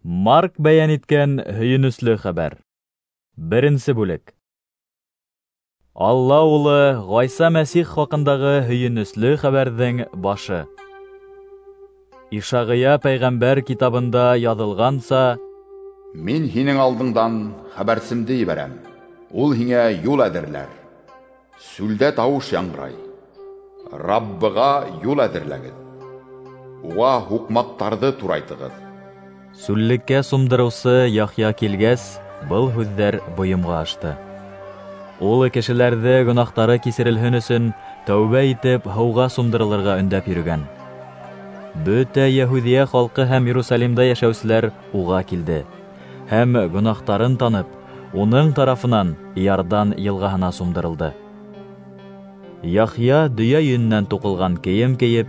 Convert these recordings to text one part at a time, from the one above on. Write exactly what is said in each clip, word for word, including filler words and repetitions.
Марк бәйән иткән һөйөнөслө хәбәр. Беренсе бүлек. Алла улы Ғайса Мәсих хаҡындағы һөйөнөслө хәбәрҙең башы. Ишағия пәйғәмбәр китабында яҙылғанса: Мин һинең алдыңдан хәбәрсемде ебәрәм, ул һиңә юл әҙерләр. Сүлдә тауыш яңғырай: Раббыға юл әҙерләгеҙ, уға һуҡмаҡтарҙы турайтығыҙ. Сүллеккә сумдырыусы Яхъя килгәс, был һүҙҙәр бойомға ашты. Ул кешеләрҙе гонаһтары кисерелһен өсөн тәүбә итеп һыуға сумдырылырға өндәп йөрөгән. Бөтә Йәһүҙиә халҡы һәм Иерусалимда йәшәүселәр уға килде һәм гонаһтарын танып, уның тарафынан Иордан йылғаһына сумдырылды. Яхъя дөйә йөнөнән туҡылған кейем кейеп,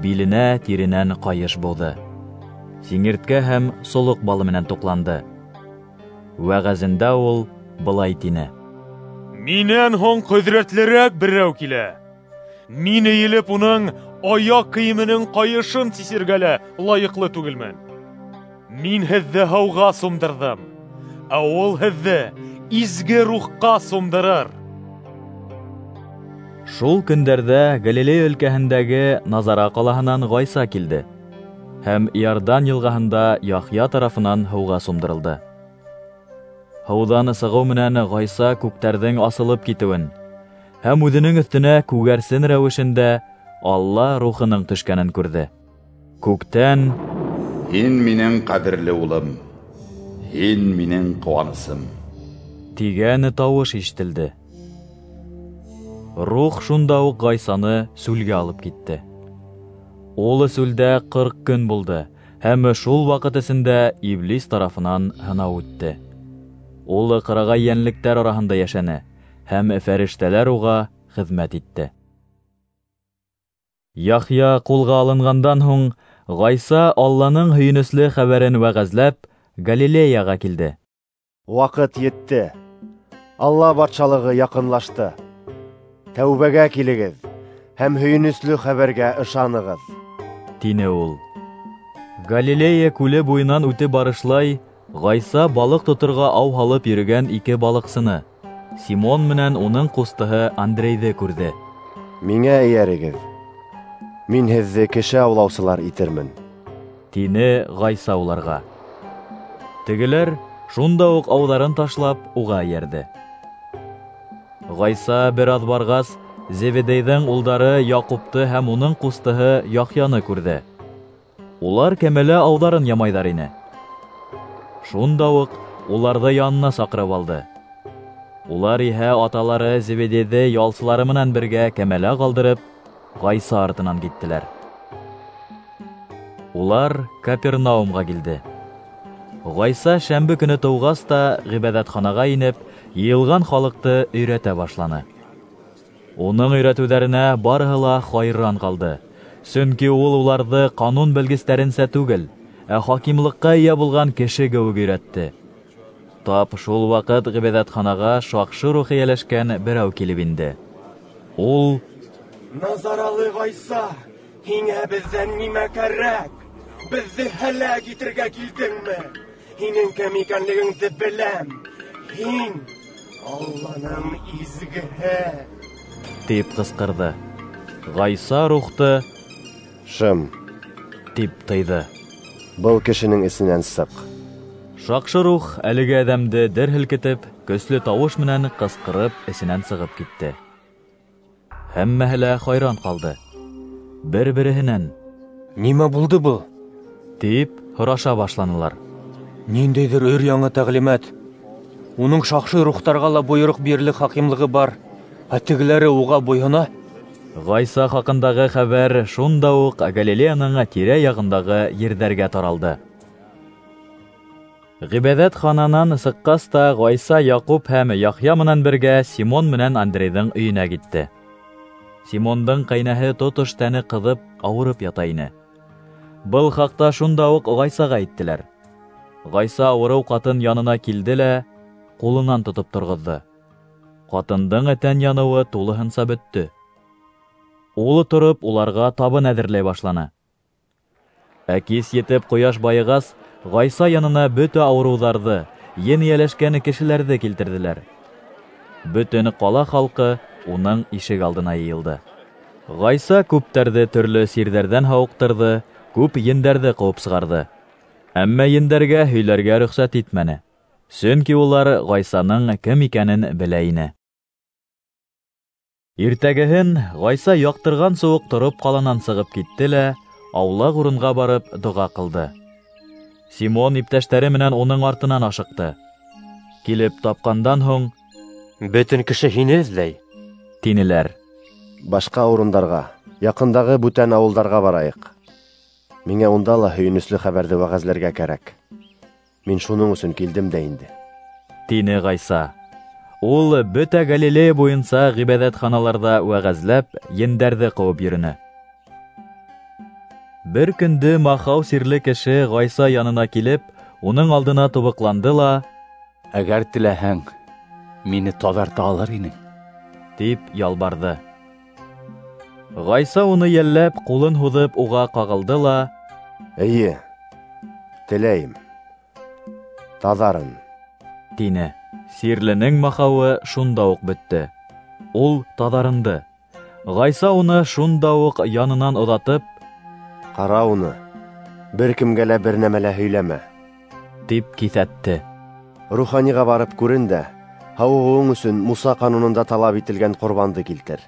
биленә тиренән ҡайыш быуҙы. Сиңерткә һәм солоҡ балы менән туҡланды. Вәғәзендә ул былай тине: Минән һуң ҡөҙрәтлерәк берәү килә. Мин эйелеп уның аяҡ кейеменең ҡайышын сисергә лә лайыҡлы түгелмен. Мин һеҙҙе һыуға сумдырҙым, ә ул һеҙҙе изге рухҡа сумдырыр. Шул көндәрҙә Галилея өлкәһендәге Назара ҡалаһынан Ғайса килде һәм Иордан йылғаһында Яхъя тарафынан һыуға сумдырылды. Һыуҙан сығыу менән Ғайса күктәрҙең асылып китеүен һәм үҙенең өҫтөнә күгәрсен рәүешендә Алла рухының төшкәнен күрҙе. Күктән: Һин минең ҡәҙерле улым, һин минең ҡыуанысым, тигән тауыш ишетелде. Рух шунда уҡ Ғайсаны сүлгә алып китте. Ул сүлдә ҡырҡ көн булды һәм шул ваҡыт эсендә Иблис тарафынан һынау үтте. Ул ҡырағай йәнлектәр араһында йәшәне һәм фәрештәләр уға хеҙмәт итте. Яхъя ҡулға алынғандан һуң Ғайса Алланың һөйөнөслө хәбәрен вәғәзләп Галилеяға килде. Ваҡыт етте, Алла батшалығы яҡынлашты. Тәүбәгә килегеҙ һәм һөйөнөслө хәбәргә ышанығыҙ, тине ул. Галилея күле буйынан үтеп барышлай, Ғайса балыҡ тоторға ау һалып йөрөгән ике балыҡсыны, Симон менән уның ҡустыһы Андрейҙы күрҙе. Миңә эйәрегеҙ, мин һеҙҙе кеше аулаусылар итермен, тине Ғайса уларға. Тегеләр шунда уҡ ауҙарын ташлап уға эйәрҙе. Ғайса бер аҙ барғас, Зеведейҙең улдары Яҡупты һәм уның ҡустыһы Яхъяны күрҙе. Улар кәмәлә ауҙарын ямайҙар ине. Шунда уҡ уларҙы янына саҡырып алды. Улар иһә аталары Зеведейҙе ялсылары менән бергә кәмәлә ҡалдырып, Ғайса артынан киттеләр. Улар Капернаумға килде. Ғайса шәмбе көнө тыуғас та ғибәҙәтханаға инеп, йыйылған халыҡты өйрәтә башланы. Уның өйрәтеүҙәренә барыһы ла хайран ҡалды, сөнки ул уларҙы ҡанун белгестәренсә түгел, ә хакимлыҡҡа эйә булған кеше кеүек өйрәтте. Тап шул ваҡыт ғибәҙәтханаға шаҡшы рух эйәләшкән берәү килеп инде. Ул: Назаралы Ғайса, һиңә беҙҙән нимә кәрәк? Беҙҙе һәләк итергә килдеңме? Һинең кем икәнлегеңде беләм. Һин Алланың изгеһе, тип ҡысҡырҙы. Ғайса рухты: Шым, тип тыйҙы. Был кешенең эсенән сыҡ. Шаҡшы рух әлеге әҙәмде дер һелкетеп, көслө тауыш менән ҡысҡырып эсенән сығып китте. Һәммәһе лә хайран ҡалды. Бер-береһенән: Нимә булды был? тип һораша башланылар. Ниндәйҙер өр-яңы тәғлимәт. Уның шаҡшы рухтарға ла бойороҡ бирерлек хакимлығы бар, ә тегеләре уға буйһона. Ғайса хаҡындағы хәбәр шунда уҡ Галилеяның тирә-яғындағы ерҙәргә таралды. Ғибәҙәтхананан сыҡҡас та Ғайса Яҡуп һәм Яхъя менән бергә Симон менән Андрейҙың өйөнә китте. Симондың ҡәйнәһе тотош тәне ҡыҙып, ауырып ята ине. Был хаҡта шунда уҡ Ғайсаға әйттеләр. Ғайса ауырыу ҡатын янына килде лә ҡулынан тотоп торғоҙҙо. Ҡатындың тән яныуы тулыһынса бөттө. Ул тороп уларға табын әҙерләй башланы. Ә кис етеп ҡояш байығас, Ғайса янына бөтә ауырыуҙарҙы, ен эйәләшкән кешеләрҙе килтерҙеләр. Бөтөн ҡала халҡы уның ишек алдына йыйылды. Ғайса күптәрҙе төрлө сирҙәрҙән һауыҡтырҙы, күп ендәрҙе ҡыуып сығарҙы. Әммә ендәргә һөйләргә рөхсәт итмәне, сөнки улар Ғайсаның кем икәнен белә ине. Иртәгеһен Ғайса яҡтырғансы уҡ тороп ҡаланан сығып китте лә, аулаҡ урынға барып доға ҡылды. Симон иптәштәре менән уның артынан ашыҡты. Килеп тапҡандан һуң, «Бөтөн кеше һине эҙләй», тинеләр. Башҡа урындарға, яҡындағы бүтән ауылдарға барайыҡ. Миңә унда ла һөйөнөслө хәбәрҙе вәғәзләргә кәрәк. Мин шуның өсөн килдем дә инде, тине Ғайса. Ул бөтә Галилея буйынса ғибәҙәтханаларҙа вәғәзләп, ендәрҙе ҡыуып йөрөнө. Бер көндө махау сирле кеше Ғайса янына килеп, уның алдына тубыҡланды ла, «Әгәр теләһәң, мине таҙарта алыр инең», тип ялбарҙы. Ғайса уны йәлләп, ҡулын һуҙып уға ҡағылды ла, «Эйе, теләйем, таҙарын», тине. Сирленең махауы шунда уҡ бөттө. Ул таҙарынды. Ғайса уны шунда уҡ янынан оҙатып, «Ҡара уны, бер кемгә лә бер нәмә лә һөйләмә», тип киҫәтте. «Руханиға барып күрен дә, һауығыуың өсөн Муса ҡанунында талап ителгән ҡорбанды килтер.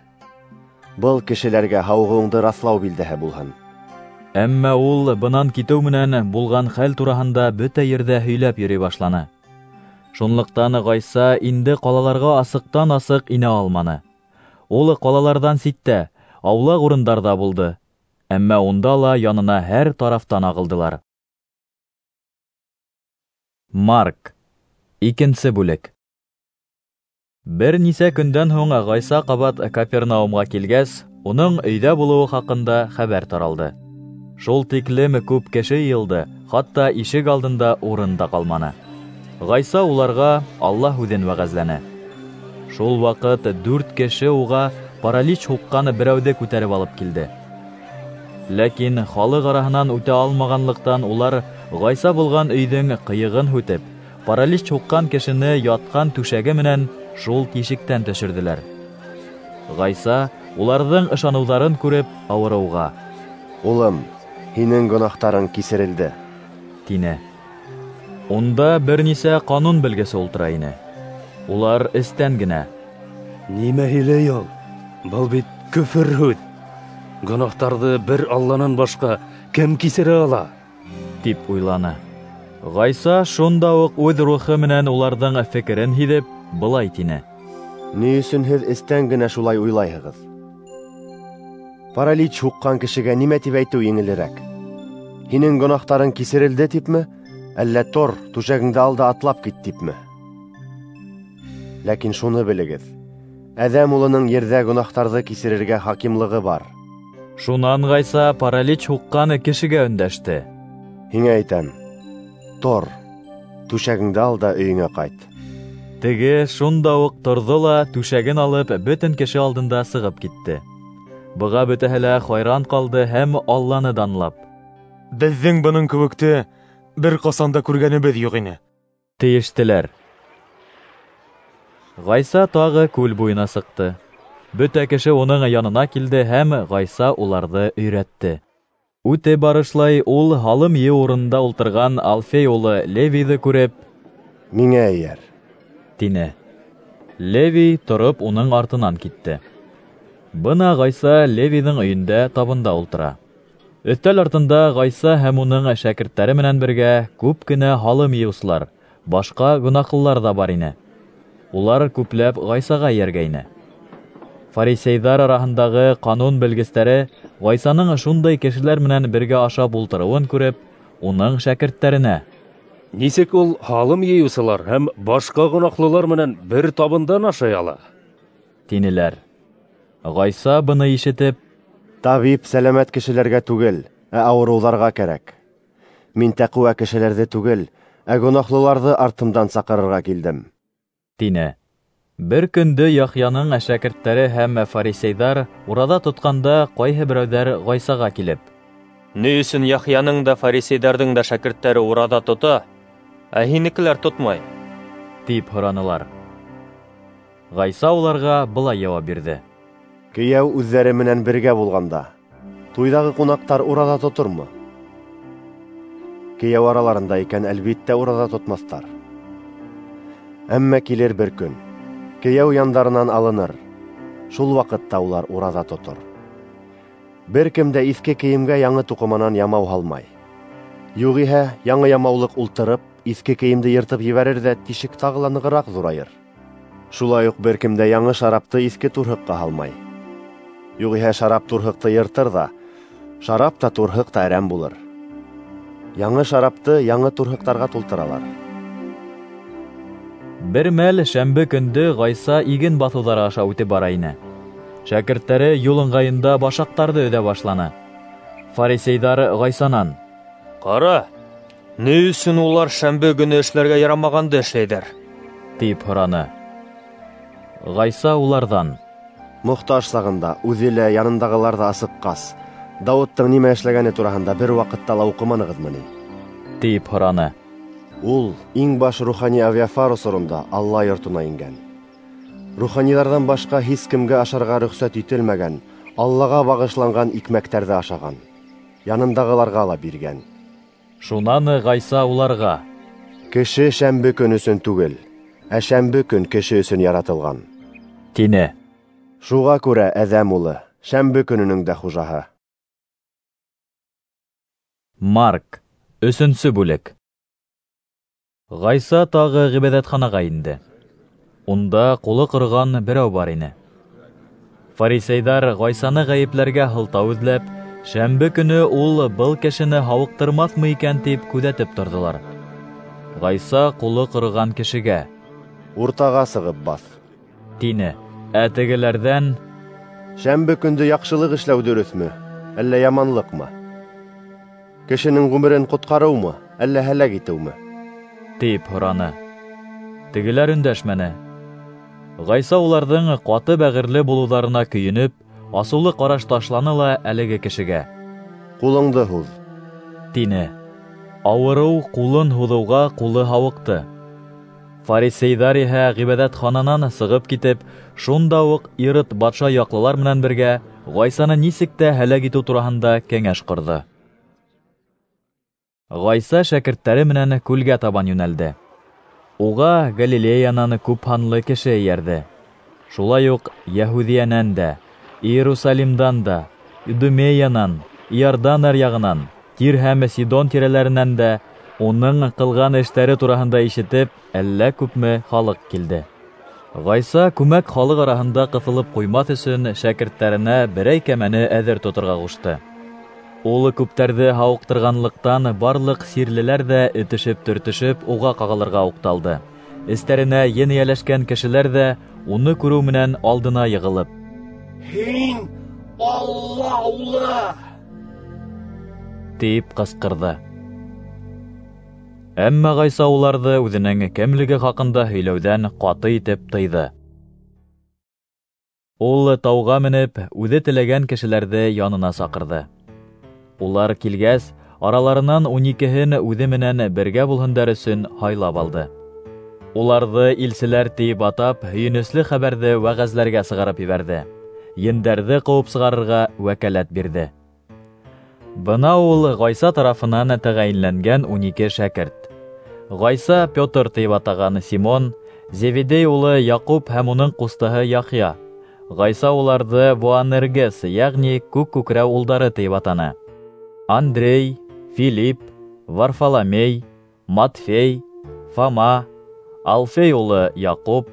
Был кешеләргә һауығыуыңды раҫлау билдәһе булһын». Әммә ул бынан китеү менән булған хәл тураһында бөтә ерҙә һөйләп йөрөй башланы. Шунлыҡтан Ғайса инде ҡалаларға асыҡтан-асыҡ инә алманы. Ул ҡалаларҙан ситтә, аулаҡ урындарҙа булды. Әммә унда ла янына һәр тарафтан ағылдылар. Марк, икенсе бүлек. Бер нисә көндән һуң Ғайса ҡабат Капернаумға килгәс, уның өйҙә булыуы хаҡында хәбәр таралды. Шул тиклем күп кеше йыйылды, хатта ишек алдында урын да ҡалманы. Ғайса уларға Алла һүҙен вәғәзләне. Шул ваҡыт дүрт кеше уға паралич һуҡҡан берәүҙе күтәреп алып килде. Ләкин халыҡ араһынан үтә алмағанлыҡтан улар Ғайса булған өйҙөң ҡыйығын һүтеп, паралич һуҡҡан кешене ятҡан түшәге менән шул тишектән төшөрҙөләр. Ғайса уларҙың ышаныуҙарын күреп, ауырыуға: «Улым, һинең гонаһтарың кисерелде», тине. Унда бер нисә ҡанун белгесе ултыра ине. Улар эстән генә: «Нимә һөйләй ул? Был бит көфөр һүҙ. Гонаһтарҙы бер Алланан башҡа кем кисерә ала?» тип уйланы. Ғайса шунда уҡ үҙ рухы менән уларҙың фекерен һиҙеп, былай тине: «Ни өсөн һеҙ эстән генә шулай уйлайһығыҙ? Паралич һуҡҡан кешегә нимә тип әйтеү еңелерәк? Һинең гонаһтарың кисерелде типме, әллә тор, түшәгеңде ал да атлап кит типме? Ләкин шуны белегеҙ: Әҙәм улының ерҙә гонаһтарҙы кисерергә хакимлығы бар». Шунан Ғайса паралич һуҡҡан кешегә өндәште: «Һиңә әйтәм, тор, түшәгеңде ал да өйөңә ҡайт». Теге шунда уҡ торҙо ла түшәген алып бөтөн кеше алдында сығып китте. Быға бөтәһе лә хайран ҡалды һәм Алланы данлап: «Беҙҙең бының кеүекте бер ҡасан да күргәнебеҙ юҡ ине», тейештеләр. Ғайса тағы күл буйына сыҡты. Бөтә кеше уның янына килде һәм Ғайса уларҙы өйрәтте. Үтә барышлай ул һалым йыйыу урынында ултырған Алфей улы Левийҙы күреп, «Миңә эйәр», тине. Левий тороп уның артынан китте. Бына Ғайса Левийҙың өйөндә табында ултыра. Өҫтәл артында Ғайса һәм уның шәкерттәре менән бергә күп кенә һалым йыйыусылар, башҡа гонаһлылар ҙа бар ине. Улар күпләп Ғайсаға эйәргәйне. Фарисейҙар араһындағы ҡанун белгестәре Ғайсаның шундай кешеләр менән бергә ашап ултырыуын күреп, уның шәкерттәренә: «Нисек ул һалым йыйыусылар һәм башҡа гонаһлылар менән бер табындан ашай ала?» тинеләр. Ғайса быны ишетеп: «Табип сәләмәт кешеләргә түгел, ә ауырыуҙарға кәрәк. Мин тәҡүә кешеләрҙе түгел, ә гонаһлыларҙы артымдан саҡырырға килдем», тине. Бер көндө Яхъяның шәкерттәре һәм фарисейҙар ураҙа тотҡанда ҡайһы берәүҙәр Ғайсаға килеп: Ни өсөн Яхъяның да, фарисейҙарҙың да шәкерттәре ураҙа тота, ә һинекеләр тотмай? Тип һоранылар. Ғайса уларға былай яуап бирҙе: Кейәү үҙҙәре менән бергә булғанда, туйҙағы ҡунаҡтар ураҙа тотормо? Кейәү араларында икән, әлбиттә, ураҙа тотмаҫтар. Әммә килер бер көн, кейәү яндарынан алыныр, шул ваҡытта улар ураҙа тотор. Бер кем дә иҫке кейемгә яңы туҡыманан ямау һалмай. Юғиһә, яңы ямаулыҡ ултырып, иҫке кейемде йыртып ебәрер ҙә тишек тағы ла нығыраҡ ҙурайыр. Шулай уҡ бер кем дә яңы шарапты иҫке турһыҡҡа һалмай. Юғиһә, шарап турһыҡты йыртыр ҙа, шарап та турһыҡ та әрәм булыр. Яңы шарапты яңы турһыҡтарға тултыралар. Бер мәл шәмбе көндө Ғайса иген баҫыуҙары аша үтеп бара ине. Шәкерттәре юл ыңғайында башаҡтарҙы өҙә башланы. Фарисейҙар Ғайсанан: Ҡара, ни өсөн улар шәмбе көнө эшләргә ярамағанды эшләйҙәр? Тип һораны. Ғайса уларҙан: Мохтаж сағында үҙе лә, янындағылар ҙа асыҡҡас, Дауыттың нимә эшләгәне тураһында бер ваҡытта ла уҡыманығыҙмы ни? Тип һораны. Ул иң баш рухани Авиафар осоронда Алла йортона ингән. Руханиҙарҙан башҡа һис кемгә ашарға рөхсәт ителмәгән, Аллаға бағышланған икмәктәрҙе ашаған, янындағыларға ла биргән. Шунан Ғайса уларға: Кеше шәмбе көн өсөн түгел, ә шәмбе көн кеше өсөн яратылған, тине. Шуға күрә Әҙәм улы шәмбе көнөнөң дә хужаһы. Марк, өсөнсө бүлек. Ғайса тағы ғибәҙәтханаға инде. Унда ҡулы ҡороған берәү бар ине. Фарисейҙар Ғайсаны ғәйепләргә һылтау эҙләп, шәмбе көнө ул был кешене һауыҡтырмаҫмы икән тип күҙәтеп торҙолар. Ғайса ҡулы ҡороған кешегә: Уртаға сығып баҫ, тине. Ә тегеләрҙән: Шәмбе көндө яҡшылыҡ эшләү дөрөҫмө, әллә яманлыҡмы? Кешенең ғүмерен ҡотҡарыумы, әллә һәләк итеүме? Тип һораны. Тегеләр өндәшмәне. Ғайса уларҙың ҡаты бәғерле булыуҙарына көйөнөп, асыулы ҡараш ташланы ла әлеге кешегә: Ҡулыңды һуҙ, тине. Ауырыу ҡулын һуҙыуға ҡулы һауыҡты. Фарисейҙар иһә ғибәҙәтхананан сығып китеп, шунда уҡ Ирод батша яҡлылар менән бергә Ғайсаны нисек тә һәләк итеү тураһында кәңәш ҡорҙо. Ғайса шәкерттәре менән күлгә табан йүнәлде. Уға Галилеянан күп һанлы кеше эйәрҙе. Шулай уҡ Йәһүҙиәнән дә, Иерусалимдан да, Идумеянан, Иордан аръяғынан, Тир һәм Сидон тирәләренән дә уның ҡылған эштәре тураһында ишетеп, әллә күпме халыҡ килде. Ғайса күмәк халыҡ араһында ҡыҫылып ҡуймаҫ өсөн шәкерттәренә берәй кәмәне әҙер тоторға ҡушты. Ул күптәрҙе һауыҡтырғанлыҡтан барлыҡ сирлеләр ҙә этешеп-төртөшөп уға ҡағылырға уҡталды. Эстәренә ен эйәләшкән кешеләр ҙә уны күреү менән алдына йығылып: Һин Алла улы! Тип ҡысҡырҙы. Әммә Ғайса уларҙы үҙенең кемлеге хаҡында һөйләүҙән ҡаты итеп тыйҙы. Ул тауға менеп, үҙе теләгән кешеләрҙе янына саҡырҙы. Улар килгәс, араларынан ун икеһен үҙе менән бергә булһындар өсөн һайлап алды. Уларҙы илселәр тиеп атап, һөйөнөслө хәбәрҙе вәғәзләргә сығарып ебәрҙе. Ендәрҙе ҡыуып сығарырға вәкәләт бирҙе. Бына ул Ғайса тарафынан тәғәйенләнгән ун ике шәкерт. Ғайса Петр тиеп атаған Симон, Зеведей улы Яҡуп һәм уның ҡустыһы Яхъя. Ғайса уларҙы Боанергес, йәғни күк күкрәү улдары тиеп атаны. Андрей, Филипп, Варфоломей, Матфей, Фома, Алфей улы Яҡуп,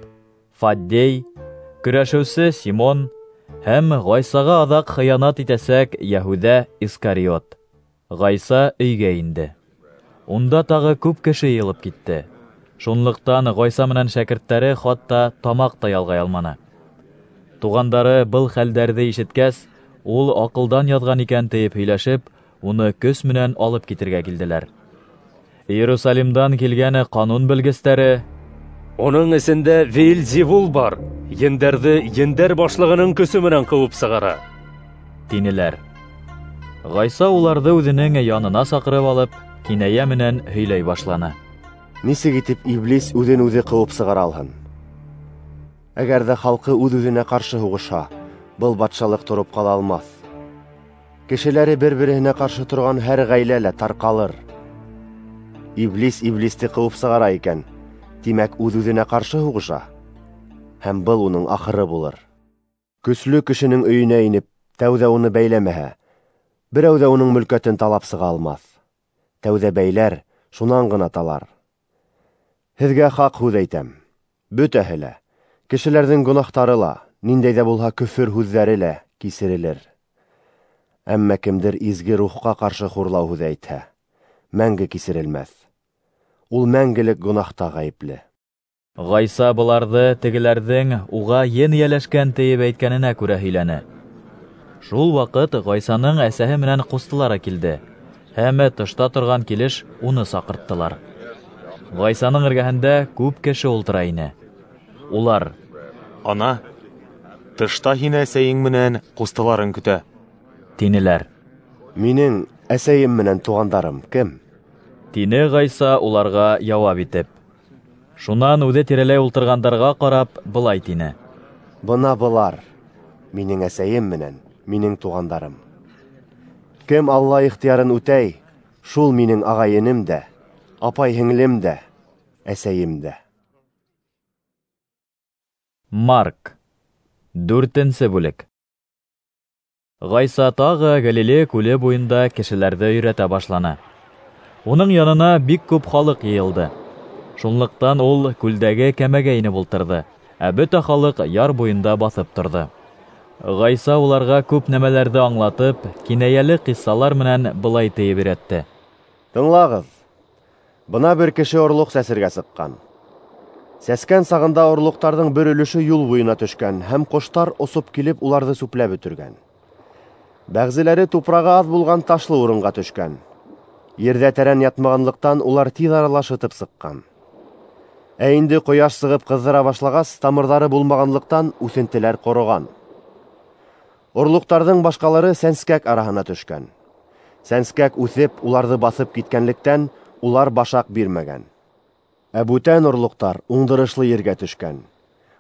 Фаддей, көрәшеүсе Симон һәм Ғайсаға аҙаҡ хыянат итәсәк Йәһүҙә Искариот. Ғайса өйгә инде. Унда тағы күп кеше йыйылып китте. Шунлыҡтан Ғайса менән шәкерттәре хатта тамаҡ та ялғай алманы. Туғандары был хәлдәрҙе ишеткәс, ул аҡылдан яҙған икән тиеп һөйләшеп, уны көс менән алып китергә килделәр. Иерусалимдан килгән ҡанун белгестәре: Уның эсендә Веельзевул бар, ендәрҙе ендәр башлығының көсө менән ҡыуып сығара, тинеләр. Ғайса уларҙы үҙенең янына саҡырып алып, кинәйә менән һөйләй башланы. Нисек итеп иблис үҙен үҙе ҡыуып сығара алһын? Әгәр ҙә халҡы үҙ-үҙенә ҡаршы һуғышһа, был батшалыҡ тороп ҡала алмаҫ. Кешеләре бер-береһенә ҡаршы торған һәр ғаилә лә тарҡалыр. Иблис иблисте ҡыуып сығара икән, тимәк, үҙ-үҙенә ҡаршы һуғыша, һәм был уның ахыры булыр. Көслө кешенең өйөнә инеп, тәүҙә уны бәйләмәһә, берәү ҙә уның мөлкәтен талап сыға алмаҫ. Тәүҙә бәйләр, шунан ғына талар. Һеҙгә хаҡ һүҙ әйтәм: бөтәһе лә, кешеләрҙең гонаһтары ла, ниндәй ҙә булһа көфөр һүҙҙәре лә кисерелер. Әммә кемдер изге рухҡа ҡаршы хурлау һүҙе әйтһә, мәңге кисерелмәҫ. Ул мәңгелек гонаһта ғәйепле. Ғайса быларҙы тегеләрҙең уға ен эйәләшкән тиеп әйткәненә күрә һөйләне. Шул ваҡыт Ғайсаның әсәһе менән ҡустылары килде, һәм тышта торған килеш уны саҡырттылар. Ғайсаның эргәһендә күп кеше ултыра ине. Улар: "Ана, тышта һине әсәйең менән ҡустыларың көтә", тинеләр. "Минең әсәйем менән туғандарым кем?" тине Ғайса уларға яуап итеп. Шунан үҙе тирәләй ултырғандарға ҡарап былай тине: "Бына былар минең әсәйем менән минең туғандарым. Кем Алла ихтыярын үтәй, шул минең ағай-энем дә, апай-һеңлем дә, әсәйем дә." Марк, дүртенсе бүлек. Ғайса тағы Галилея күле буйында кешеләрҙе өйрәтә башланы. Уның янына бик күп халыҡ йыйылды. Шунлыҡтан ул күлдәге кәмәгә инеп ултырҙы, ә бөтә халыҡ яр буйында баҫып торҙо. Ғайса уларға күп нәмәләрҙе аңлатып, кинәйәле ҡиссалар менән былай тиеп өйрәтте: "Тыңлағыҙ, бына бер кеше орлоҡ сәсергә сыҡҡан. Сәскән сағында орлоҡтарҙың бер өлөшө юл буйына төшкән, һәм ҡоштар осоп килеп уларҙы сүпләп бөтөргән. Бәғзеләре тупрағы аҙ булған ташлы урынға төшкән. Ерҙә тәрән ятмағанлыҡтан улар тиҙ арала шытып сыҡҡан. Ә инде ҡояш сығып ҡыҙҙыра башлағас, тамырҙары булмағанлыҡтан үҫентеләр ҡороған. Орлоҡтарҙың башҡалары сәнскәк араһына төшкән. Сәнскәк үҫеп, уларҙы баҫып киткәнлектән, улар башаҡ бирмәгән. Ә бүтән орлоҡтар уңдырышлы ергә төшкән,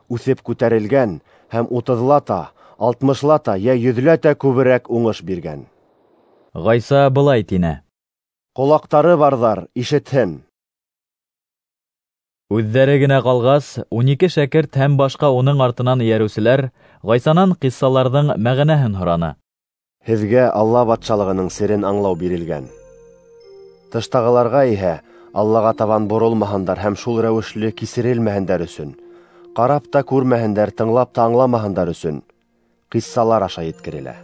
үҫеп күтәрелгән һәм утыҙлата, алтмышлата йә йөҙләтә күберәк уңыш биргән." Ғайса былай тине: "Ҡолаҡтары барҙар ишетһен." Үҙҙәре генә ҡалғас, ун ике шәкерт һәм башҡа уның артынан эйәреүселәр Ғайсанан ҡиссаларҙың мәғәнәһен һораны. "Һеҙгә Алла батшалығының серен аңлау бирелгән. Тыштағыларға иһә Аллаға табан боролмаһындар һәм шул рәүешле кисерелмәһендәр өсөн, ҡарап та күрмәһендәр, тыңлап та аңламаһындар өсөн ҡиссалар аша еткерелә.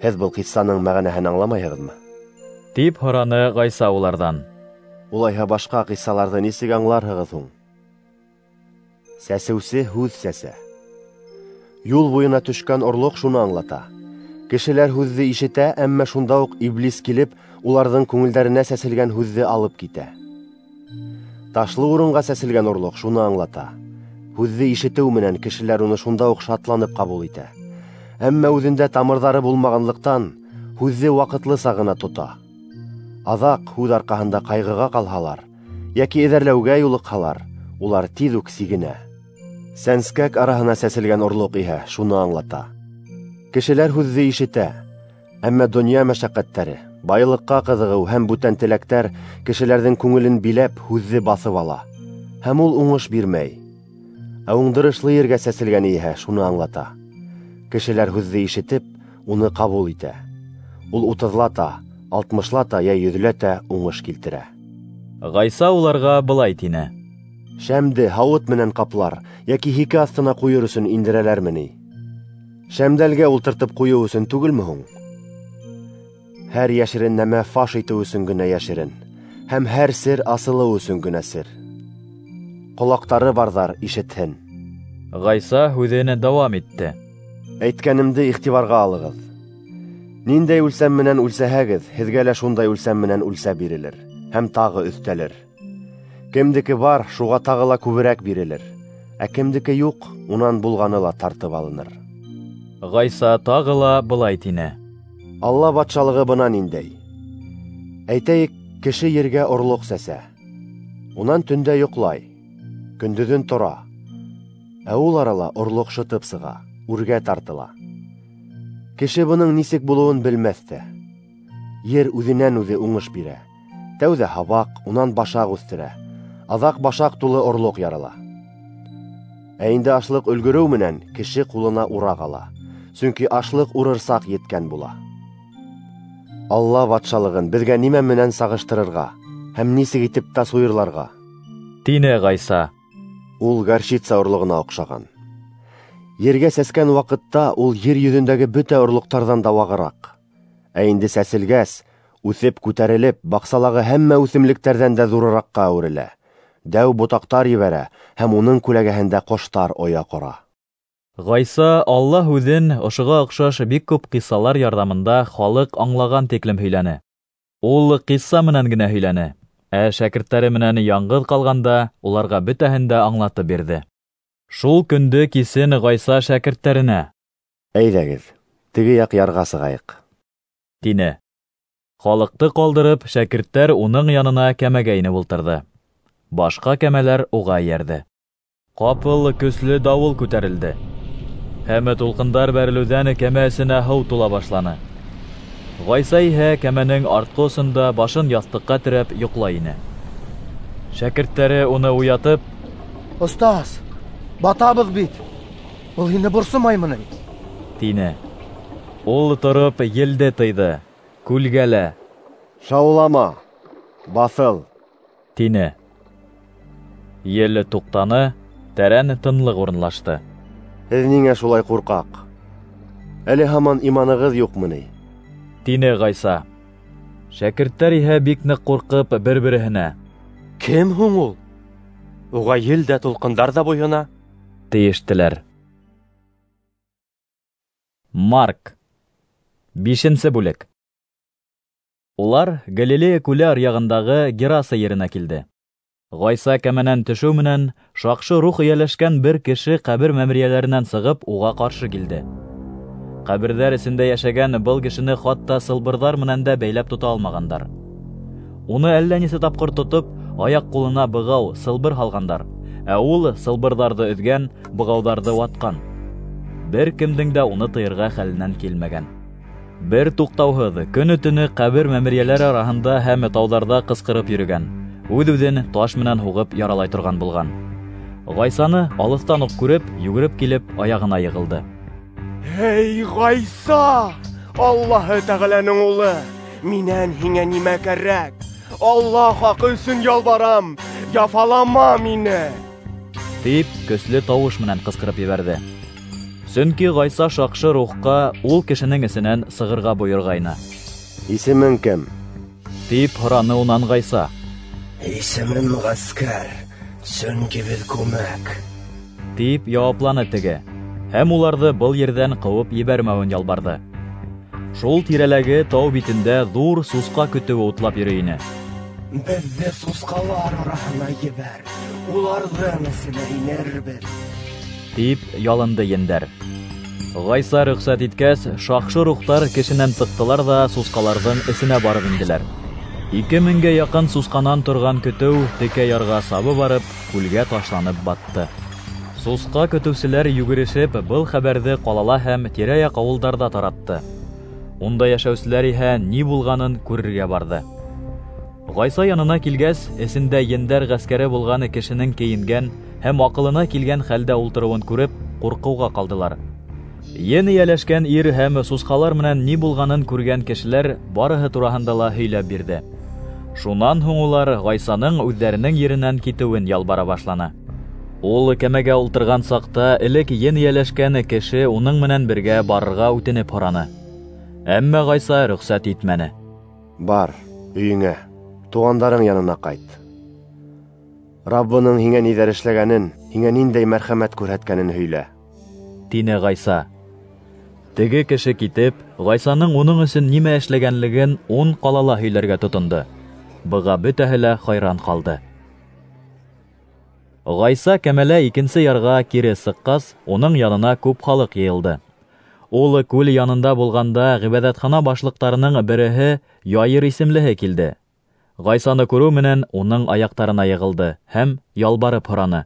Һеҙ был ҡиссаның мәғәнәһен аңламайһығыҙмы?" тип һораны Ғайса уларҙан. "Улайһа башҡа ҡиссаларҙы нисек аңларһығыҙ һуң? Сәсеүсе һүҙ сәсә. Юл буйына төшкән орлоҡ шуны аңлата: кешеләр һүҙҙе ишетә, әммә шунда уҡ иблис килеп, уларҙың күңелдәренә сәселгән һүҙҙе алып китә. Ташлы урынға сәселгән орлоҡ шуны аңлата: һүҙҙе ишетеү менән кешеләр уны шунда уҡ шатланып ҡабул итә. Әммә үҙендә тамырҙары булмағанлыҡтан һүҙҙе ваҡытлыса ғына тота. Аҙаҡ һүҙ арҡаһында ҡайғыға ҡалһалар йәки эҙәрләүгә юлыҡһалар, улар тиҙ үк сигенә. Сәнскәк араһына сәселгән орлоҡ иһә шуны аңлата: кешеләр һүҙҙе ишетә, әммә донъя мәшәҡәттәре, байлыҡҡа ҡыҙығыу һәм бүтән теләктәр кешеләрҙең күңелен биләп һүҙҙе баҫып ала, һәм ул уңыш бирмәй. Ә уңдырышлы ергә сәселгән иһә шуны аңлата: кешеләр һүҙҙе ишетеп, уны ҡабул итә. Ул утыҙлата, алтмышлата йә йөҙләтә уңыш килтерә." Ғайса уларға былай тине: "Шәмде һауыт менән ҡаплар йәки һике аҫтына ҡуйыр өсөн индерәләрме ни? Шәмдәлгә ултыртып ҡуйыу өсөн түгелме һуң? Һәр йәшерен нәмә фаш итеү өсөн генә йәшерен, һәм һәр сер асылыу өсөн генә сер. Ҡолаҡтары барҙар ишетһен." Ғайса һүҙен дауам итте: "Әйткәнемде иғтибарға алығыҙ. Ниндәй үлсәм менән үлсәһәгеҙ, һеҙгә лә шундай үлсәм менән үлсә бирелер һәм тағы өҫтәлер. Кемдеке бар, шуға тағы ла күберәк бирелер, ә кемдеке юҡ, унан булғаны ла тартып алыныр." Ғайса тағы ла былай тине: Алла батшалығы бына ниндәй. Әйтәйек, кеше ергә орлоҡ сәсә. Унан төндә йоҡлай, көндөҙөн тора. Ә ул арала орлоҡ шытып сыға, үргә тартыла. Кеше бының нисек булыуын белмәҫ тә. Ер үҙенән үҙе уңыш бирә. Тәүҙә һабаҡ, унан башаҡ үҫтерә. Аҙаҡ башаҡ тулы орлоҡ ярала. Ә инде ашлыҡ өлгөрөү менән кеше ҡулына ураҡ ала. Сөнки ашлыҡ урыр саҡ еткән була. Алла батшалығын беҙгә нимә менән сағыштырырға һәм нисек итеп тасуирларға? Тине Ғайса. Ул горчица орлоғона оҡшаған. Ергә сәскән ваҡытта ул ер йөҙөндәге бөтә орлоҡтарҙан да вағыраҡ. Ә инде сәселгәс, үҫеп күтәрелеп, баҡсалағы һәммә үҫемлектәрҙән дә ҙурыраҡҡа әүерелә. Дәү ботаҡтар ебәрә һәм уның күләгәһендә ҡоштар оя ҡора. Ғайса Алла һүҙен ошоға оҡшаш бик күп ҡиссалар ярҙамында халыҡ аңлаған тиклем һөйләне. Ул ҡисса менән генә һөйләне, ә шәкерттәре менән яңғыҙ ҡалғанда уларға бөтәһен дә аңлатып бирҙе. Шул көндө кисен Ғайса шәкерттәренә: "Әйҙәгеҙ, теге яҡ ярға сығайыҡ", тине. Халыҡты ҡалдырып, шәкерттәр уның янына кәмәгә инеп ултырҙы. Башҡа кәмәләр уға эйәрҙе. Ҡапыл көслө дауыл күтәрелде. Һәм тулҡындар бәрелеүҙән кәмә эсенә һыу тула башланы. Ғайса иһә кәмәнең артҡы осонда башын яҫтыҡҡа терәп йоҡлай ине. Шәкерттәре уны уятып: "Остаз, батабыҙ бит, был һине борсомаймы ни?" тине. Ул тороп елде тыйҙы, күлгә лә: "Шаулама, баҫыл", тине. Ел туҡтаны, тәрән тынлыҡ урынлашты. Һеҙ ниңә шулай ҡурҡаҡ? Әле һаман иманығыҙ юҡмы ни? Тине Ғайса. Шәкерттәр иһә бик ныҡ ҡурҡып бер-береһенә: "Кем һуң ул? Уға ел дә, тулҡындар ҙа буйһона", тейештеләр. Марк. Бишенсе бүлек. Улар Галилея күле аръяғындағы Гераса еренә килде. Ғайса кәмәнән төшөү менән шаҡшы рух эйәләшкән бер кеше ҡәбер мәмерйәләренән сығып уға ҡаршы килде. Ҡәберҙәр эсендә йәшәгән был кешене хатта сылбырҙар менән дә бәйләп тота алмағандар. Уны әллә нисә тапҡыр тотоп, аяҡ ҡулына бығау, сылбыр һалғандар, ә ул сылбырҙарҙы өҙгән, бығауҙарҙы ватҡан. Бер кемдең дә уны тыйырға хәленән килмәгән. Бер туҡтауһыҙ көнө-төнө ҡәбер мәмерйәләре араһында һәм тауҙарҙа ҡысҡырып йөрөгән, үҙ-үҙен таш менән һуғып яралай торған булған. Ғайсаны алыҫтан уҡ күреп, йүгереп килеп, аяғына йығылды. Эй, Ғайса, Аллаһы Тәғәләнең улы, минән һиңә нимә кәрәк? Алла хаҡы өсөн ялбарам, яфалама мине, тип көслө тауыш менән ҡысҡырып ебәрҙе. Сөнки Ғайса шаҡшы рухҡа ул кешенең эсенән сығырға бойорғайны. Исемең кем? Тип һораны унан Ғайса. Исемем Ғәскәр, сөнки беҙ күмәк, тип яуапланы теге, һәм уларҙы был ерҙән ҡыуып ебәрмәүен ялбарҙы. Шул тирәләге тау битендә ҙур сусҡа көтөүе утлап йөрөй ине. Беҙҙе сусҡалар араһына ебәр, уларҙың эсенә инербеҙ, тип ялынды ендәр. Ғайса рөхсәт иткәс, шаҡшы рухтар кешенән сыҡтылар ҙа сусҡаларҙың эсенә барып инделәр. Ике меңгә яҡын сусҡанан торған көтөү текә ярға сабып барып, күлгә ташланып батты. Сусҡа көтөүселәр йүгерешеп был хәбәрҙе ҡалала һәм тирә-яҡ ауылдарҙа таратты. Унда йәшәүселәр иһә ни булғанын күрергә барҙы. Ғайса янына килгәс, эсендә ендәр ғәскәре булған кешенең кейенгән һәм аҡылына килгән хәлдә ултырыуын күреп, ҡурҡыуға ҡалдылар. Ен эйәләшкән ир һәм сусҡалар менән ни булғанын күргән кешеләр барыһы тураһында ла һөйләп бирҙе. Шунан һуң улар Ғайсаның үҙҙәренең еренән китеүен ялбара башланы. Ул кәмәгә ултырған саҡта элек ен эйәләшкән кеше уның менән бергә барырға үтенеп һораны. Әммә Ғайса рөхсәт итмәне. Бар, өйөңә, туғандарың янына ҡайт. Раббының һиңә ниҙәр эшләгәнен, һиңә ниндәй мәрхәмәт күрһәткәнен һөйлә, тине Ғайса. Теге кеше китеп, Ғайсаның уның өсөн нимә эшләгәнлеген ун ҡалала һөйләргә тотондо. Быға бөтәһе лә хайран ҡалды. Ғайса кәмәлә икенсе ярға кире сыҡҡас, уның янына күп халыҡ йыйылды. Ул күл янында булғанда ғибәҙәтхана башлыҡтарының береһе Яир исемлеһе килде. Ғайсаны күреү менән уның аяҡтарына йығылды һәм ялбарып һораны: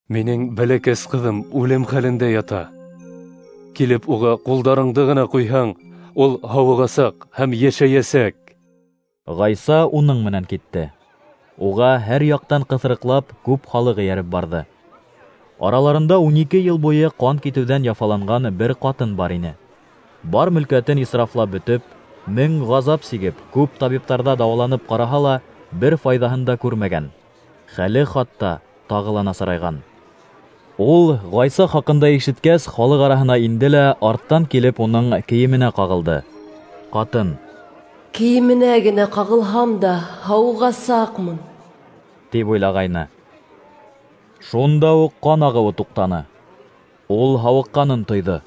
Минең бәләкәс ҡыҙым үлем хәлендә ята. Килеп уға ҡулдарыңды ғына ҡуйһаң, ул һауығасаҡ һәм йәшәйәсәк. Ғайса уның менән китте. Уға һәр яҡтан ҡыҫырыҡлап күп халыҡ эйәреп барҙы. Араларында ун ике йыл буйы ҡан китеүҙән яфаланған бер ҡатын бар ине. Бар мөлкәтен исрафлап бөтөп, мең ғазап сигеп, күп табиптарҙа дауаланып ҡараһа ла, бер файҙаһын да күрмәгән. Хәле хатта тағы ла насарайған. Ул Ғайса хаҡында ишеткәс, халыҡ араһына инде лә арттан килеп уның кейеменә ҡағылды. Ҡатын: Кейеменә генә ҡағылһам да һауығасаҡмын, тип уйлағайны. Шунда уҡ ҡан ағыуы туҡтаны. Ул һауыҡҡанын тойҙо.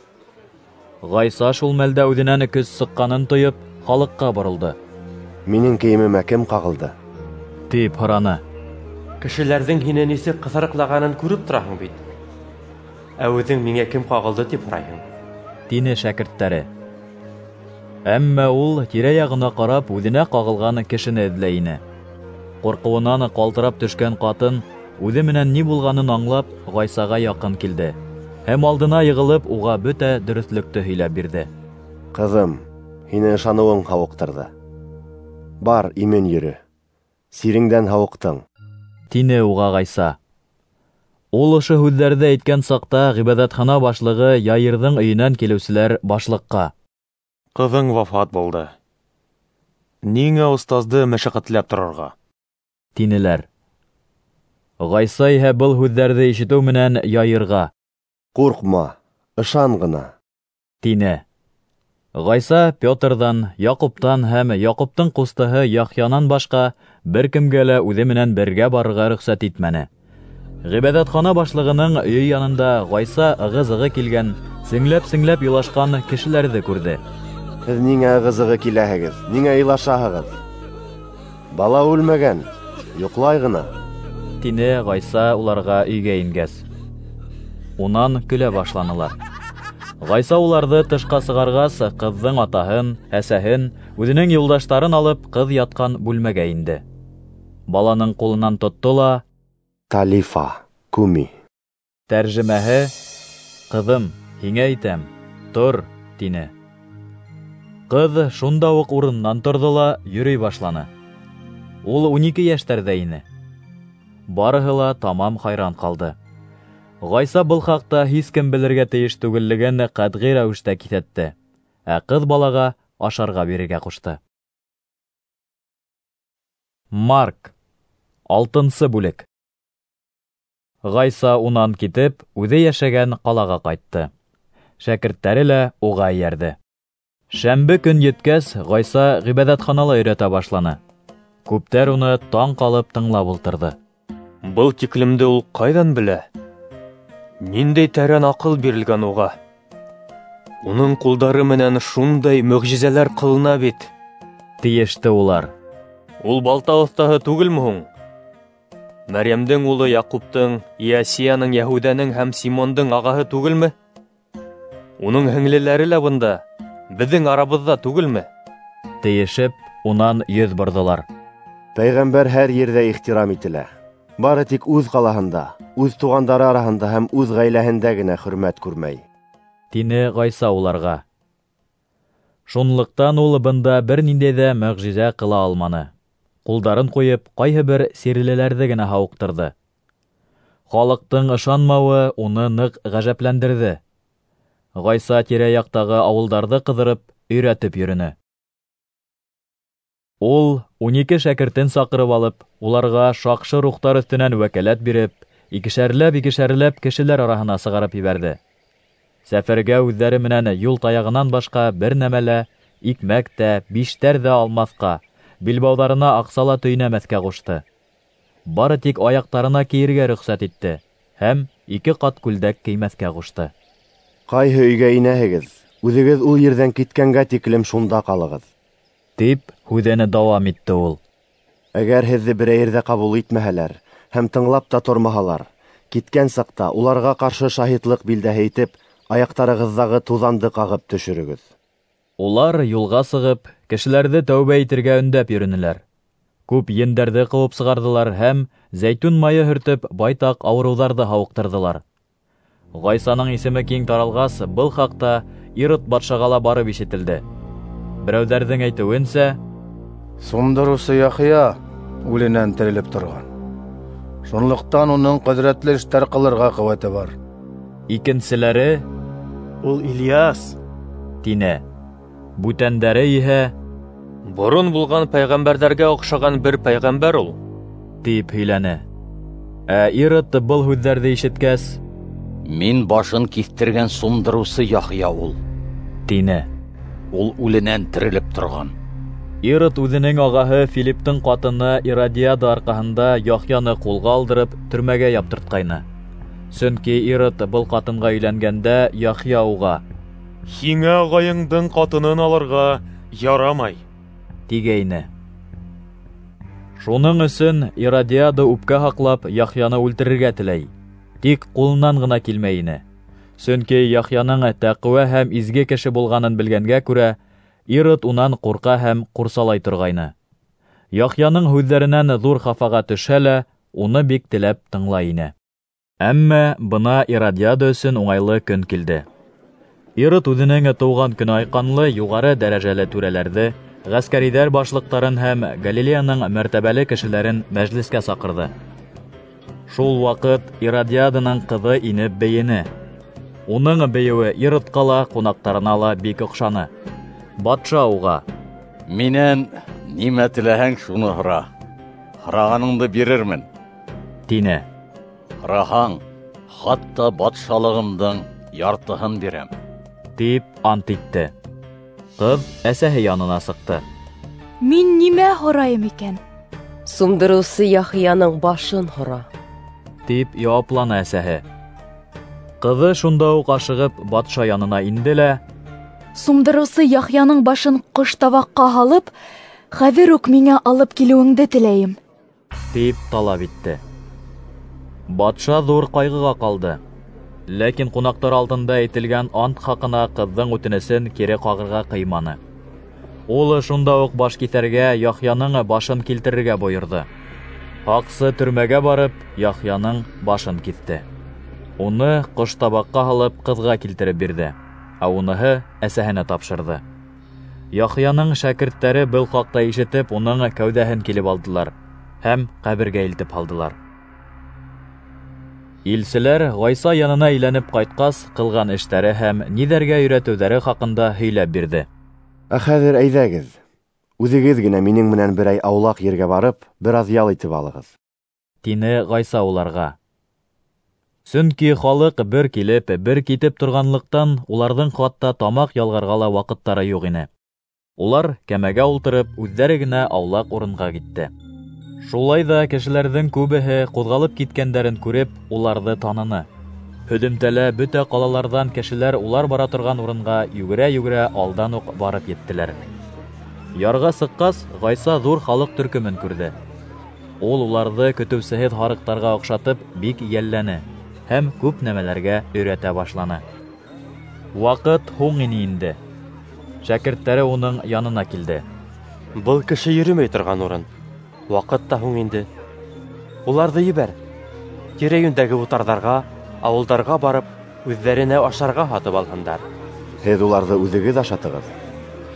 Ғайса шул мәлдә үҙенән көс сыҡҡанын тойоп, халыҡҡа боролдо. Минең кейемемә кем ҡағылды? Тип һораны. Кешеләрҙең һине нисек ҡыҫырыҡлағанын күреп тораһың бит. Ә үҙең миңә кем ҡағылды тип һорайһың, тине шәкерттәре. Әммә ул тирә-яғына ҡарап үҙенә ҡағылған кешене эҙләй ине. Ҡурҡыуынан ҡалтырап төшкән ҡатын үҙе менән ни булғанын аңлап, Ғайсаға яҡын килде һәм алдына йығылып уға бөтә дөрөҫлөктө һөйләп бирҙе. Ҡыҙым, һине ышаныуың һауыҡтырҙы. Бар, имен йөрө. Сиреңдән һауыҡтың, тине уға Ғайса. Ул ошо һүҙҙәрҙе әйткән саҡта ғибәҙәтхана башлығы Яирҙың өйөнән килеүселәр башлыҡҡа: Ҡыҙың вафат булды. Ниңә остазды мәшәҡәтләп торорға? Тинеләр. Ғайса иһә был һүҙҙәрҙе ишетеү менән Яирға: Ҡурҡма, ышан ғына, тине. Ғайса Петрҙан, Яҡуптан һәм Яҡуптың ҡустыһы Яхъянан башҡа бер кемгә лә үҙе менән бергә барырға рөхсәт итмәне. Ғибәҙәтхана башлығының өйө янында Ғайса ығы-зығы килгән, сеңләп-сеңләп илашҡан кешеләрҙе күрҙе. Һеҙ ниңә ығы-зығы киләһегеҙ, ниңә илашаһығыҙ? Бала үлмәгән, йоҡлай ғына, тине Ғайса уларға өйгә ингәс. Унан көлә башланылар. Ғайса уларҙы тышҡа сығарғас, ҡыҙҙың атаһын, әсәһен, үҙенең юлдаштарын алып, ҡыҙ ятҡан бүлмәгә инде. Баланың ҡулынан тотто ла: Талифа, куми. Тәржемәһе: Ҡыҙым, һиңә әйтәм, тор, тине. Ҡыҙ шунда уҡ урынынан торҙо ла йөрөй башланы. Ул ун ике йәштәрҙә ине. Барыһы ла тамам хайран ҡалды. Ғайса был хаҡта һис кем белергә тейеш түгеллеген ҡәтғи рәүештә киҫәтте, ә ҡыҙ балаға ашарға бирергә ҡушты. Марк, алтынсы бүлек. Ғайса унан китеп, үҙе йәшәгән ҡалаға ҡайтты. Шәкерттәре лә уға эйәрҙе. Шәмбе көн еткәс, Ғайса ғибәҙәтханала өйрәтә башланы. Күптәр уны таң ҡалып тыңлап ултырҙы. Был тиклемде ул ҡайҙан белә? Ниндәй тәрән аҡыл бирелгән уға? Уның ҡулдары менән шундай мөғжизәләр ҡылына бит, тейеште улар. Ул балта оҫтаһы түгелме һуң? Мәрйәмдең улы Яҡуптың, Иосияның, Йәһүҙәнең һәм Симондың ағаһы түгелме? Уның һеңлеләре лә бында, беҙҙең арабыҙҙа түгелме? Тейешеп, унан йөҙ борҙолар. Пәйғәмбәр һәр ерҙә ихтирам ителә. Бары тик үҙ ҡалаһында, үҙ туғандары араһында һәм үҙ ғаиләһендә генә хөрмәт күрмәй, тине Ғайса уларға. Шунлыҡтан ул бында бер ниндәй ҙә мөғжизә ҡыла алманы. Ҡулдарын ҡуйып, ҡайһы бер сирлеләрҙе генә һауыҡтырҙы. Халыҡтың ышанмауы уны ныҡ ғәжәпләндерҙе. Ғайса тирә-яҡтағы ауылдарҙы ҡыҙырып, өйрәтеп йөрөнө. Ул ун ике шәкертен саҡырып алып, уларға шаҡшы рухтар өҫтөнән вәкәләт биреп, икешәрләп-икешәрләп кешеләр араһына сығарып ебәрҙе. Сәфәргә үҙҙәре менән юл таяғынан башҡа бер нәмә лә, икмәк тә, биштәр ҙә алмаҫҡа, билбауҙарына аҡса ла төйнәмәҫкә ҡушты. Бары тик аяҡтарына кейергә рөхсәт итте һәм ике ҡат күлдәк кеймәҫкә ҡушты. Ҡайһы өйгә инәһегеҙ, үҙегеҙ ул ерҙән киткәнгә тиклем шунда ҡалығыҙ, тип һүҙен дауам итте ул. Әгәр һеҙҙе берәй ерҙә ҡабул итмәһәләр һәм тыңлап та тормаһалар, киткән саҡта уларға ҡаршы шаһитлыҡ билдәһе итеп, аяҡтарығыҙҙағы туҙанды ҡағып төшөрөгөҙ. Улар юлға сығып, кешеләрҙе тәүбә итергә өндәп йөрөнөләр. Күп ендәрҙе ҡыуып сығарҙылар һәм зәйтүн майы һөртөп байтаҡ ауырыуҙарҙы һауыҡтырҙылар. Ғайсаның исеме киң таралғас, был хаҡта Ирод батшаға ла барып ишетелде. Берәүҙәрҙең әйтеүенсә, Сумдырыусы Яхъя үленән терелеп торған. Шунлыҡтан уның ҡөҙрәтле эштәр ҡылырға ҡеүәте бар. Икенселәре, Ул Ильяс, тине. Бүтәндәре иһә, Борон булған пәйғәмбәрҙәргә оҡшаған бер пәйғәмбәр ул, тип һөйләне. Ә Ирод был һүҙҙәрҙе ишеткәс, Мин башын киҫтергән сумдырыусы Яхъя ул, тине. Ул үленән терелеп торған. Ирод үҙенең ағаһы Филипптың ҡатыны Иродиада арҡаһында Яхъяны ҡулға алдырып төрмәгә яптыртҡайны. Сөнки Ирод был ҡатынға өйләнгәндә Яхъя уға: Һиңә ағайыңдың ҡатынын алырға ярамай, тигәйне. Шуның өсөн Иродиада үпкә һаҡлап Яхъяны үлтерергә теләй. Тик ҡулынан ғына килмәй ине. Сөнки Яхъяның тәҡүә һәм изге кеше булғанын белгәнгә күрә, Ирод унан ҡурҡа һәм ҡурсалай торғайны. Яхъяның һүҙҙәренән ҙур хафаға төшһә лә, уны бик теләп тыңлай ине. Әммә бына Иродиада өсөн уңайлы көн килде. Ирод үҙенең тыуған көнө айҡанлы юғары дәрәжәле түрәләрҙе, ғәскәриҙәр башлыҡтарын һәм Галилеяның мәртәбәле кешеләрен мәжлескә саҡырҙы. Шул ваҡыт Иродиаданың ҡыҙы инеп бейене. Уның бейеүе Иродҡа ла, ҡунаҡтарына ла бик оҡшаны. Батша уға: Минән нимә теләһәң, шуны һора. Һорағаныңды бирермен, тине. Һораһаң, хатта батшалығымдың яртыһын бирәм, тип ант итте. Ҡыҙ әсәһе янына сыҡты. Мин нимә һорайым икән? Сумдырыусы Яхъяның башын һора, тип яуапланы әсәһе. Ҡыҙы шунда уҡ ашығып батша янына инде лә: Сумдырыусы Яхъяның башын ҡоштабаҡҡа һалып, хәҙер үк миңә алып килеүеңде теләйем, тип талап итте. Батша ҙур ҡайғыға ҡалды. Ләкин ҡунаҡтар алдында әйтелгән ант хаҡына ҡыҙҙың үтенесен кире ҡағырға ҡыйманы. Ул шунда уҡ баш киҫәргә Яхъяның башын килтерергә бойорҙо. Һаҡсы төрмәгә барып, Яхъяның башын киҫте. Уны ҡоштабаҡҡа һалып ҡыҙға килтереп бирҙе, ә уныһы әсәһенә тапшырҙы. Яхъяның шәкерттәре был хаҡта ишетеп, уның кәүҙәһен килеп алдылар һәм ҡәбергә илтеп һалдылар. Илселәр Ғайса янына әйләнеп ҡайтҡас, ҡылған эштәре һәм ниҙәргә өйрәтеүҙәре хаҡында һөйләп бирҙе. Ә хәҙер әйҙәгеҙ, үҙегеҙ генә минең менән берәй аулаҡ ергә барып, бер аҙ ял итеп алығыҙ, тине Ғайса уларға. Сөнки халыҡ бер килеп, бер китеп торғанлыҡтан, уларҙың хатта тамаҡ ялғарға ла ваҡыттары юҡ ине. Улар кәмәгә ултырып, үҙҙәре генә аулаҡ урынға китте. Шулай ҙа кешеләрҙең күбеһе ҡуҙғалып киткәндәрен күреп, уларҙы таныны. Һөҙөмтәлә бөтә ҡалаларҙан кешеләр улар бара торған урынға йүгерә-йүгерә алдан уҡ барып еттеләр. Ярға сыҡҡас, Ғайса ҙур халыҡ төркөмөн күрҙе. Ул уларҙы көтөүсеһеҙ һарыҡтарға оҡшатып бик йәлләне һәм күп нәмәләргә өйрәтә башланы. Ваҡыт һуң ине инде. Шәкерттәре уның янына килде. Был кеше йөрөмәй торған урын. Ваҡыт та һуң инде. Уларҙы ебәр. Тирә-йүндәге утарҙарға, ауылдарға барып, үҙҙәренә ашарға һатып алһындар. Һеҙ уларҙы үҙегеҙ ашатығыҙ,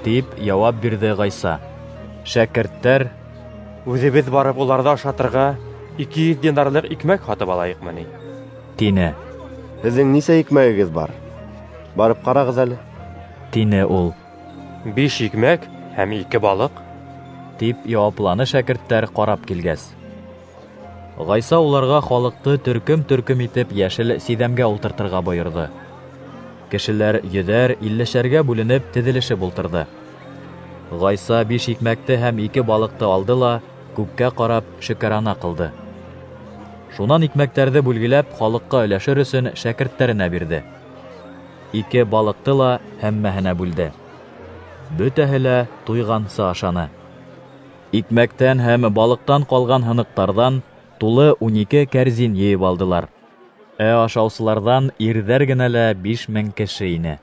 тип яуап бирҙе Ғайса. Шәкерттәр: Үҙебеҙ барып уларҙы ашатырға ике йөҙ динарлыҡ икмәк һатып алайыҡмы ни? тине. Һеҙҙең нисә икмәгегеҙ бар? Барып ҡарағыҙ әле, тине ул. Биш икмәк һәм ике балыҡ, тип яуапланы шәкерттәр ҡарап килгәс. Ғайса уларға халыҡты төркөм-төркөм итеп йәшел сиҙәмгә ултыртырға бойорҙо. Кешеләр йөҙәр, иллешәргә бүленеп теҙелешеп ултырҙы. Ғайса биш икмәкте һәм ике балыҡты алды ла күккә ҡарап шөкәрана ҡылды. Шунан икмәктәрҙе бүлгеләп халыҡҡа өләшер өсөн шәкерттәренә бирҙе. Ике балыҡты ла һәммәһенә бүлде. Бөтәһе лә туйғансы ашаны. Икмәктән һәм балыҡтан ҡалған һыныҡтарҙан тулы ун ике кәрзин йыйып алдылар. Ә ашаусыларҙан ирҙәр генә лә биш мең кеше ине.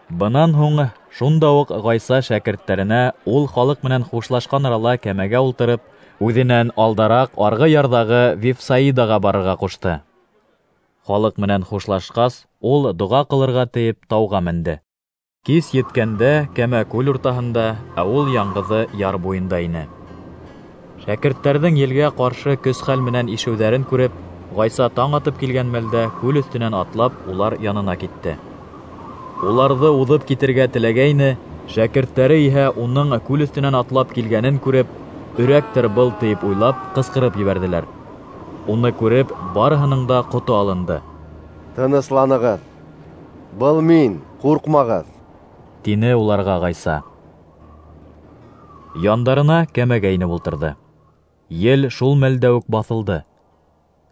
Бынан һуң шунда уҡ Ғайса шәкерттәренә ул халыҡ менән хушлашҡан арала кәмәгә ултырып, үҙенән алдараҡ арғы ярҙағы Вифсаидаға барырға ҡушты. Халыҡ менән хушлашҡас, ул доға ҡылырға тиеп тауға менде. Кис еткәндә кәмә күл уртаһында, ә ул яңғыҙы яр буйында ине. Шәкерттәрҙең елгә ҡаршы көс-хәл менән ишеүҙәрен күреп, Ғайса таң атып килгән мәлдә күл өҫтөнән атлап улар янына китте. Уларҙы уҙып китергә теләгәйне, шәкерттәре иһә уның күл өҫтөнән атлап килгәнен күреп, өрәктер был тиеп уйлап, ҡысҡырып ебәрҙеләр. Уны күреп, барыһының да ҡото алынды. Тынысланығыҙ, был мин, ҡурҡмағыҙ, тине уларға Ғайса. Яндарына кәмәгә инеп ултырҙы. Ел шул мәлдә үк баҫылды.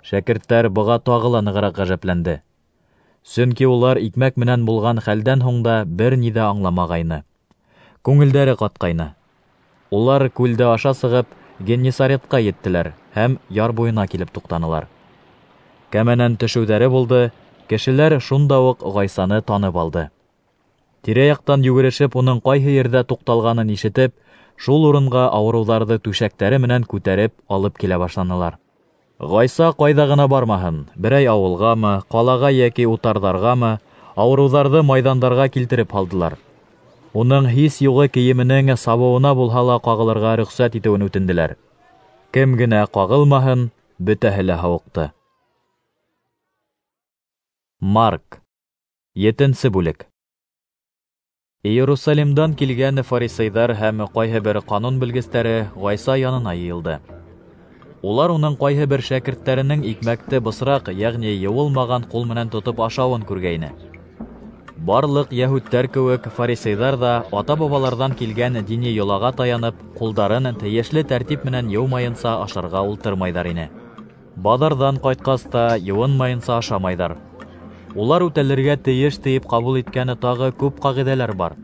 Шәкерттәр быға тағы ла нығыраҡ ғәжәпләнде. Сөнки улар икмәк менән булған хәлдән һуң да бер ни ҙә аңламағайны. Күңелдәре ҡатҡайны. Улар күлде аша сығып, Геннисаретҡа еттеләр һәм яр буйына килеп туҡтанылар. Кәмәнән төшөүҙәре булды, кешеләр шунда уҡ Ғайсаны танып алды. Тирә-яҡтан йүгерешеп уның ҡайһы ерҙә туҡталғанын ишетеп, шул урынға ауырыуҙарҙы түшәктәре менән күтәреп алып килә башланылар. Ғайса ҡайҙа ғына бармаһын, берәй ауылғамы, ҡалаға йәки утарҙарғамы, ауырыуҙарҙы майҙандарға килтереп һалдылар. Уның һис юғы кейеменең сабыуына булһа ла ҡағылырға рөхсәт итеүен үтенделәр. Кем генә ҡағылмаһын, бөтәһе лә һауыҡты. Марк, етенсе бүлек. Иерусалимдан килгән фарисейҙар һәм ҡайһы бер ҡанун белгестәре Ғайса янына йыйылды. Улар уның ҡайһы бер шәкерттәренең икмәкте бысраҡ, йәғни йыуылмаған ҡул менән тотоп ашауын күргәйне. Барлыҡ йәһүдтәр кеүек фарисейҙар ҙа ата-бабаларҙан килгән дини йолаға таянып, ҡулдарын тейешле тәртип менән йыумайынса ашарға ултырмайҙар ине. Баҙарҙан ҡайтҡас та йыуынмайынса ашамайҙар. Улар үтәлергә тейеш тиеп ҡабул иткән тағы күп ҡағиҙәләр бар.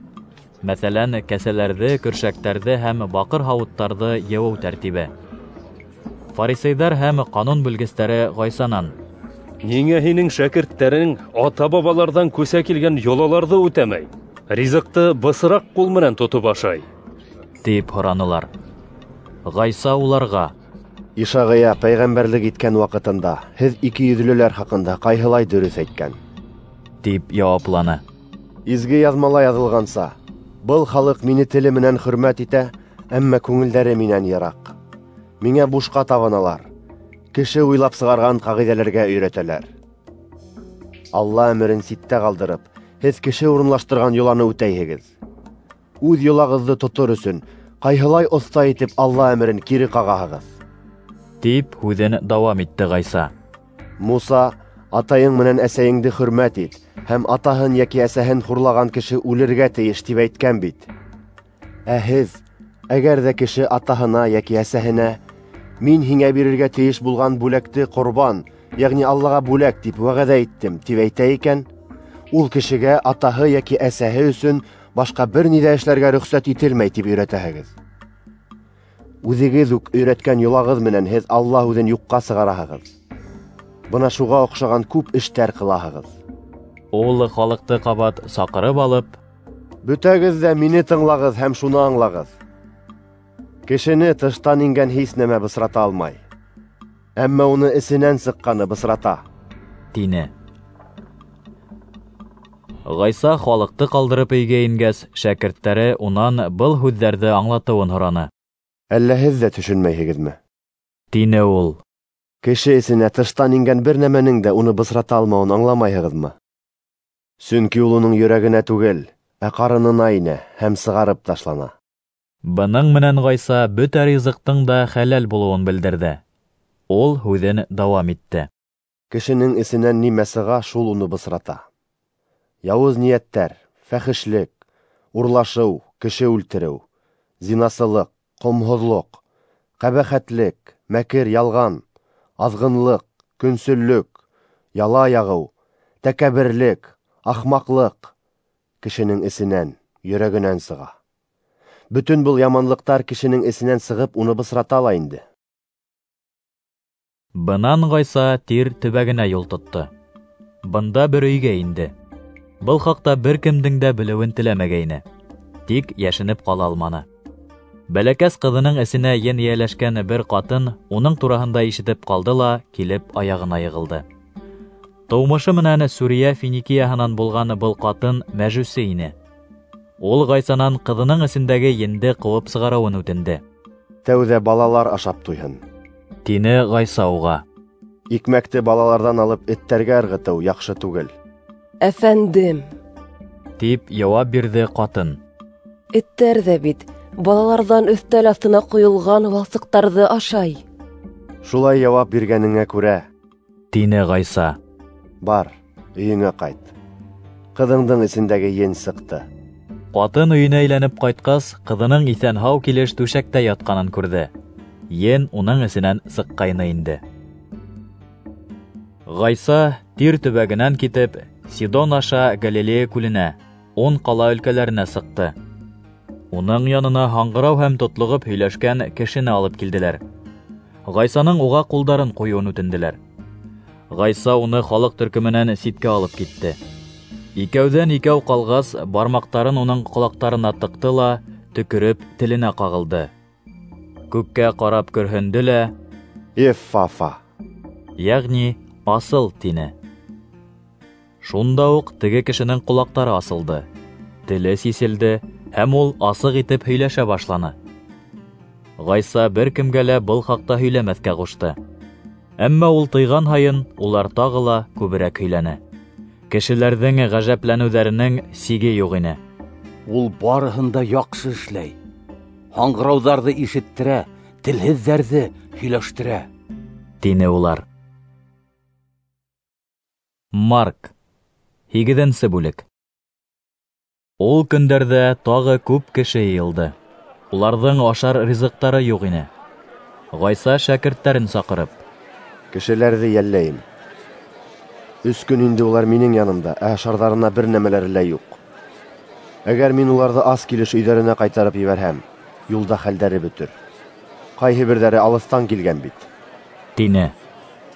Мәҫәлән, кәсәләрҙе, көршәктәрҙе һәм баҡыр һауыттарҙы йыуыу тәртибе. Фарисейҙар һәм ҡанун белгестәре Ғайсанан: Ниңә һинең шәкерттәрең ата-бабаларҙан күсә килгән йолаларҙы үтәмәй, ризыҡты бысраҡ ҡул менән тотоп ашай? Тип һоранылар. Ғайса уларға: Ишағия пәйғәмбәрлек иткән ваҡытында һеҙ ике йөҙлөләр хаҡында ҡайһылай дөрөҫ әйткән, тип яуапланы. Изге яҙмала яҙылғанса, был халыҡ мине теле менән хөрмәт итә, әммә күңелдәре минән йыраҡ. Миңә бушҡа табыналар, кеше уйлап сығарған ҡағиҙәләргә өйрәтәләр. Алла әмерен ситтә ҡалдырып, һеҙ кеше урынлаштырған йоланы үтәйһегеҙ. Үҙ йолағыҙҙы тотор өсөн ҡайһылай оҫта итеп Алла әмерен кире ҡағаһығыҙ, тип һүҙен дауам итте Ғайса. Муса, атайың менән әсәйеңде хөрмәт ит һәм атаһын йәки әсәһен хурлаған кеше үлергә тейеш тип әйткән бит. Ә һеҙ, әгәр ҙә кеше атаһына йәки әсәһенә мин һиңә бирергә тейеш булған бүләкте ҡорбан, йәғни Аллаға бүләк тип вәғәҙә иттем, тип әйтә икән, ул кешегә атаһы йәки әсәһе өсөн башҡа бер ни ҙә эшләргә рөхсәт ителмәй тип өйрәтәһегеҙ. Үҙегеҙ үк өйрәткән йолағыҙ менән һеҙ Алла һүҙен юҡҡа сығараһығыҙ. Бына шуға оҡшаған күп эштәр ҡылаһығыҙ. Ул халыҡты ҡабат саҡырып алып: Бөтәгеҙ ҙә мине тыңлағыҙ һәм шуны аңлағыҙ. Кешене тыштан ингән һис нәмә бысрата алмай, әммә уны эсенән сыҡҡаны бысрата, тине. Ғайса халыҡты ҡалдырып өйгә ингәс, шәкерттәре унан был һүҙҙәрҙе аңлатыуын һораны. Әллә һеҙ ҙә төшөнмәйһегеҙме? Тине ул. Кеше эсенә тыштан ингән бер нәмәнең дә уны бысрата алмауын аңламайһығыҙмы? Сөнки ул уның йөрәгенә түгел, ә ҡарынына инә һәм сығарып ташлана. Бының менән Ғайса бөтә ризыҡтың да хәләл булыуын белдерҙе. Ул һүҙен дауам итте. Кешенең эсенән нимә сыға, шул уны бысрата. Яуыз ниәттәр, фәхешлек, урлашыу, кеше үлтереү, зинасылыҡ, ҡомһоҙлоҡ, ҡәбәхәтлек, мәкер, ялған, аҙғынлыҡ, көнсөллөк, яла яғыу, тәкәбберлек, ахмаҡлыҡ кешенең эсенән, йөрәгенән сыға. Бөтөн был яманлыҡтар кешенең эсенән сығып уны бысрата ла инде. Бынан Ғайса Тир төбәгенә юл тотто. Бында бер өйгә инде. Был хаҡта бер кемдең дә белеүен теләмәгәйне. Тик йәшенеп ҡала алманы. Бәләкәс ҡыҙының эсенә ен эйәләшкән бер ҡатын уның тураһында ишетеп ҡалды ла килеп аяғына йығылды. Тыумышы менән Сүриә Финикияһынан булған был ҡатын мәжүсе ине. Ул Ғайсанан ҡыҙының эсендәге енде ҡыуып сығарыуын үтенде. Тәүҙә балалар ашап туйһын, тине Ғайса уға. Икмәкте балаларҙан алып эттәргә ырғытыу яҡшы түгел. Әфәндем, тип яуап бирҙе ҡатын. Эттәр ҙә бит балаларҙан өҫтәл аҫтына ҡойолған валсыҡтарҙы ашай. Шулай яуап биргәнеңә күрә, тине Ғайса. Бар, өйөңә ҡайт. Ҡыҙыңдың эсендәге ен сыҡты. Ҡатын өйөнә әйләнеп ҡайтҡас, ҡыҙының иҫән-һау килеш түшәктә ятҡанын күрҙе. Ен уның эсенән сыҡҡайны инде. Ғайса Тир төбәгенән китеп, Сидон аша Галилея күленә, ун ҡала өлкәләренә сыҡты. Уның янына һаңғырау һәм тотлоғоп һөйләшкән кешене алып килделәр. Ғайсаның уға ҡулдарын ҡуйыуын үтенделәр. Ғайса уны халыҡ төркөмөнән ситкә алып китте. Икәүҙән икәү ҡалғас, бармаҡтарын уның ҡолаҡтарына тыҡты ла, төкөрөп теленә ҡағылды. Күккә ҡарап көрһөндө лә, Эффафа, йәғни асыл, тине. Шунда уҡ теге кешенең ҡолаҡтары асылды, теле сиселде һәм ул асыҡ итеп һөйләшә башланы. Ғайса бер кемгә лә был хаҡта һөйләмәҫкә ҡушты. Әммә ул тыйған һайын улар тағы ла күберәк һөйләне. Кешеләрҙең ғәжәпләнеүҙәренең сиге юҡ ине. Ул барыһын да яҡшы эшләй. Һаңғырауҙарҙы ишеттерә, телһеҙҙәрҙе һөйләштерә, тине улар. Марк, һигеҙенсе бүлек. Ул көндәрҙә тағы күп кеше йыйылды. Уларҙың ашар ризыҡтары юҡ ине. Ғайса шәкерттәрен саҡырып: Кешеләрҙе йәлләйем. Өс көн инде улар минең янымда, ә ашарҙарына бер нәмәләре лә юҡ. Әгәр мин уларҙы ас килеш өйҙәренә ҡайтарып ебәрһәм, юлда хәлдәре бөтөр. Ҡайһы берҙәре алыҫтан килгән бит, тине.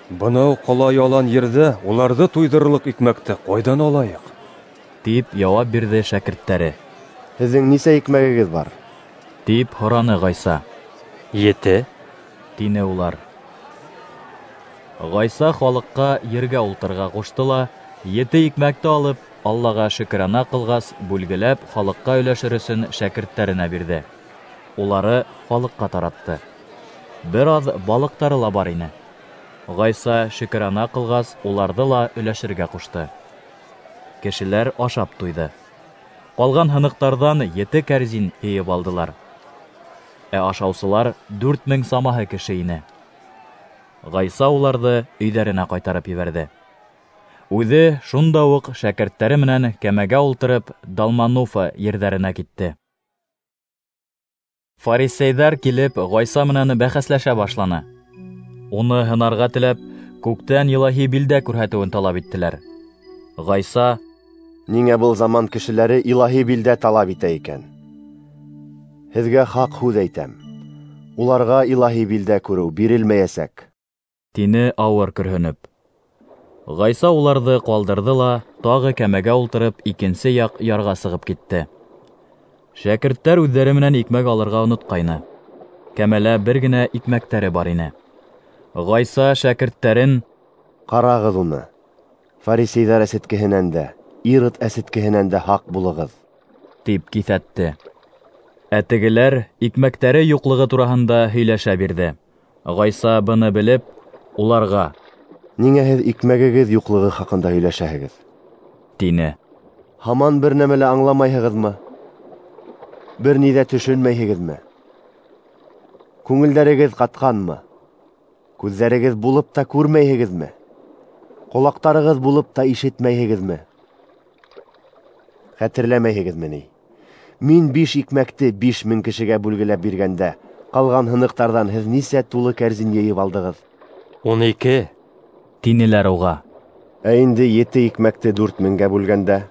Бынау ҡала ялан ерҙә уларҙы туйҙырырлыҡ икмәкте ҡайҙан алайыҡ? Тип яуап бирҙе шәкерттәре. Һеҙҙең нисә икмәгегеҙ бар? Тип һораны Ғайса. Ете, тине улар. Ғайса халыҡҡа ергә ултырырға ҡушты ла, ете икмәкте алып, Аллаға шөкрана ҡылғас, бүлгеләп халыҡҡа өләшер өсөн шәкерттәренә бирҙе. Улары халыҡҡа таратты. Бер аҙ балыҡтары ла бар ине. Ғайса шөкрана ҡылғас, уларҙы ла өләшергә ҡушты. Кешеләр ашап туйҙы. Ҡалған һыныҡтарҙан ете кәрзин йыйып алдылар. Ә ашаусылар дүрт мең самаһы кеше ине. Ғайса уларҙы өйҙәренә ҡайтарып ебәрҙе. Үҙе шунда уҡ шәкерттәре менән кәмәгә ултырып Далмануфа ерҙәренә китте. Фарисейҙәр килеп Ғайса менән бәхәсләшә башланы. Уны һынарға теләп, күктән илаһи билдә күрһәтеүен талап иттеләр. Ғайса: Ниңә был заман кешеләре илаһи билдә талап итә икән? Һеҙгә хаҡ һүҙ әйтәм: уларға илаһи билдә күреү бирелмәйәсәк, тине ауыр көрһөнөп. Ғайса уларҙы ҡалдырҙы ла, тағы кәмәгә ултырып, икенсе яҡ ярға сығып китте. Шәкерттәр үҙҙәре менән икмәк алырға онотҡайны. Кәмәлә бер генә икмәктәре бар ине. Ғайса шәкерттәрен: Ҡарағыҙ уны, фарисейҙәр әсеткеһенән дә, Ирод әсеткеһенән дә һаҡ булығыҙ, тип киҫәтте. Ә тегеләр икмәктәре юҡлығы тураһында һөйләшә бирҙе. Ғайса быны белеп, уларға: Ниңә һеҙ икмәгегеҙ юҡлығы хаҡында һөйләшәһегеҙ? Тине. Һаман бер нәмә лә аңламайһығыҙмы? Бер ни ҙә төшөнмәйһегеҙме? Күңелдәрегеҙ ҡатҡанмы? Күҙҙәрегеҙ булып та күрмәйһегеҙме? Ҡолаҡтарығыҙ булып та ишетмәйһегеҙме? Хәтерләмәйһегеҙме ни? Мин биш икмәкте биш мең кешегә бүлгеләп биргәндә, ҡалған һыныҡтарҙан һеҙ нисә тулы кәрзин йыйып алдығыҙ? Ун ике, тинеләр уға. Ә инде ете икмәкте дүрт меңгә бүлгәндә,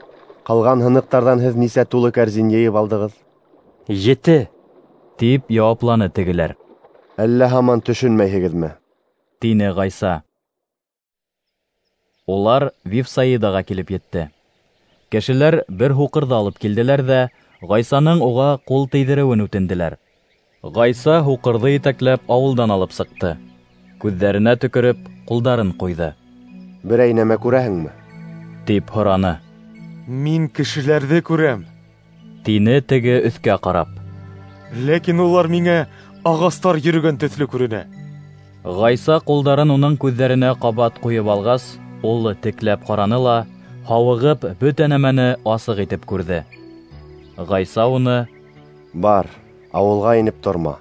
ҡалған һыныҡтарҙан һеҙ нисә тулы кәрзин йыйып алдығыҙ? Ете, тип яуапланы тегеләр. Әллә һаман төшөнмәйһегеҙме? Тине Ғайса. Улар Вифсаидаға килеп етте. Кешеләр бер һуҡырҙы алып килделәр ҙә, Ғайсаның уға ҡул тейҙереүен үтенделәр. Ғайса һуҡырҙы етәкләп ауылдан алып сыҡты. Күҙҙәренә төкөрөп, ҡулдарын ҡуйҙы. Берәй нәмә күрәһеңме? Тип һораны. Мин кешеләрҙе күрәм, тине теге өҫкә ҡарап. Ләкин улар миңә ағастар йөрөгән төҫлө күренә. Ғайса ҡулдарын уның күҙҙәренә ҡабат ҡуйып алғас, ул текләп ҡараны ла, һауығып, бөтә нәмәне асыҡ итеп күрҙе. Ғайса уны: Бар, ауылға инеп торма,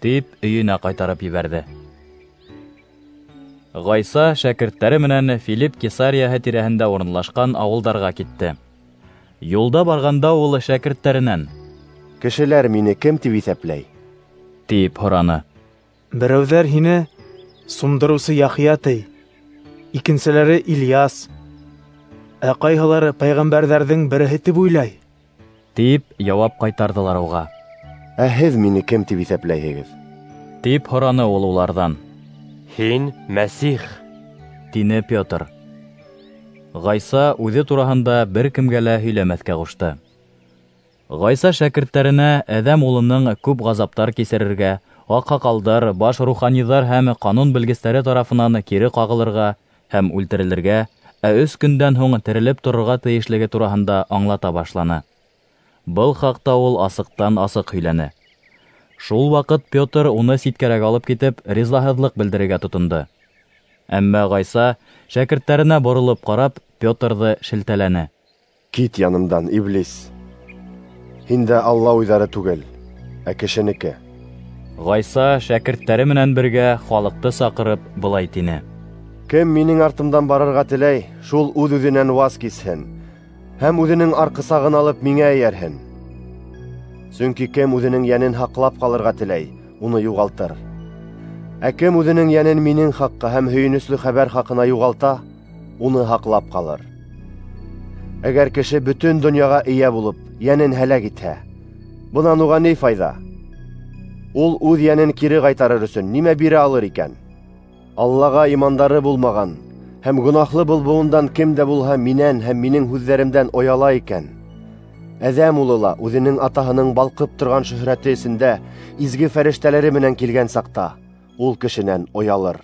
тип өйөнә ҡайтарып ебәрҙе. Ғайса шәкерттәре менән Филипп Кесарияһы тирәһендә урынлашҡан ауылдарға китте. Юлда барғанда ул шәкерттәренән: Кешеләр мине кем тип иҫәпләй? Тип һораны. Берәүҙәр һине Сумдырыусы Яхъя ти, икенселәре Ильяс, ә ҡайһылары пәйғәмбәрҙәрҙең береһе тип уйлай, тип яуап ҡайтарҙылар уға. Ә һеҙ мине кем тип иҫәпләйһегеҙ? Тип һораны ул уларҙан. Һин Мәсих, тине Петр. Ғайса үҙе тураһында бер кемгә лә һөйләмәҫкә ҡушты. Ғайса шәкерттәренә Әҙәм улының күп ғазаптар кисерергә, аҡһаҡалдар, баш руханиҙар һәм ҡанун белгестәре тарафынан кире ҡағылырға һәм үлтерелергә, ә өс көндән һуң терелеп торорға тейешлеге тураһында аңлата башланы. Был хаҡта ул асыҡтан-асыҡ һөйләне. Шул ваҡыт Петр уны ситкәрәк алып китеп, ризаһыҙлыҡ белдерергә тотондо. Әммә Ғайса шәкерттәренә боролоп ҡарап, Петрҙы шелтәләне. Кит янымдан, иблис! Һиндә Алла уйҙары түгел, ә кешенеке. Ғайса шәкерттәре менән бергә халыҡты саҡырып былай тине: Кем минең артымдан барырға теләй, шул үҙ-үҙенән ваз кисһен һәм үҙенең арҡысағын алып миңә эйәрһен. Сөнки кем үҙенең йәнен һаҡлап ҡалырға теләй, уны юғалтыр. Ә кем үҙенең йәнен минең хаҡҡа һәм һөйөнөслө хәбәр хаҡына юғалта, уны һаҡлап ҡалыр. Әгәр кеше бөтөн донъяға эйә булып, йәнен һәләк итһә, бынан уға ни файҙа? Ул үҙ йәнен кире ҡайтарыр өсөн нимә бирә алыр икән? Аллаға имандары булмаған һәм гонаһлы был быуындан кем дә булһа минән һәм минең һүҙҙәремдән ояла икән, Әҙәм улы ла үҙенең атаһының балҡып торған шөһрәте эсендә изге фәрештәләре менән килгән саҡта ул кешенән оялыр.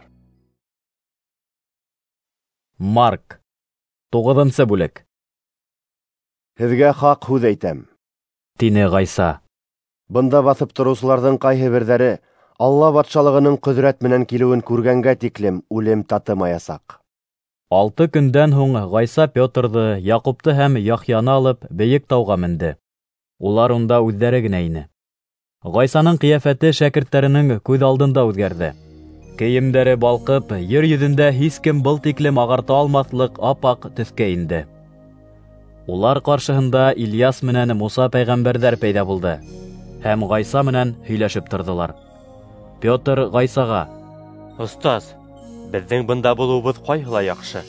Марк, туғыҙынсы бүлек. Һеҙгә хаҡ һүҙ әйтәм, тине Ғайса. Бында баҫып тороусыларҙың ҡайһы берҙәре Алла батшалығының ҡөҙрәт менән килеүен күргәнгә тиклем үлем татымаясаҡ. Алты көндән һуң Ғайса Петрҙы, Яҡупты һәм Яхъяны алып бейек тауға менде. Улар унда үҙҙәре генә ине. Ғайсаның ҡиәфәте шәкерттәренең күҙ алдында үҙгәрҙе. Кейемдәре балҡып, ер йөҙөндә һис кем был тиклем ағарта алмаҫлыҡ ап-аҡ төҫкә инде. Улар ҡаршыһында Ильяс менән Муса пәйғәмбәрҙәр пәйҙә булды һәм Ғайса менән һөйләшеп торҙолар. Петр Ғайсаға: Остаз, беҙҙең бында булыуыбыҙ ҡайһылай яҡшы.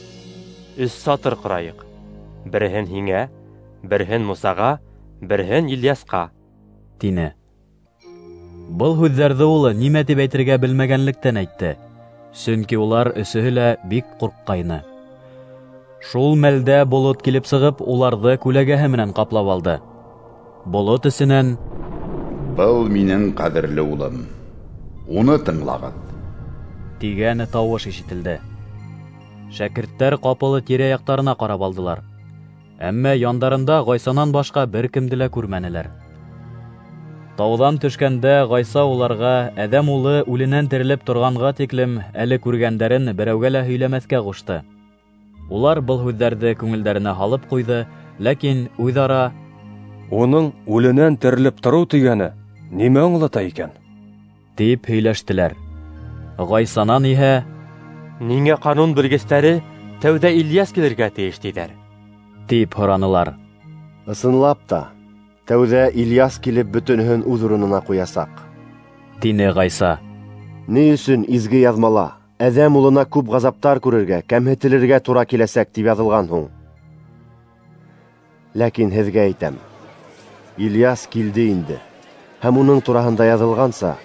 Өс сатыр ҡорайыҡ. Береһен һиңә, береһен Мусаға, береһен Ильясҡа, тине. Был һүҙҙәрҙе ул нимә тип әйтергә белмәгәнлектән әйтте, сөнки улар өсөһө лә бик ҡурҡҡайны. Шул мәлдә болот килеп сығып, уларҙы күләгәһе менән ҡаплап алды. Болот эсенән: Был минең ҡәҙерле улым, уны тыңлағыҙ, тигән тауыш ишетелде. Шәкерттәр ҡапыл тирә-яҡтарына ҡарап алдылар. Әммә яндарында Ғайсанан башҡа бер кемде лә күрмәнеләр. Тауҙан төшкәндә Ғайса уларға Әҙәм улы үленән терелеп торғанға тиклем әле күргәндәрен берәүгә лә һөйләмәҫкә ҡушты. Улар был һүҙҙәрҙе күңелдәренә һалып ҡуйҙы, ләкин үҙ-ара: Уның үленән терелеп тороу тигәне нимә аңлата икән? Тип һөйләштеләр. Ғайсанан иһә: Ниңә ҡанун белгестәре тәүҙә Ильяс килергә тейеш тиҙәр? Тип һоранылар. Ысынлап та, тәүҙә Ильяс килеп бөтөнөһөн үҙ урынына ҡуясаҡ, тине Ғайса. Ни өсөн изге яҙмала Әҙәм улына күп ғазаптар күрергә, кәмһетелергә тура киләсәк тип яҙылған һуң? Ләкин һеҙгә әйтәм, Ильяс килде инде, һәм уның тураһында яҙылғанса,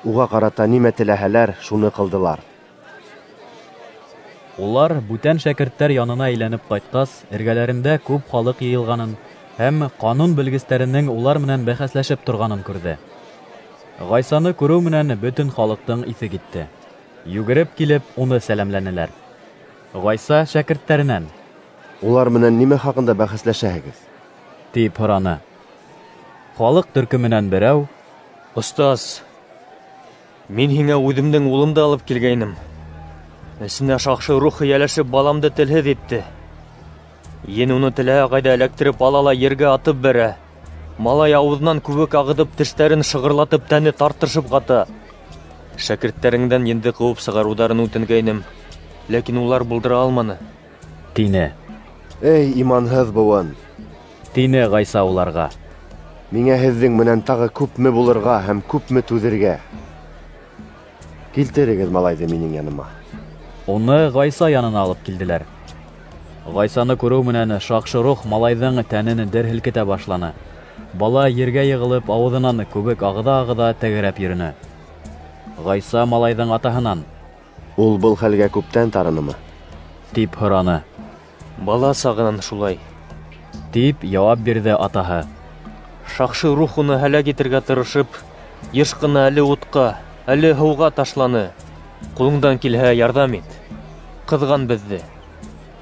уға ҡарата нимә теләһәләр, шуны ҡылдылар. Улар бүтән шәкерттәр янына әйләнеп ҡайтҡас, эргәләрендә күп халыҡ йыйылғанын һәм ҡанун белгестәренең улар менән бәхәсләшеп торғанын күрҙе. Ғайсаны күреү менән бөтөн халыҡтың иҫе китте. Йүгереп килеп, уны сәләмләнеләр. Ғайса шәкерттәренән: "Улар менән нимә хаҡында бәхәсләшәһегеҙ?" тип һораны. Халыҡ төркөмөнән берәү: "Остаз, мин һиңә үҙемдең улымды алып килгәйнем. Эсенә шаҡшы рух эйәләшеп баламды телһеҙ итте. Ен уны теләһә ҡайҙа эләктереп ала ла ергә атып бәрә. Малай ауыҙынан күбек ағыҙып, тештәрен шығырлатып, тәне тартышып ҡата. Шәкерттәреңдән енде ҡыуып сығарыуҙарын үтенгәйнем, ләкин улар булдыра алманы", тине. "Эй, иманһыҙ быуын!" тине Ғайса уларға. "Миңә һеҙҙең менән тағы күпме булырға һәм күпме түҙергә? Килтерегеҙ малайҙы минең яныма." Уны Ғайса янына алып килделәр. Ғайсаны күреү менән шаҡшы рух малайҙың тәнен дер һелкетә башланы. Бала ергә йығылып, ауыҙынан күбек ағыҙа-ағыҙа тәгәрәп йөрөнө. Ғайса малайҙың атаһынан: "Ул был хәлгә күптән тарынымы?" тип һораны. "Бала сағынан шулай", тип яуап бирҙе атаһы. "Шаҡшы рух уны һәләк итергә тырышып, йыш ҡына әле утҡа, әле һыуға ташланы. Ҡулыңдан килһә, ярҙам ит. Ҡыҙған беҙҙе."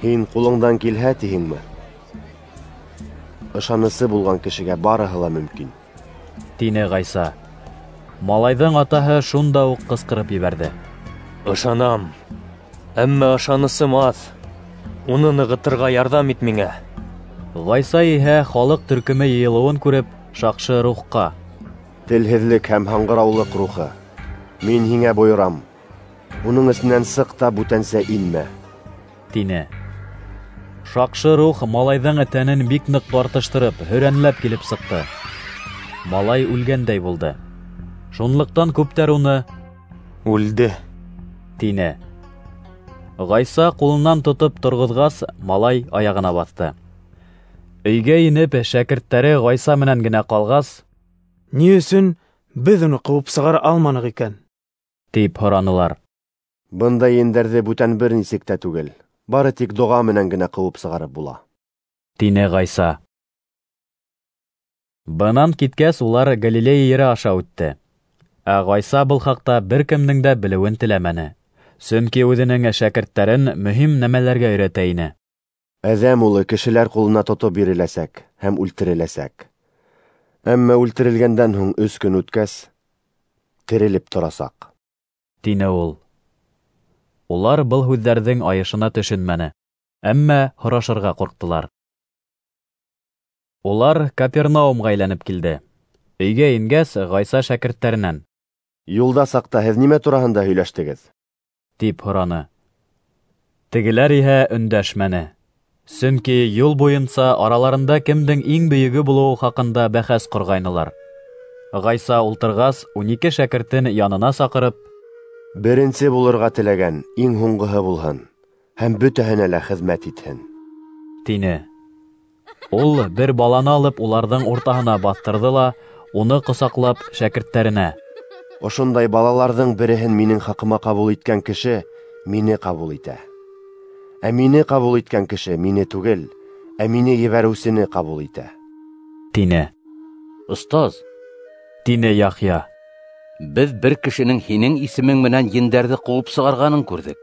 "Һин ҡулыңдан килһә тиһеңме? Ышанысы булған кешегә барыһы ла мөмкин", тине Ғайса. Малайҙың атаһы шунда уҡ ҡысҡырып ебәрҙе: "Ышанам, әммә ышанысым аҙ. Уны нығытырға ярҙам ит миңә." Ғайса иһә халыҡ төркөмө йыйылыуын күреп, шаҡшы рухҡа: "Телһеҙлек һәм һаңғыраулыҡ рухы, мин һиңә бойорам, уның эсенән сыҡ та бүтәнсә инмә", тине. Шаҡшы рух малайҙың тәнен бик ныҡ тартыштырып, һөрәнләп килеп сыҡты. Малай үлгәндәй булды. Шунлыҡтан күптәр уны: "Үлде", тине. Ғайса ҡулынан тотоп торғоҙғас, малай аяғына баҫты. Өйгә инеп, шәкерттәре Ғайса менән генә ҡалғас: "Ни өсөн беҙ уны ҡыуып сығара алманыҡ икән?" тип һоранылар. "Бындай ендәрҙе бүтән бер нисек тә түгел, бары тик доға менән генә ҡыуып сығарып була", тине Ғайса. Бынан киткәс, улар Галилея ере аша үтте. Ә Ғайса был хаҡта бер кемдең дә белеүен теләмәне, сөнки үҙенең шәкерттәрен мөһим нәмәләргә өйрәтә ине. "Әҙәм улы кешеләр ҡулына тотоп биреләсәк һәм үлтереләсәк. Әммә үлтерелгәндән һуң өс көн үткәс, терелеп торасаҡ", тине ул. Улар был һүҙҙәрҙең айышына төшөнмәне, әммә һорашырға ҡурҡтылар. Улар Капернаумға әйләнеп килде. Өйгә ингәс, Ғайса шәкерттәренән: "Юлда саҡта һеҙ нимә тураһында һөйләштегеҙ?" тип һораны. Тегеләр иһә өндәшмәне, сөнки юл буйынса араларында кемдең иң бөйөгө булыуы хаҡында бәхәс ҡорғайнылар. Ғайса ултырғас, ун ике шәкертен янына саҡырып: "Беренсе булырға теләгән иң һуңғыһы булһын һәм бөтәһенә лә хеҙмәт итһен", тине. Ул бер баланы алып уларҙың уртаһына баҫтырҙы ла, уны ҡосаҡлап шәкерттәренә: "Ошондай балаларҙың береһен минең хаҡыма ҡабул иткән кеше мине ҡабул итә. Ә мине ҡабул иткән кеше мине түгел, ә мине ебәреүсене ҡабул итә", тине. "Остаз", тине Яхъя, "беҙ бер кешенең һинең исемең менән ендәрҙе ҡыуып сығарғанын күрҙек.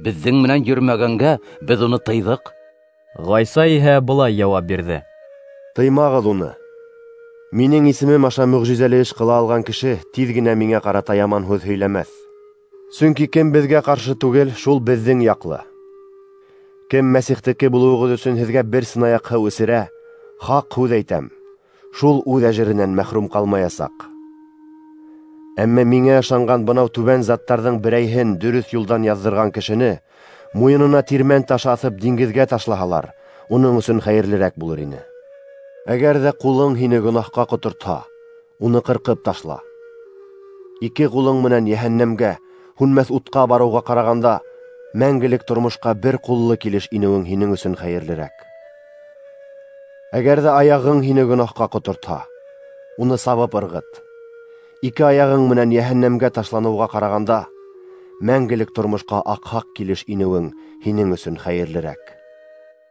Беҙҙең менән йөрөмәгәнгә беҙ уны тыйҙыҡ." Ғайса иһә былай яуап бирҙе: "Тыймағыҙ уны. Минең исемем аша мөғжизәле эш ҡыла алған кеше тиҙ генә миңә ҡарата яман һүҙ һөйләмәҫ. Сөнки кем беҙгә ҡаршы түгел, шул беҙҙең яҡлы. Кем Мәсихтеке булыуығыҙ өсөн һеҙгә бер сынаяҡ һыу эсерә, хаҡ һүҙ әйтәм, шул үҙ әжеренән мәхрүм ҡалмаясаҡ. Әммә миңә ышанған бынау түбән заттарҙың берәйһен дөрөҫ юлдан яҙҙырған кешене муйынына тирмән ташы аҫып диңгеҙгә ташлаһалар, уның өсөн хәйерлерәк булыр ине. Әгәр ҙә ҡулың һине гонаһҡа ҡотортһа, уны ҡырҡып ташла. Ике ҡулың менән йәһәннәмгә, һүнмәҫ утҡа барыуға ҡарағанда, мәңгелек тормошҡа бер ҡуллы килеш инеүең һинең өсөн хәйерлерәк. Әгәр ҙә аяғың һине гонаһҡа ҡотортһа, уны сабып ырғыт. Ике аяғың менән йәһәннәмгә ташланыуға ҡарағанда, мәңгелек тормошҡа аҡһаҡ килеш инеүең һинең өсөн хәйерлерәк.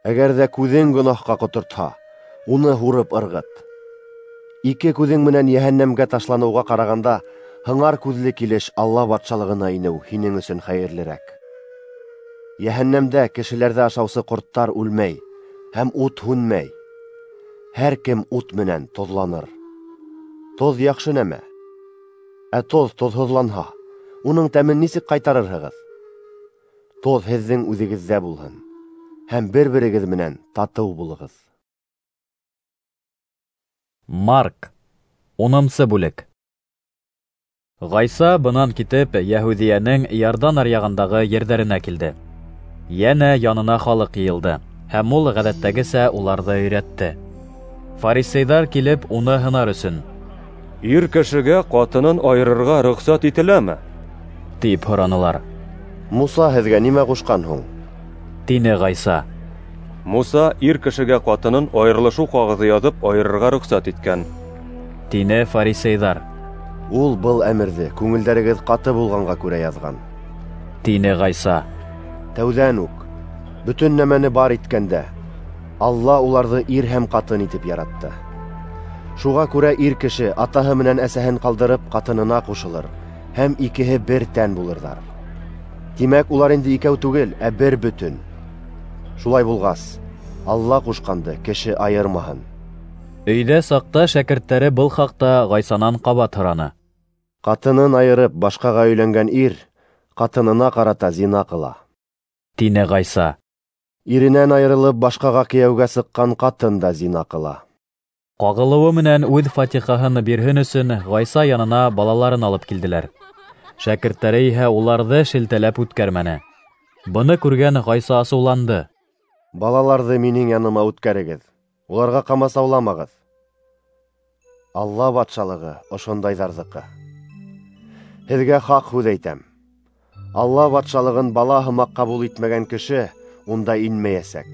Әгәр ҙә күҙең гонаһҡа ҡотортһа, уны һурып ырғыт. Ике күҙең менән йәһәннәмгә ташланыуға ҡарағанда, һыңар күҙле килеш Алла батшалығына инеү һинең өсөн хәйерлерәк. Йәһәннәмдә кешеләрҙе ашаусы ҡорттар үлмәй һәм ут һүнмәй. Һәр кем ут менән тоҙланыр. Тоҙ яҡшы нәмә. Ә тоҙ тоҙһоҙланһа, уның тәмен нисек ҡайтарырһығыҙ? Тоҙ һеҙҙең үҙегеҙҙә булһын, һәм бер-берегеҙ менән татыу булығыҙ. Марк, унынсы бүлек. Ғайса бынан китеп, Йәһүҙиәнең Иордан аръяғындағы ерҙәренә килде. Йәнә янына халыҡ йыйылды, һәм ул ғәҙәттәгесә уларҙы өйрәтте. Фарисейҙар килеп, уны һынар өсөн: "Ир кешегә ҡатынын айырырға рөхсәт ителәме?" тип һоранылар. "Муса һеҙгә нимә ҡушҡан һуң?" тине Ғайса. "Муса ир кешегә ҡатынын айырылышыу ҡағыҙы яҙып айырырға рөхсәт иткән", тине фарисейҙар. "Ул был әмерҙе күңелдәрегеҙ ҡаты булғанға күрә яҙған", тине Ғайса. "Тәүҙән үк, бөтөн нәмәне бар иткәндә, Алла уларҙы ир һәм ҡатын итеп яратты. Шуға күрә ир кеше атаһы менән әсәһен ҡалдырып ҡатынына ҡушылыр, һәм икеһе бер тән булырҙар. Тимәк, улар инде икәү түгел, ә бер бөтөн. Шулай булғас, Алла ҡушҡанды кеше айырмаһын." Өйҙә саҡта шәкерттәре был хаҡта Ғайсанан ҡабат һораны. "Ҡатынын айырып башҡаға өйләнгән ир ҡатынына ҡарата зина ҡыла", тине Ғайса. "Иренән айырылып башҡаға кейәүгә сыҡҡан ҡатын да зина ҡыла." Ҡағылыуы менән үҙ фатихаһын бирһен өсөн Ғайса янына балаларын алып килделәр. Шәкерттәре иһә уларҙы шелтәләп үткәрмәне. Быны күргән Ғайса асыуланды. "Балаларҙы минең яныма үткәрегеҙ, уларға ҡамасауламағыҙ. Алла батшалығы ошондайҙарҙыҡы. Һеҙгә хаҡ һүҙ әйтәм: Алла батшалығын бала һымаҡ ҡабул итмәгән кеше унда инмәйәсәк."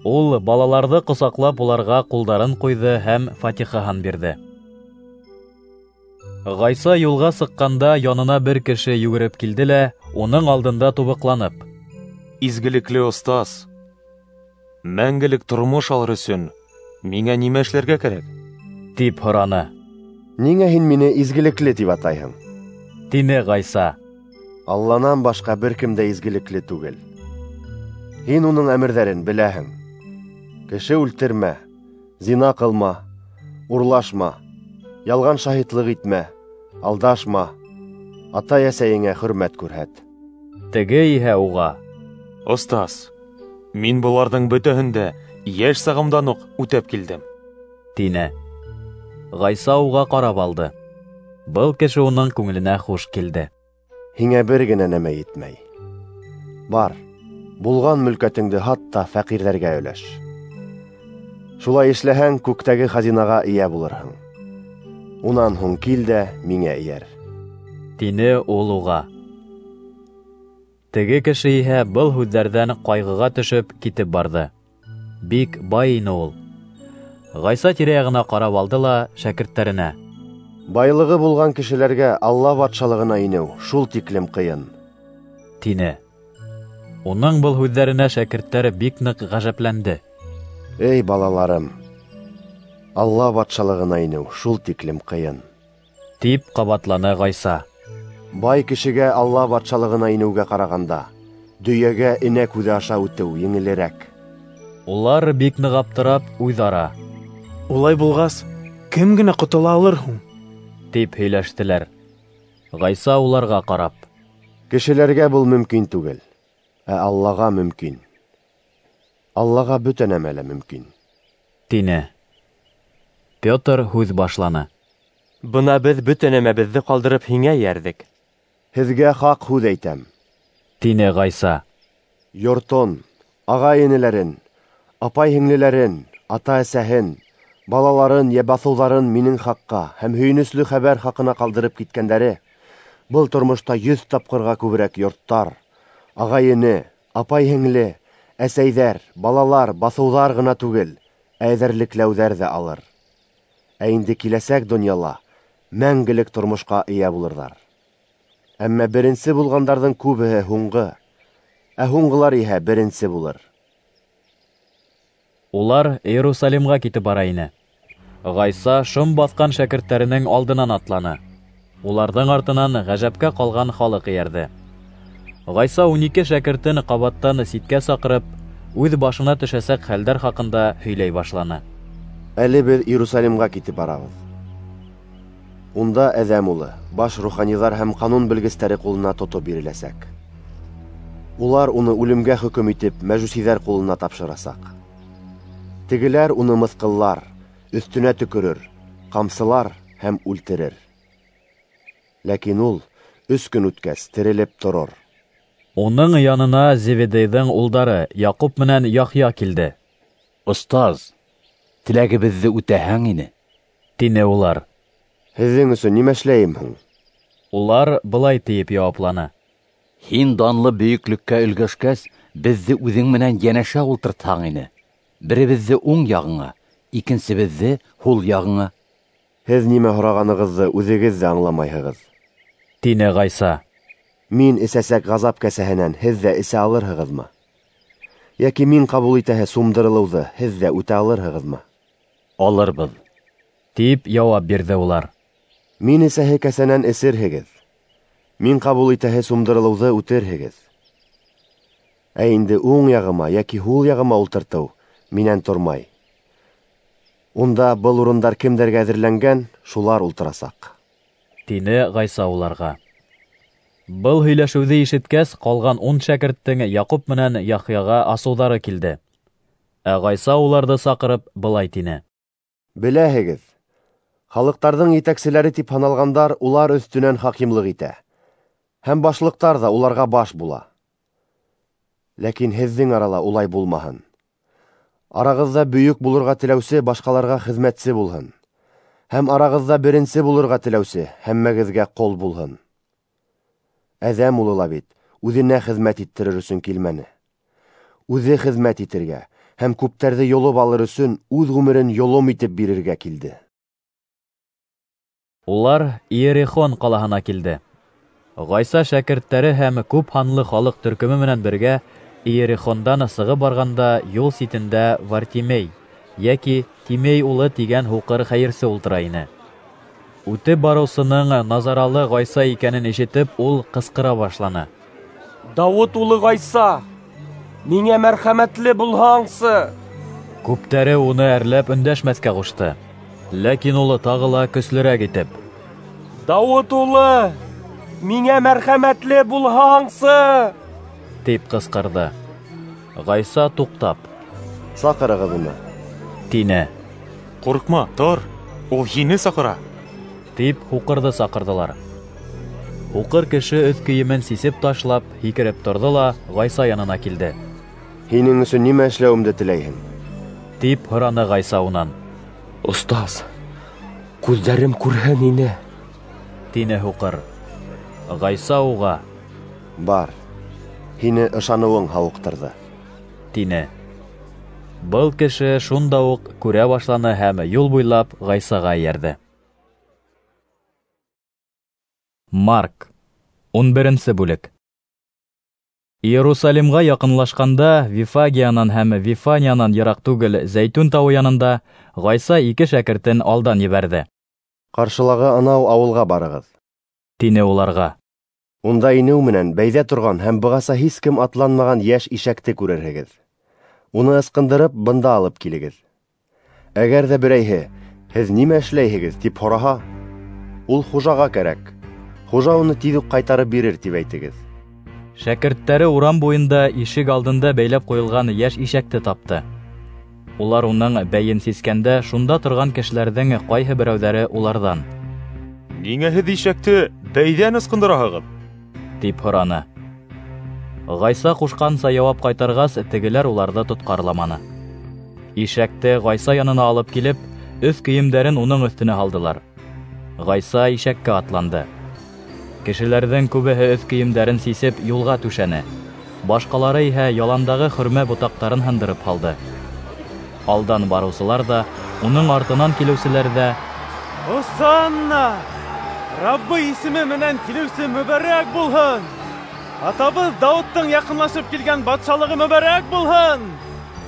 Ул балаларҙы ҡосаҡлап уларға ҡулдарын ҡуйҙы һәм фатихаһын бирҙе. Ғайса юлға сыҡҡанда янына бер кеше йүгереп килде лә, уның алдында тубыҡланып: "Изгелекле остаз, мәңгелек тормош алыр өсөн миңә нимә эшләргә кәрәк?" тип һораны. "Ниңә һин мине изгелекле тип атайһың?" тине Ғайса. "Алланан башҡа бер кем дә изгелекле түгел. Һин уның әмерҙәрен беләһең: кеше үлтермә, зина ҡылма, урлашма, ялған шаһитлыҡ итмә, алдашма, атай-әсәйеңә хөрмәт күрһәт." Теге иһә уға: "Остаз, мин быларҙың бөтәһен дә йәш сағымдан уҡ үтәп килдем", тине. Ғайса уға ҡарап алды. Был кеше уның күңеленә хуш килде. "Һиңә бер генә нәмә етмәй. Бар, булған мөлкәтеңде һат та фәҡирҙәргә өләш. Шулай эшләһәң, күктәге хазинаға эйә булырһың. Унан һуң кил дә миңә эйәр", тине ул уға. Теге кеше иһә был һүҙҙәрҙән ҡайғыға төшөп китеп барҙы. Бик бай ине ул. Ғайса тирә-яғына ҡарап алды ла шәкерттәренә: "Байлығы булған кешеләргә Алла батшалығына инеү шул тиклем ҡыйын", тине. Уның был һүҙҙәренә шәкерттәр бик ныҡ ғәжәпләнде. "Эй, балаларым, Алла батшалығына инеү шул тиклем ҡыйын", тип ҡабатланы Ғайса. "Бай кешегә Алла батшалығына инеүгә ҡарағанда, дөйәгә энә күҙе аша үтеү еңелерәк." Улар бик ныҡ аптырап, үҙ-ара: "Улай булғас, кем генә ҡотола алыр һуң?" тип һөйләштеләр. Ғайса уларға ҡарап: "Кешеләргә был мөмкин түгел, ә Аллаға мөмкин. Аллаға бөтә нәмә лә мөмкин", тине. Петр һүҙ башланы: "Бына беҙ бөтә нәмәбеҙҙе ҡалдырып һиңә эйәрҙек." "Һеҙгә хаҡ һүҙ әйтәм", тине Ғайса. "Йортон, ағай-энеләрен, апай-һеңлеләрен, ата-әсәһен, балаларын йә баҫыуҙарын минең хаҡҡа һәм һөйөнөслө хәбәр хаҡына ҡалдырып киткәндәре был тормошта йөҙ тапҡырға күберәк йорттар, ағай-эне, апай-һеңле, әсәйҙәр, балалар, баҫыуҙар ғына түгел, ә эҙәрлекләүҙәр ҙә алыр. Ә инде киләсәк донъяла мәңгелек тормошҡа эйә булырҙар. Әммә беренсе булғандарҙың күбеһе һуңғы, ә һуңғылар иһә беренсе булыр. Улар Иерусалимға китеп бара ине. Ғайса шом баҫҡан шәкерттәренең алдынан атланы. Уларҙың артынан ғәжәпкә ҡалған халыҡ эйәрҙе. Ғайса ун ике шәкертен ҡабаттан ситкә саҡырып, үҙ башына төшәсәк хәлдәр хаҡында һөйләй башланы. Әле беҙ Иерусалимға китеп барабыҙ. Унда Әҙәм улы баш руханиҙар һәм ҡанун белгестәре ҡулына тотоп биреләсәк. Улар уны үлемгә хөкөм итеп, мәжүсиҙәр ҡулына тапшырасаҡ. Тегеләр уны мыҫҡыллар, өҫтөнә төкөрөр, ҡамсылар һәм үлтерер. Ләкин ул өс көн үткәс терелеп торор. Уның янына Зеведейҙың улдары Яҡуп менән Яхъя килде. Остаз, теләгебеҙҙе үтәһәң ине, тине улар. Һеҙҙең өсөн нимә эшләйем һуң? Улар былай тиеп яуапланы: Һин данлы бөйөклөккә өлгәшкәс, беҙҙе үҙең менән йәнәшә ултыртһаң ине. Беребеҙҙе уң яғыңа, икенсебеҙҙе һул яғыңа. Һеҙ нимә һорағанығыҙҙы үҙегеҙ ҙә аңламайһығыҙ, тине Ғайса. Мин эсәсәк ғазап кәсәһенән һеҙ ҙә эсә алырһығыҙмы? Йәки мин ҡабул итәһе сумдырылыуҙы һеҙ ҙә үтә алырһығыҙмы? Алырбыҙ, тип яуап бирҙе улар. Мин эсәһе кәсәнән эсерһегеҙ, мин ҡабул итәһе сумдырылыуҙы үтерһегеҙ. Ә инде уң яғыма йәки һул яғыма ултыртыу минән тормай. Унда был урындар кемдәргә әҙерләнгән, шулар ултырасаҡ, тине Ғайса уларға. Был һөйләшеүҙе ишеткәс, ҡалған ун шәкерттең Яҡуп менән Яхъяға асыуҙары килде. Ә Ғайса уларҙы саҡырып былай тине: Беләһегеҙ, халыҡтарҙың етәкселәре тип һаналғандар улар өҫтөнән хакимлыҡ итә, һәм башлыҡтар ҙа уларға баш була. Ләкин һеҙҙең арала улай булмаһын. Арағыҙҙа бөйөк булырға теләүсе башҡаларға хеҙмәтсе булһын, һәм арағыҙҙа беренсе булырға теләүсе һәммәгеҙгә ҡол булһын. Әҙәм улы ла бит үҙенә хеҙмәт иттерер өсөн килмәне. Үҙе хеҙмәт итергә һәм күптәрҙе йолоп алыр өсөн үҙ ғүмерен йолом итеп бирергә килде. Улар Иерихон ҡалаһына килде. Ғайса шәкерттәре һәм күп һанлы халыҡ төркөмө менән бергә Иерихондан сығып барғанда юл ситендә Вартимей, йәки Тимей улы тигән һуҡыр хәйерсе ултыра ине. Үтеп барыусының Назаралы Ғайса икәнен ишетеп, ул ҡысҡыра башланы: Дауыт улы Ғайса, миңә мәрхәмәтле булһаңсы! Күптәре уны әрләп өндәшмәҫкә ҡушты. Ләкин ул тағы ла көслөрәк итеп: Дауыт улы, миңә мәрхәмәтле булһаңсы! тип ҡысҡырҙы. Ғайса туҡтап: Саҡырығыҙ уны, тине. Ҡурҡма, тор, ул һине саҡыра, тип һуҡырҙы саҡырҙылар. Һуҡыр кеше өҫ кейемен сисеп ташлап, һикереп торҙо ла Ғайса янына килде. Һинең өсөн нимә эшләүемде теләйһең? Тип һораны Ғайса унан. Остаз, күҙҙәрем күрһен ине, тине һуҡыр. Ғайса уға: Бар, һине ышаныуың һауыҡтырҙы, тине. Был кеше шунда уҡ күрә башланы һәм юл буйлап Ғайсаға эйәрҙе. Марк, ун беренсе бүлек. Иерусалимға яҡынлашҡанда, Вифагиянан һәм Вифаниянан йыраҡ түгел Зәйтүн тауы янында Ғайса ике шәкертен алдан ебәрҙе. Ҡаршылағы анау ауылға барығыҙ, тине уларға. Унда инеү менән бәйҙә торған һәм бығаса һис кем атланмаған йәш ишәкте күрерһегеҙ. Уны ысҡындырып, бында алып килегеҙ. Әгәр ҙә берәйһе, һеҙ нимә эшләйһегеҙ, тип һораһа, ул хужаға кәрәк. Хужа уны тиҙ үк ҡайтарып бирер, тип әйтегеҙ. Шәкерттәре урам буйында ишек алдында бәйләп ҡуйылған йәш ишәкте тапты. Улар уның бәйен сискәндә шунда торған кешеләрҙең ҡайһы берәүҙәре уларҙан: Ниңә һеҙ ишәкте бәйҙән ысҡындыраһығыҙ? тип һораны. Ғайса ҡушҡанса яуап ҡайтарғас, тегеләр уларҙы тотҡарламаны. Ишәкте Ғайса янына алып килеп, өҫ кейемдәрен уның өҫтөнә һалдылар. Ғайса ишәккә атланды. Кешеләрҙең күбеһе өҫ кейемдәрен сисеп юлға түшәне. Башҡалары иһә яландағы хөрмә ботаҡтарын һындырып һалды. Алдан барыусылар ҙа, уның артынан килеүселәр ҙә: «Осанна! Раббы исеме менән килеүсе мөбәрәк булһын! Атабыҙ Дауыттың яҡынлашып килгән батшалығы мөбәрәк булһын!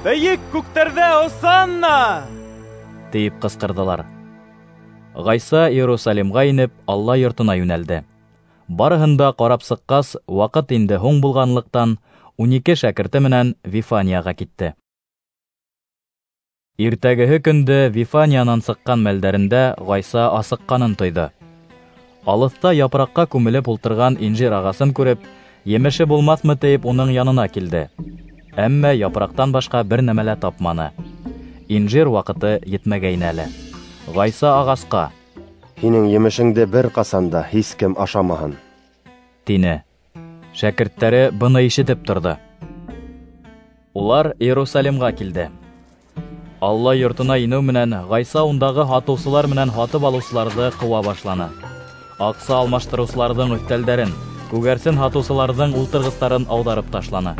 Бейек күктәрҙә осанна! Тип ҡысҡырҙылар. Ғайса Иерусалимға инеп, Алла йортона йүнәлде. Барыһын да ҡарап сыҡҡас, ваҡыт инде һуң булғанлыҡтан, ун ике шәкерте менән Вифанияға китте. Иртәгеһе көндө Вифаниянан сыҡҡан мәлдәрендә Ғайса асыҡҡанын тойҙо. Алыҫта япраҡҡа күмелеп ултырған инжир ағасын күреп, емеше булмаҫмы тиеп уның янына килде. Әммә япраҡтан башҡа бер нәмә лә тапманы. Инжир ваҡыты етмәгәйне әле. Ғайса ағасҡа: "Һинең емешеңде бер ҡасан да һис кем ашамаһын", тине. Шәкерттәре быны ишетеп торҙо. Улар Иерусалимға килде. Алла йортона инеү менән Ғайса ундағы һатыусылар менән һатып алыусыларҙы ҡыуа башланы. Аҡса алмаштырыусыларҙың өҫтәлдәрен, күгәрсен һатыусыларҙың ултырғыстарын ауҙарып ташланы.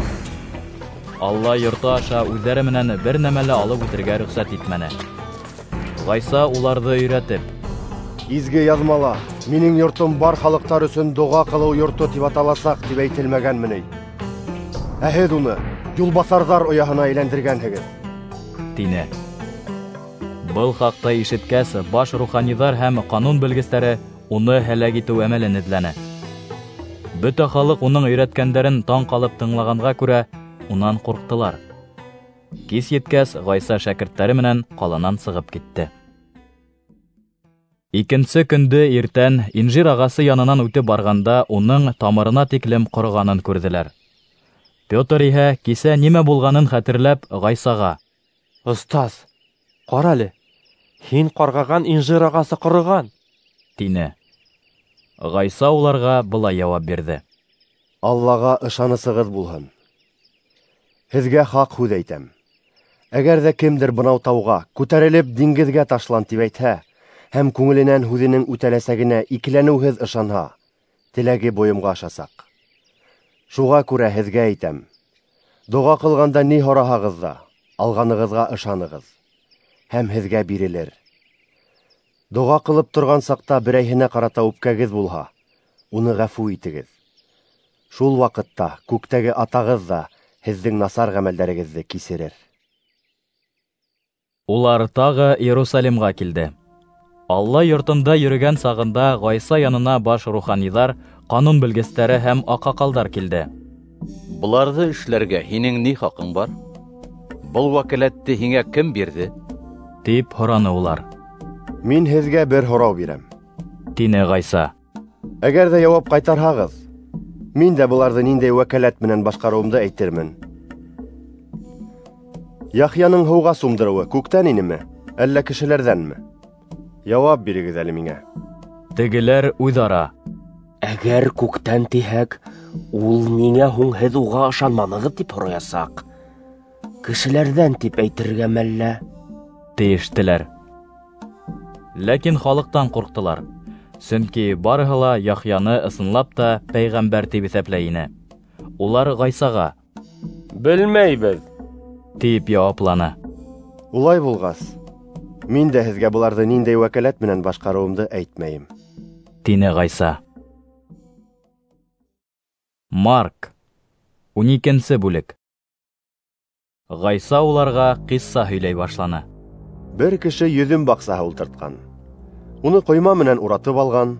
Алла йорто аша үҙҙәре менән бер нәмә лә алып үтергә рөхсәт итмәне. Ғайса уларҙы өйрәтеп: "Изге яҙмала минең йортом бар халыҡтар өсөн доға ҡылыу йорто тип аталасаҡ тип әйтелмәгәнме ни? Ә һеҙ уны юлбаҫарҙар ояһына әйләндергәнһегеҙ", тине. Был хаҡта ишеткәс, баш руханиҙар һәм ҡанун белгестәре уны һәләк итеү әмәлен эҙләне. Бөтә халыҡ уның өйрәткәндәрен таң ҡалып тыңлағанға күрә, унан ҡурҡтылар. Кис еткәс, Ғайса шәкерттәре менән ҡаланан сығып китте. Икенсе көндө иртән инжир ағасы янынан үтеп барғанда уның тамырына тиклем ҡороғанын күрҙеләр. Петр иһә кисә нимә булғанын хәтерләп Ғайсаға: "Остаз, ҡара әле, һин ҡарғаған инжир ағасы ҡороған", тине. Ғайса уларға былай яуап бирҙе: "Аллаға ышанысығыҙ булһын. Һеҙгә хаҡ һүҙ әйтәм. Әгәр ҙә кемдер бынау тауға күтәрелеп диңгеҙгә ташлан тип әйтһә, һәм күңеленән һүҙенең үтәләсәгенә икеләнеүһеҙ ышанһа, теләге бойомға ашасаҡ. Шуға күрә һеҙгә әйтәм: доға ҡылғанда ни һораһағыҙ ҙа, алғанығыҙға ышанығыҙ, һәм һеҙгә бирелер. Доға ҡылып торған саҡта берәйһенә ҡарата үпкәгеҙ булһа, уны ғәфү итегеҙ. Шул ваҡытта күктәге атағыҙ ҙа һеҙҙең насар ғәмәлдәрегеҙҙе кисерер." Улар тағы Иерусалимға килде. Алла йортонда йөрөгән сағында Ғайса янына баш руханиҙар, ҡанун белгестәре һәм аҡһаҡалдар килде. "Быларҙы эшләргә һинең ни хаҡың бар? Был вәкәләтте һиңә кем бирҙе?" тип һораны улар. "Мин һеҙгә бер һорау бирәм", тине Ғайса. "Әгәр ҙә яуап ҡайтарһағыҙ, мин дә быларҙы ниндәй вәкәләт менән башҡарыуымды әйтермен. Яхъяның һыуға сумдырыуы күктән инеме, әллә кешеләрҙәнме? Яуап бирегеҙ әле миңә." Тегеләр үҙ-ара: "Әгәр күктән тиһәк, ул ниңә һуң һеҙ уға ышанманығыҙ тип һораясаҡ. Кешеләрҙән тип әйтергә мәллә?" тиештеләр. Ләкин халыҡтан ҡурҡтылар, сөнки барыһы ла Яхъяны ысынлап та пәйғәмбәр тип иҫәпләй ине. Улар Ғайсаға: "Белмәйбеҙ", тип яуапланы. "Улай булғас, мин дә һеҙгә быларҙы ниндәй вәкәләт менән башҡарыуымды әйтмәйем", тине Ғайса. Марк, ун икенсе бүлек. Ғайса уларға ҡисса һөйләй башланы. "Бер кеше йөҙөм баҡсаһы ултыртҡан. Уны ҡойма менән уратып алған,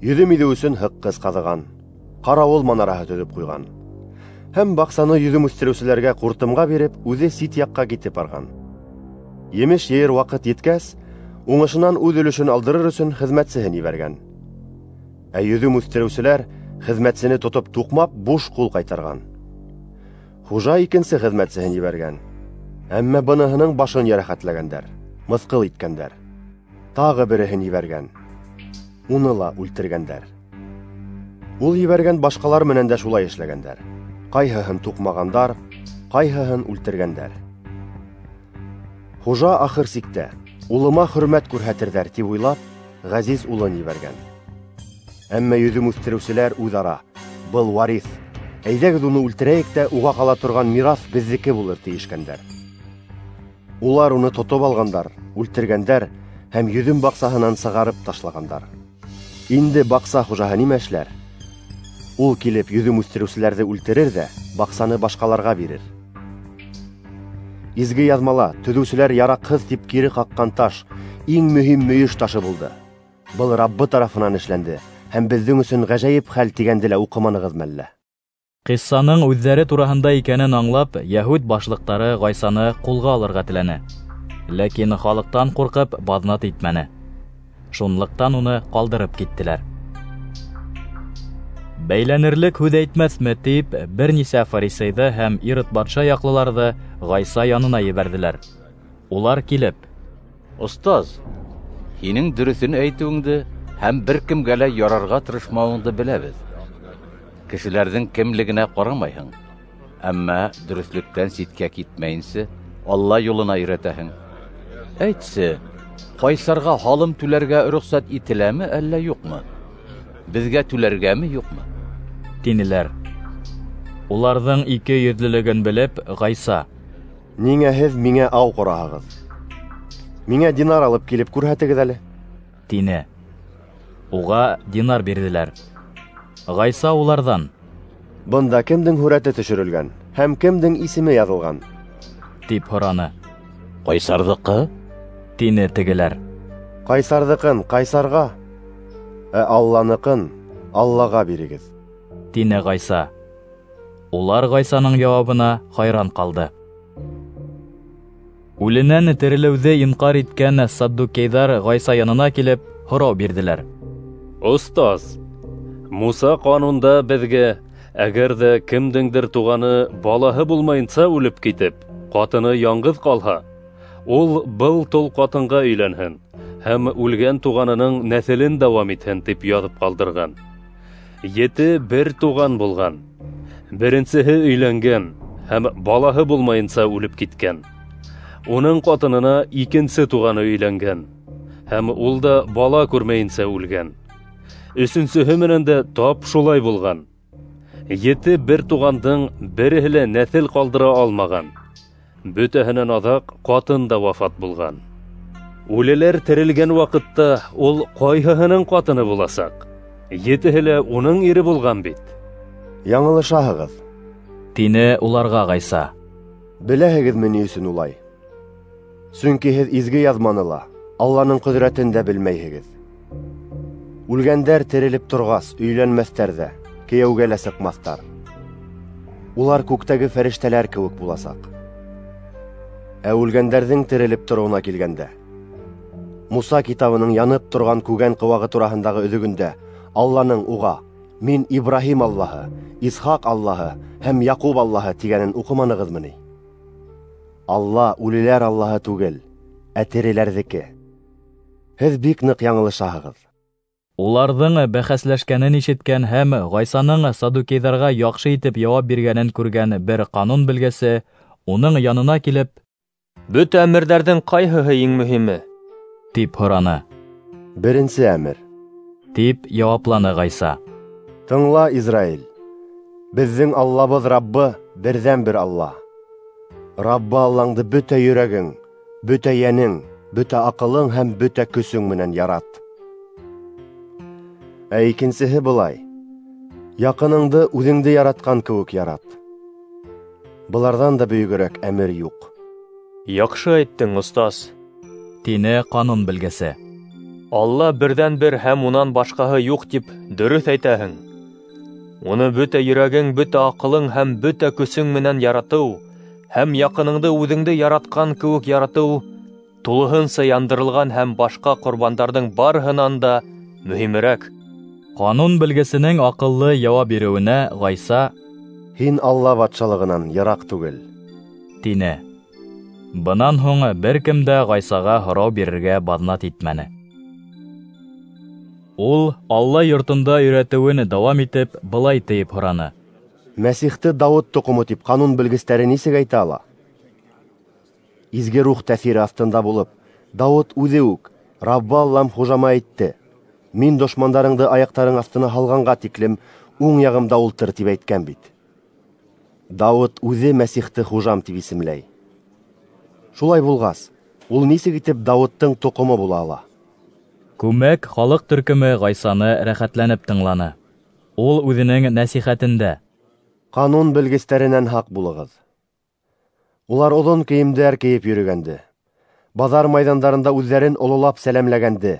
йөҙөм иҙеү өсөн һыҡҡыс ҡаҙыған, ҡарауыл манараһы төҙөп ҡуйған. Һәм баҡсаны йөҙөм үҫтереүселәргә ҡуртымға биреп, үҙе сит яҡҡа китеп барған. Емеш йыйыр ваҡыт еткәс, уңышынан үҙ өлөшөн алдырыр өсөн хеҙмәтсеһен ебәргән. Ә йөҙөм үҫтереүселәр хеҙмәтсене тотоп туҡмап, буш ҡул ҡайтарған. Хужа икенсе хеҙмәтсеһен ебәргән. Әммә быныһының башын йәрәхәтләгәндәр, мыҫҡыл иткәндәр. Тағы береһен ебәргән. Уны ла үлтергәндәр. Ул ебәргән башҡалар менән дә шулай эшләгәндәр. Ҡайһыһын туҡмағандар, ҡайһыһын үлтергәндәр. Хужа ахыр сиктә улыма хөрмәт күрһәтерҙәр тип уйлап, ғәзиз улын ебәргән. Әммә йөҙөм үҫтереүселәр үҙ-ара: был варис, әйҙәгеҙ уны үлтерәйек тә уға ҡала торған мираҫ беҙҙеке булыр тейешкәндәр. Улар уны тотоп алғандар, үлтергәндәр һәм йөҙөм баҡсаһынан сығарып ташлағандар. Инде баҡса хужаһы нимә эшләр? Ул килеп йөҙөм үҫтереүселәрҙе үлтерер ҙә баҡсаны башҡаларға бирер. Изге яҙмала төҙөүселәр яраҡһыҙ тип кире ҡаҡҡан таш иң мөһим мөйөш ташы булды. Был Раббы тарафынан эшләнде һәм беҙҙең өсөн ғәжәйеп хәл тигәнде лә уҡыманығыҙмы әллә? Ҡиссаның үҙҙәре тураһында икәнен аңлап, йәһүд башлыҡтары Ғайсаны ҡулға алырға теләне. Ләкин халыҡтан ҡурҡып баҙнат итмәне. Шунлыҡтан уны ҡалдырып киттеләр. Бәйләнерлек һүҙ әйтмәҫме тип, бер нисә фарисейҙы һәм Ирод батша яҡлыларҙы Ғайса янына ебәрҙеләр. Улар килеп: "Остаз, һинең дөрөҫөн әйтеүеңде һәм бер кемгә лә ярарға тырышмауыңды беләбеҙ. Кешеләрҙең кемлегенә ҡарамайһың, әммә дөрөҫлөктән ситкә китмәйенсә Алла юлына өйрәтәһең. Әйтсе, ҡайсарға һалым түләргә рөхсәт ителәме әллә юҡмы? Беҙгә түләргәме юҡмы?" тинеләр. Уларҙың ике йөҙлөлөгөн белеп, Ғайса: "Ниңә һеҙ миңә ау ҡораһығыҙ? Миңә динар алып килеп күрһәтегеҙ әле", тине. Уға динар бирҙеләр. Ғайса уларҙан: "Бында кемдең һүрәте төшөрөлгән һәм кемдең исеме яҙылған?" тип һораны. "Ҡайсарҙыҡы", тине тегеләр. "Ҡайсарҙыҡын ҡайсарға, ә Алланыҡын Аллаға бирегеҙ", тине Ғайса. Улар Ғайсаның яуабына хайран ҡалды. Үленән терелеүҙе инҡар иткән саддукейҙар Ғайса янына килеп һорау бирҙеләр: "Остаз, Муса ҡанунда беҙгә, әгәр ҙә кемдеңдер туғаны балаһы булмайынса үлеп китеп, ҡатыны яңғыҙ ҡалһа, ул был тол ҡатынға өйләнһен һәм үлгән туғанының нәҫелен дауам итһен тип яҙып ҡалдырған. Ете бер туған булған. Беренсеһе өйләнгән һәм балаһы булмайынса үлеп киткән. Уның ҡатынына икенсе туғаны өйләнгән һәм ул да бала күрмәйенсә үлгән. Өсөнсөһө менән дә тап шулай булған. Ете бер туғандың береһе лә нәҫел ҡалдыра алмаған. Бөтәһенән аҙаҡ ҡатын да вафат булған. Үлеләр терелгән ваҡытта ул ҡайһыһының ҡатыны буласаҡ? Етеһе лә уның ире булған бит." "Яңылышаһығыҙ", тине уларға Ғайса. "Беләһегеҙме ни өсөн улай? Сөнки һеҙ изге яҙманы ла, Алланың ҡөҙрәтен дә белмәйһегеҙ. Үлгәндәр терелеп торғас, өйләнмәҫтәр ҙә, кейәүгә лә сыҡмаҫтар. Улар күктәге фәрештәләр кеүек буласаҡ. Ә үлгәндәрҙең терелеп тороуына килгәндә, Муса китабының янып торған күгән ҡыуағы тураһындағы өҙөгөндә Алланың уға: «Мин Ибраһим Аллаһы, Исхаҡ Аллаһы һәм Яҡуб Аллаһы» тигәнен уҡыманығыҙмы ни? Алла үлеләр Аллаһы түгел, ә тереләрҙеке. Һеҙ бик ныҡ яңылышаһығыҙ." Уларҙың бәхәсләшкәнен ишеткән һәм Ғайсаның саддукейҙарға яҡшы итеп яуап биргәнен күргән бер ҡанун белгесе уның янына килеп: "Бөтә әмерҙәрҙең ҡайһыһы иң мөһиме?" тип һораны. "Беренсе әмер", тип яуапланы Ғайса. "Тыңла, Израиль, беҙҙең Аллабыҙ Раббы берҙән-бер Алла. Раббы Аллаңды бөтә йөрәгең, бөтә йәнең, бөтә аҡылың һәм бөтә көсөң менән ярат. Ә икенсеһе былай: яҡыныңды үҙеңде яратҡан кеүек ярат. Быларҙан да бөйөгөрәк әмер юҡ." "Яҡшы әйттең, остаз", тине ҡанун белгесе. "Алла берҙән-бер һәм унан башҡаһы юҡ тип дөрөҫ әйтәһең. Уны бөтә йөрәгең, бөтә аҡылың һәм бөтә көсөң менән яратыу һәм яҡыныңды үҙеңде яратҡан кеүек яратыу тулыһынса яндырылған һәм башҡа ҡорбандарҙың барыһынан да мөһимерәк." Ҡанун белгесенең аҡыллы яуап биреүенә Ғайса: "Һин Алла батшалығынан йыраҡ түгел", тине. Бынан һуң бер кем дә Ғайсаға һорау бирергә баҙнат итмәне. Ул Алла йортонда өйрәтеүен дауам итеп, былай тиеп һораны: "Мәсихте Дауыт тоҡомо тип ҡанун белгестәре нисек әйтә ала? Изге рух тәьҫире аҫтында булып, Дауыт үҙе үк: Раббы Аллам хужама әйтте: Мин дошмандарыңды аяҡтарың аҫтына һалғанға тиклем уң яғымда ултыр, тип әйткән бит. Дауыт үҙе Мәсихте хужам тип исемләй. Шулай булғас, ул нисек итеп Дауыттың тоҡомо була ала?" Күмәк халыҡ төркөмө Ғайсаны рәхәтләнеп тыңланы. Ул үҙенең нәсихәтендә: Ҡанун белгестәренән һаҡ булығыҙ. Улар оҙон кейемдәр кейеп йөрөгәнде, баҙар майҙандарында үҙҙәрен ололап сәләмләгәнде,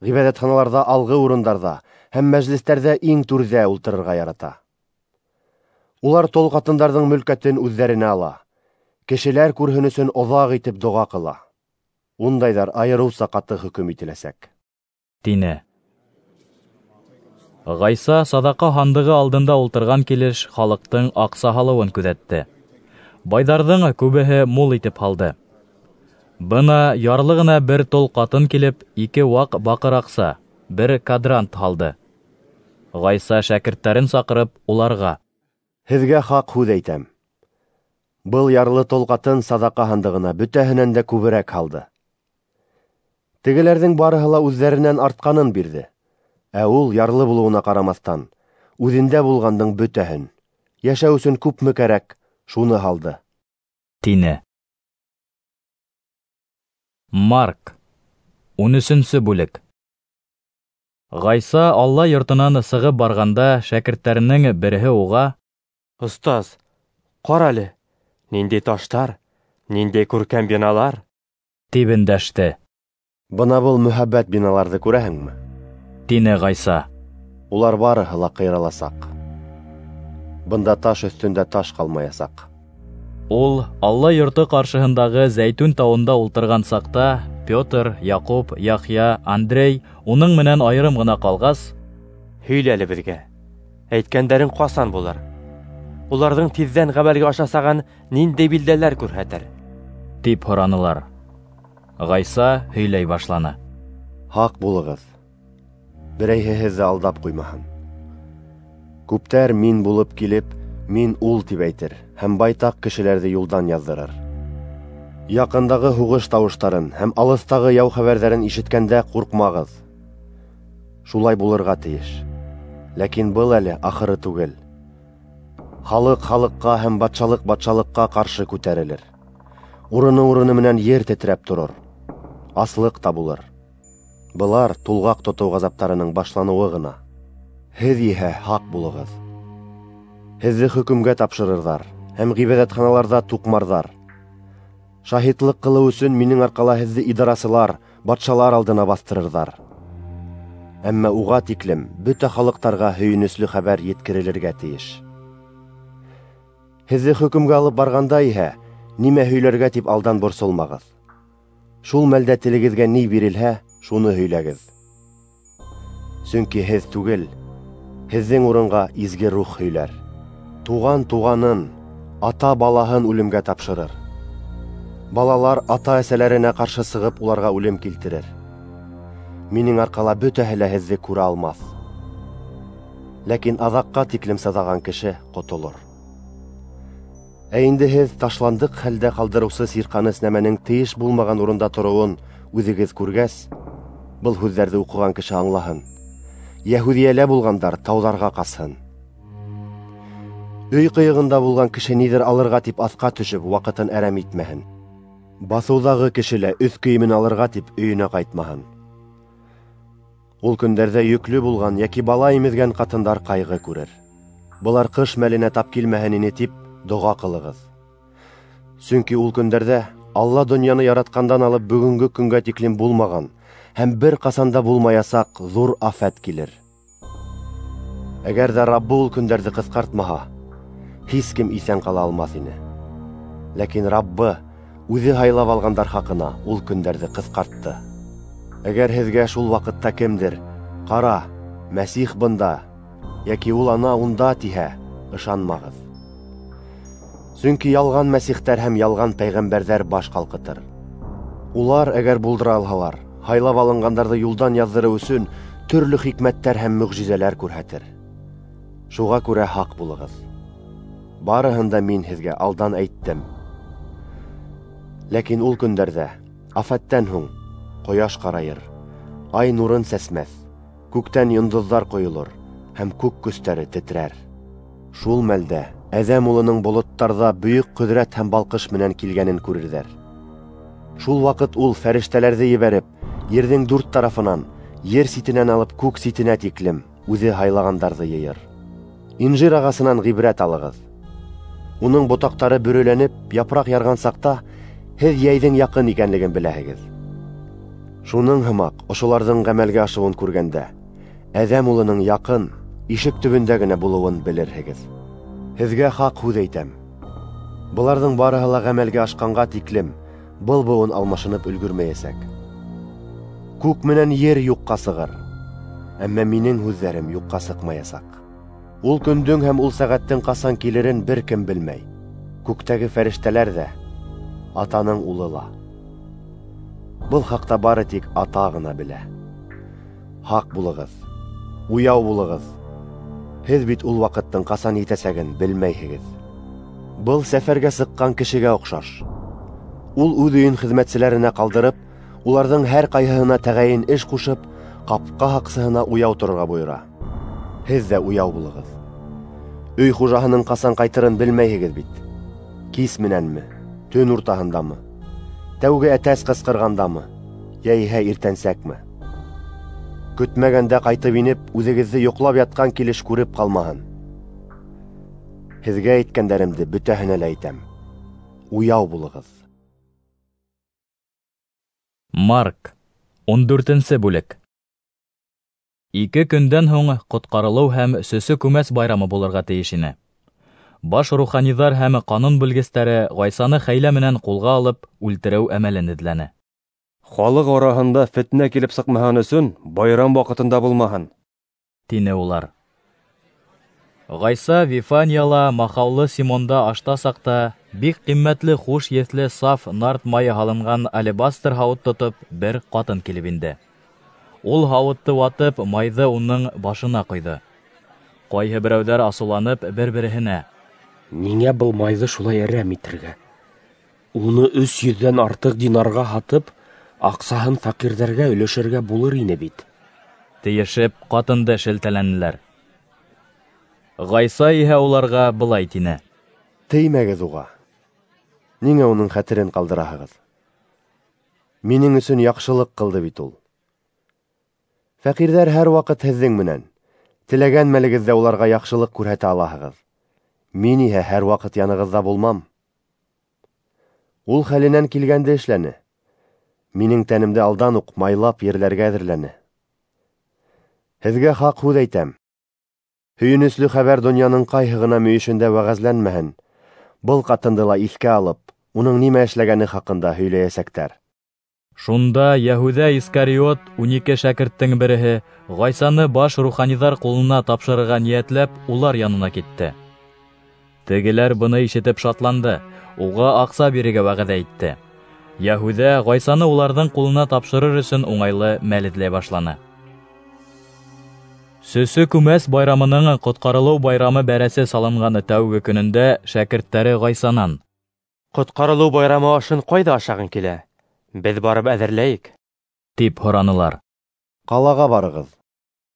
ғибәҙәтханаларҙа алғы урындарҙа һәм мәжлестәрҙә иң түрҙә ултырырға ярата. Улар тол ҡатындарҙың мөлкәтен үҙҙәренә ала, кешеләр күрһен өсөн оҙаҡ итеп доға ҡыла. Ундайҙар айырыуса ҡаты хөкөм ителәсәк, тине. Ғайса саҙаҡа һандығы алдында ултырған килеш халыҡтың аҡса һалыуын күҙәтте. Байҙарҙың күбеһе мул итеп һалды. Бына ярлы ғына бер тол ҡатын килеп, ике ваҡ баҡыр аҡса, бер кадрант һалды. Ғайса шәкерттәрен саҡырып, уларға: Һеҙгә хаҡ һүҙ әйтәм. Был ярлы тол ҡатын саҙаҡа һандығына бөтәһенән дә күберәк һалды. Тегеләрҙең барыһы ла үҙҙәренән артҡанын бирҙе, ә ул ярлы булыуына ҡарамаҫтан, үҙендә булғандың бөтәһен, йәшәү өсөн күпме кәрәк, шуны һалды, тине. Марк, ун өсөнсө бүлек. Ғайса Алла йортонан сығып барғанда шәкерттәренең береһе уға: Остаз, ҡара әле, ниндәй таштар, ниндәй күркәм биналар, тип өндәште. Бына был мөһабәт биналарҙы күрәһеңме? Тине Ғайса. Улар барыһы ла ҡыйраласаҡ. Бында таш өҫтөндә таш ҡалмаясаҡ. Ул Алла йорто ҡаршыһындағы Зәйтүн тауында ултырған саҡта Петр, Яҡуп, Яхъя, Андрей уның менән айырым ғына ҡалғас: Һөйлә әле беҙгә, әйткәндәрең ҡасан булыр? Уларҙың тиҙҙән ғәмәлгә ашасағын ниндәй билдәләр күрһәтер? Тип һоранылар. Ғайса һөйләй башланы. Һаҡ булығыҙ, берәйһе һеҙҙе алдап ҡуймаһын. Күптәр мин булып килеп, мин ул тип әйтер һәм байтаҡ кешеләрҙе юлдан яҙҙырыр. Яҡындағы һуғыш тауыштарын һәм алыҫтағы яу хәбәрҙәрен ишеткәндә ҡурҡмағыҙ. Шулай булырға тейеш. Ләкин был әле ахыры түгел. Халыҡ халыҡҡа һәм батшалыҡ батшалыҡҡа ҡаршы күтәрелер. Урыны-урыны менән ер тетрәп торор. Аслыҡ та булыр. Былар тулғаҡ тотоу ғазаптарының башланыуы ғына. Һеҙ иһә һаҡ булығыҙ. Һеҙҙе хөкөмгә тапшырырҙар һәм ғибәҙәтханаларҙа туҡмарҙар. Шаһитлыҡ ҡылыу өсөн минең арҡала һеҙҙе идарасылар, батшалар алдына баҫтырырҙар. Әммә уға тиклем бөтә халыҡтарға һөйөнөслө хәбәр еткерелергә тейеш. Һеҙҙе хөкөмгә алып барғанда иһә нимә һөйләргә тип алдан борсолмағыҙ. Шул мәлдә телегеҙгә ни бирелһә, шуны һөйләгеҙ. Сөнки һеҙ түгел, һеҙҙең урынға изге рух һөйләр. Туған туғанын, ата балаһын үлемгә тапшырыр. Балалар ата-әсәләренә ҡаршы сығып уларға үлем килтерер. Минең арҡала бөтәһе лә һеҙҙе күрә алмаҫ. Ләкин аҙаҡҡа тиклем сыҙаған кеше ҡотолор. Ә инде һеҙ ташландыҡ хәлдә ҡалдырыусы сирҡаныс нәмәнең тейеш булмаған урында тороуын үҙегеҙ күргәс, был һүҙҙәрҙе уҡыған кеше аңлаһын. Йәһүҙиәлә булғандар тауҙарға ҡасһын. Өй ҡыйығында булған кеше ниҙер алырға тип аҫҡа төшөп, ваҡытын әрәм итмәһен. Баҫыуҙағы кеше лә өҫ кейемен алырға тип өйөнә ҡайтмаһын. Ул көндәрҙә йөклө булған йәки бала имеҙгән ҡатындар ҡайғы күрер. Былар ҡыш мәленә тап килмәһен ине тип доға ҡылығыҙ. Сөнки ул көндәрҙә Алла донъяны яратҡандан алып бөгөнгө көнгә тиклем булмаған һәм бер ҡасан да булмаясаҡ ҙур афәт килер. Әгәр ҙә Раббы ул көндәрҙе ҡыҫҡартмаһа, һис кем иҫән ҡала алмаҫ ине. Ләкин Раббы үҙе һайлап алғандар хаҡына ул көндәрҙе ҡыҫҡартты. Әгәр һеҙгә шул ваҡытта кемдер: «Ҡара, Мәсих бында» йәки «Ул ана унда» тиһә, ышанмағыҙ. Сөнки ялған мәсихтәр һәм ялған пәйғәмбәрҙәр баш ҡалҡытыр. Улар, әгәр булдыра алһалар, һайлап алынғандарҙы юлдан яҙҙырыу өсөн төрлө хикмәттәр һәм мөғжизәләр күрһәтер. Шуға күрә һаҡ булығыҙ. Барыһын да мин һеҙгә алдан әйттем. Ләкин ул көндәрҙә, афәттән һуң, ҡояш ҡарайыр, ай нурын сәсмәҫ, күктән йондоҙҙар ҡойолор һәм күк көстәре тетрәр. Шул мәлдә Әҙәм улының болоттарҙа бөйөк ҡөҙрәт һәм балҡыш менән килгәнен күрерҙәр. Шул ваҡыт ул фәрештәләрҙе ебәреп, ерҙең дүрт тарафынан, Ер ситенән алып күк ситенә тиклем үҙе һайлағандарҙы йыйыр. Инжир ағасынан ғибрәт алығыҙ. Уның ботаҡтары бөрөләнеп, япраҡ ярған саҡта һеҙ йәйҙең яҡын икәнлеген беләһегеҙ. Шуның һымаҡ ошоларҙың ғәмәлгә ашыуын күргәндә, Әҙәм улының яҡын, ишек төбөндә генә булыуын белерһегеҙ. Һеҙгә хаҡ һүҙ әйтәм: быларҙың барыһы ла ғәмәлгә ашҡанға тиклем был быуын алмашынып өлгөрмәйәсәк. Күк менән ер юҡҡа сығыр, әммә минең һүҙҙәрем юҡҡа сыҡмаясаҡ. Ул көндөң һәм ул сәғәттең ҡасан килерен бер кем белмәй. Күктәге фәрештәләр ҙә, Атаның улы ла. Был хаҡта бары тик Ата ғына белә. Һаҡ булығыҙ, уяу булығыҙ. Һеҙ бит ул ваҡыттың ҡасан етәсәген белмәйһегеҙ. Был сәфәргә сыҡҡан кешегә оҡшаш. Ул үҙ өйөн хеҙмәтселәренә ҡалдырып, уларҙың һәр ҡайһыһына тәғәйен эш ҡушып, ҡапҡа һаҡсыһына уяу торорға бойора. Һеҙ ҙә уяу булығыҙ. Өй хужаһының ҡасан ҡайтырын белмәйһегеҙ бит. Кис менәнме, төн уртаһындамы, тәүге әтәс ҡысҡырғандамы, йәиһә иртәнсәкме? Көтмәгәндә ҡайтып инеп, үҙегеҙҙе йоҡлап ятҡан килеш күреп ҡалмаһын. Һеҙгә әйткәндәремде бөтәһенә лә әйтәм: уяу булығыҙ. Марк, ун дүртенсе бүлек. Ике көндән һуң ҡотҡарылыу һәм сөсө күмәс байрамы булырға тейеш ине. Баш руханиҙар һәм ҡанун белгестәре Ғайсаны хәйлә менән ҡулға алып үлтереү әмәлен эҙләне. Халыҡ араһында фетнә килеп сыҡмаһын өсөн байрам ваҡытында булмаһын, тине улар. Ғайса Вифанияла махаулы Симонда ашта саҡта бик ҡиммәтле хуш еҫле саф нард майы һалынған алебастр һауыт тотоп бер ҡатын килеп инде. Ул һауытты ватып, майҙы уның башына ҡойҙо. Ҡайһы берәүҙәр асыуланып бер-береһенә: "Ниңә был майҙы шулай әрәм итергә? Уны өс йөҙҙән артыҡ динарға һатып, аҡсаһын фәҡирҙәргә өләшергә булыр ине бит", тейешеп ҡатынды шелтәләнеләр. Ғайса иһә уларға былай тине: "Теймәгеҙ уға. Ниңә уның хәтерен ҡалдыраһығыҙ? Минең өсөн яҡшылыҡ ҡылды бит ул. Фәҡирҙәр һәр ваҡыт һеҙҙең менән, теләгән мәлегеҙҙә уларға яҡшылыҡ күрһәтә алаһығыҙ. Мин иһә һәр ваҡыт янығыҙҙа булмам. Ул хәленән килгәнде эшләне. Минең тәнемде алдан уҡ майлап ерләргә әҙерләне. Һеҙгә хаҡ һүҙ әйтәм: һөйөнөслө хәбәр донъяның ҡайһы ғына мөйөшөндә вәғәзләнмәһен, был ҡатынды ла иҫкә алып, уның нимә эшләгәне хаҡында һөйләйәсәктәр." Шунда Йәһүҙә Искариот, ун ике шәкерттең береһе, Ғайсаны баш руханиҙар ҡулына тапшырырға ниәтләп, улар янына китте. Тегеләр быны ишетеп шатланды, уға аҡса бирергә вәғәҙә итте. Йәһүҙә Ғайсаны уларҙың ҡулына тапшырыр өсөн уңайлы мәл эҙләй башланы. Сөсө күмәс байрамының ҡотҡарылыу байрамы бәрәсе салынған тәүге көнөндә шәкерттәре Ғайсанан: "Ҡотҡарылыу байрамы ашын ҡайҙа ашағың килә? Беҙ барып әҙерләйек", тип һоранылар. "Ҡалаға барығыҙ",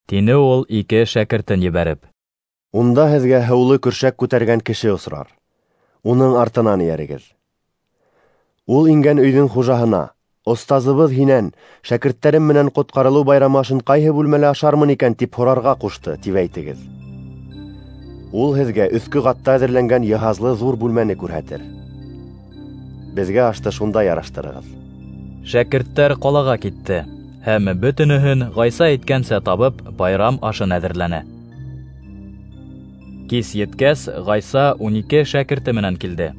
тине ул ике шәкертен ебәреп. "Унда һеҙгә һыулы көршәк күтәргән кеше осрар. Уның артынан эйәрегеҙ. Ул ингән өйҙөң хужаһына: «Остазыбыҙ һинән шәкерттәрем менән ҡотҡарылыу байрамы ашын ҡайһы бүлмәлә ашармын икән?» тип һорарға ҡушты, тип әйтегеҙ. Ул һеҙгә өҫкө ҡатта әҙерләнгән йыһазлы ҙур бүлмәне күрһәтер. Беҙгә ашты шунда яраштырығыҙ." Шәкерттәр ҡалаға китте һәм бөтөнөһөн Ғайса әйткәнсә табып, байрам ашын әҙерләне. Кис еткәс, Ғайса ун ике шәкерте менән килде.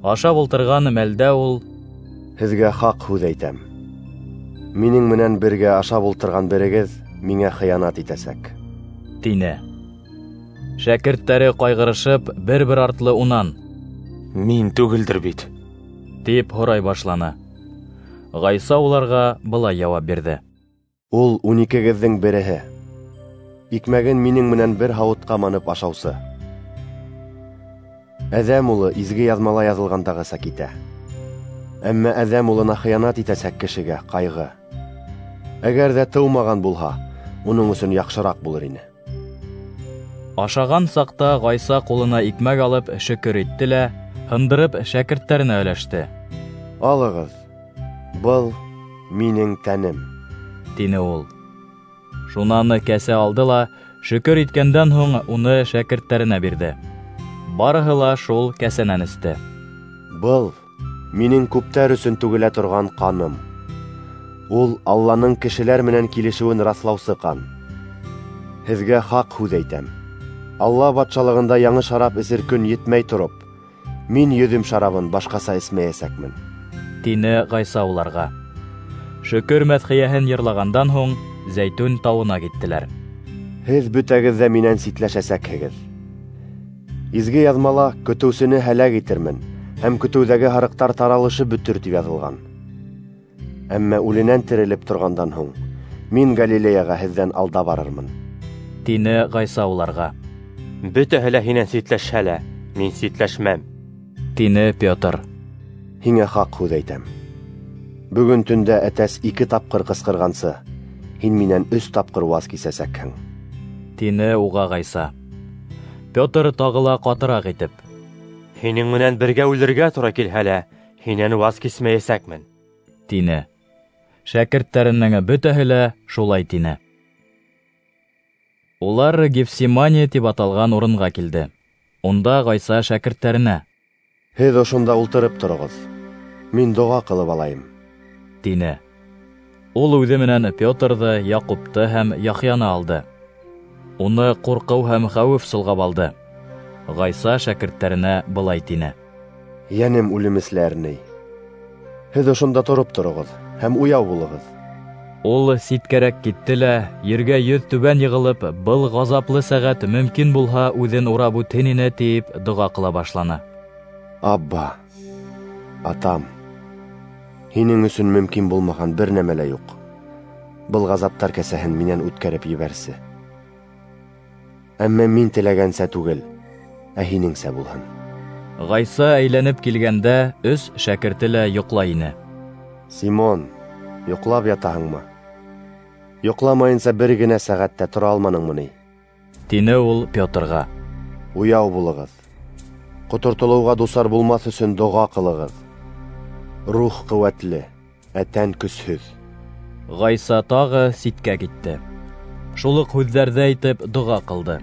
Ашап ултырған мәлдә ул: "Һеҙгә хаҡ һүҙ әйтәм: минең менән бергә ашап ултырған берегеҙ миңә хыянат итәсәк", тине. Шәкерттәре ҡайғырышып, бер-бер артлы унан: "Мин түгелдер бит?" тип һорай башланы. Ғайса уларға былай яуап бирҙе: "Ул ун икегеҙҙең береһе, икмәген минең менән бер һауытҡа манып ашаусы. Әҙәм улы изге яҙмала яҙылғандағыса китә. Әммә Әҙәм улына хыянат итәсәк кешегә ҡайғы. Әгәр ҙә тыумаған булһа, уның өсөн яҡшыраҡ булыр ине." Ашаған саҡта Ғайса ҡулына икмәк алып шөкөр итте лә, һындырып шәкерттәренә өләште. "Алығыҙ, был минең тәнем", тине ул. Шунан кәсә алды ла, шөкөр иткәндән һуң уны шәкерттәренә бирҙе. Барыһы ла шул кәсәнән эсте. Был минең күптәр өсөн түгелә торған ҡаным. Ул Алланың кешеләр менән килешеүен раҫлаусы ҡан. Һеҙгә хаҡ һүҙ әйтәм. Алла батшалығында яңы шарап эсер көн етмәй тороп, мин йөҙөм шарабын башҡаса эсмәйәсәкмен, тине Ғайса уларға. Шөкөр мәҙхиәһен йырлағандан һуң Зәйтүн тауына киттеләр. Һеҙ бөтәгеҙ ҙә минән ситләшәсәкһегеҙ. Изге яҙмала көтөүсене һәләк итермен, һәм көтөүҙәге һарыҡтар таралышып бөтөр тип яҙылған. Әммә үленән терелеп торғандан һуң мин Галилеяға һеҙҙән алда барырмын, тине Ғайса уларға. Бөтәһе лә һинән ситләшһә лә, мин ситләшмәм, тине Петр. Һиңә хаҡ һүҙ әйтәм. Бөгөн төндә әтәс ике тапҡыр ҡысҡырғансы, һин минән өс тапҡыр ваз кисәсәкһең, тине уға Ғайса. Петр тағы ла ҡатыраҡ итеп: Һинең менән бергә үлергә тура килһә лә, һинән ваз кисмәйәсәкмен, тине. Шәкерттәренең бөтәһе лә шулай тине. Улар Гефсимания тип аталған урынға килде. Унда Ғайса шәкерттәренә: Һеҙ ошонда ултырып тороғоҙ, мин доға ҡылып алайым, тине. Ул үҙе менән Петрҙы, Яҡупты һәм Яхъяны алды. Уны ҡурҡыу һәм хәүеф солғап алды. Ғайса шәкерттәренә былай тине: Йәнем үлемесле әрней. Һеҙ ошонда тороп тороғоҙ һәм уяу булығыҙ. Ул ситкәрәк китте лә, ергә йөҙ түбән йығылып, был ғазаплы сәғәт мөмкин булһа үҙен урап үтһен ине тип доға ҡыла башланы. Абба, атам, һинең өсөн мөмкин булмаған бер нәмә лә юҡ. Был ғазаптар кәсәһен минән үткәреп ебәрсе. Әммә мин теләгәнсә түгел, ә һинеңсә булһын. Ғайса әйләнеп килгәндә, өс шәкерте лә йоҡлай ине. Симон, йоҡлап ятаһыңмы? Йоҡламайынса бер генә сәғәт тә тора алманыңмы ни? Тине ул Петрға. Уяу булығыҙ. Ҡотортолоуға дусар булмаҫ өсөн доға ҡылығыҙ. Рух ҡеүәтле, ә тән көсһөҙ. Ғайса тағы ситкә китте. Шул уҡ һүҙҙәрҙе әйтеп доға ҡылды.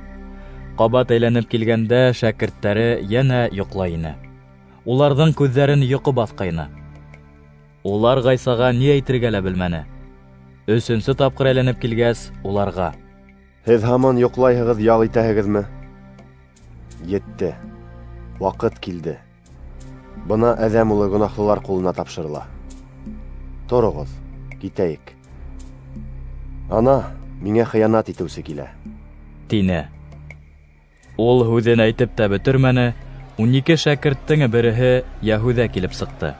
Ҡабат әйләнеп килгәндә шәкерттәре йәнә йоҡлай ине. Уларҙың күҙҙәрен йоҡо баҫҡайны. Улар Ғайсаға ни әйтергә лә белмәне. Өсөнсө тапҡыр әйләнеп килгәс, уларға: Һеҙ һаман йоҡлайһығыҙ, ял итәһегеҙме? Етте. Ваҡыт килде. Бына Әҙәм улы гонаһлылар ҡулына тапшырыла. Тороғоҙ, китәйек. Ана, миңә хыянат итеүсе килә, тине. Ул һүҙен әйтеп тә бөтөрмәне, ун ике шәкерттең береһе Йәһүҙә килеп сыҡты.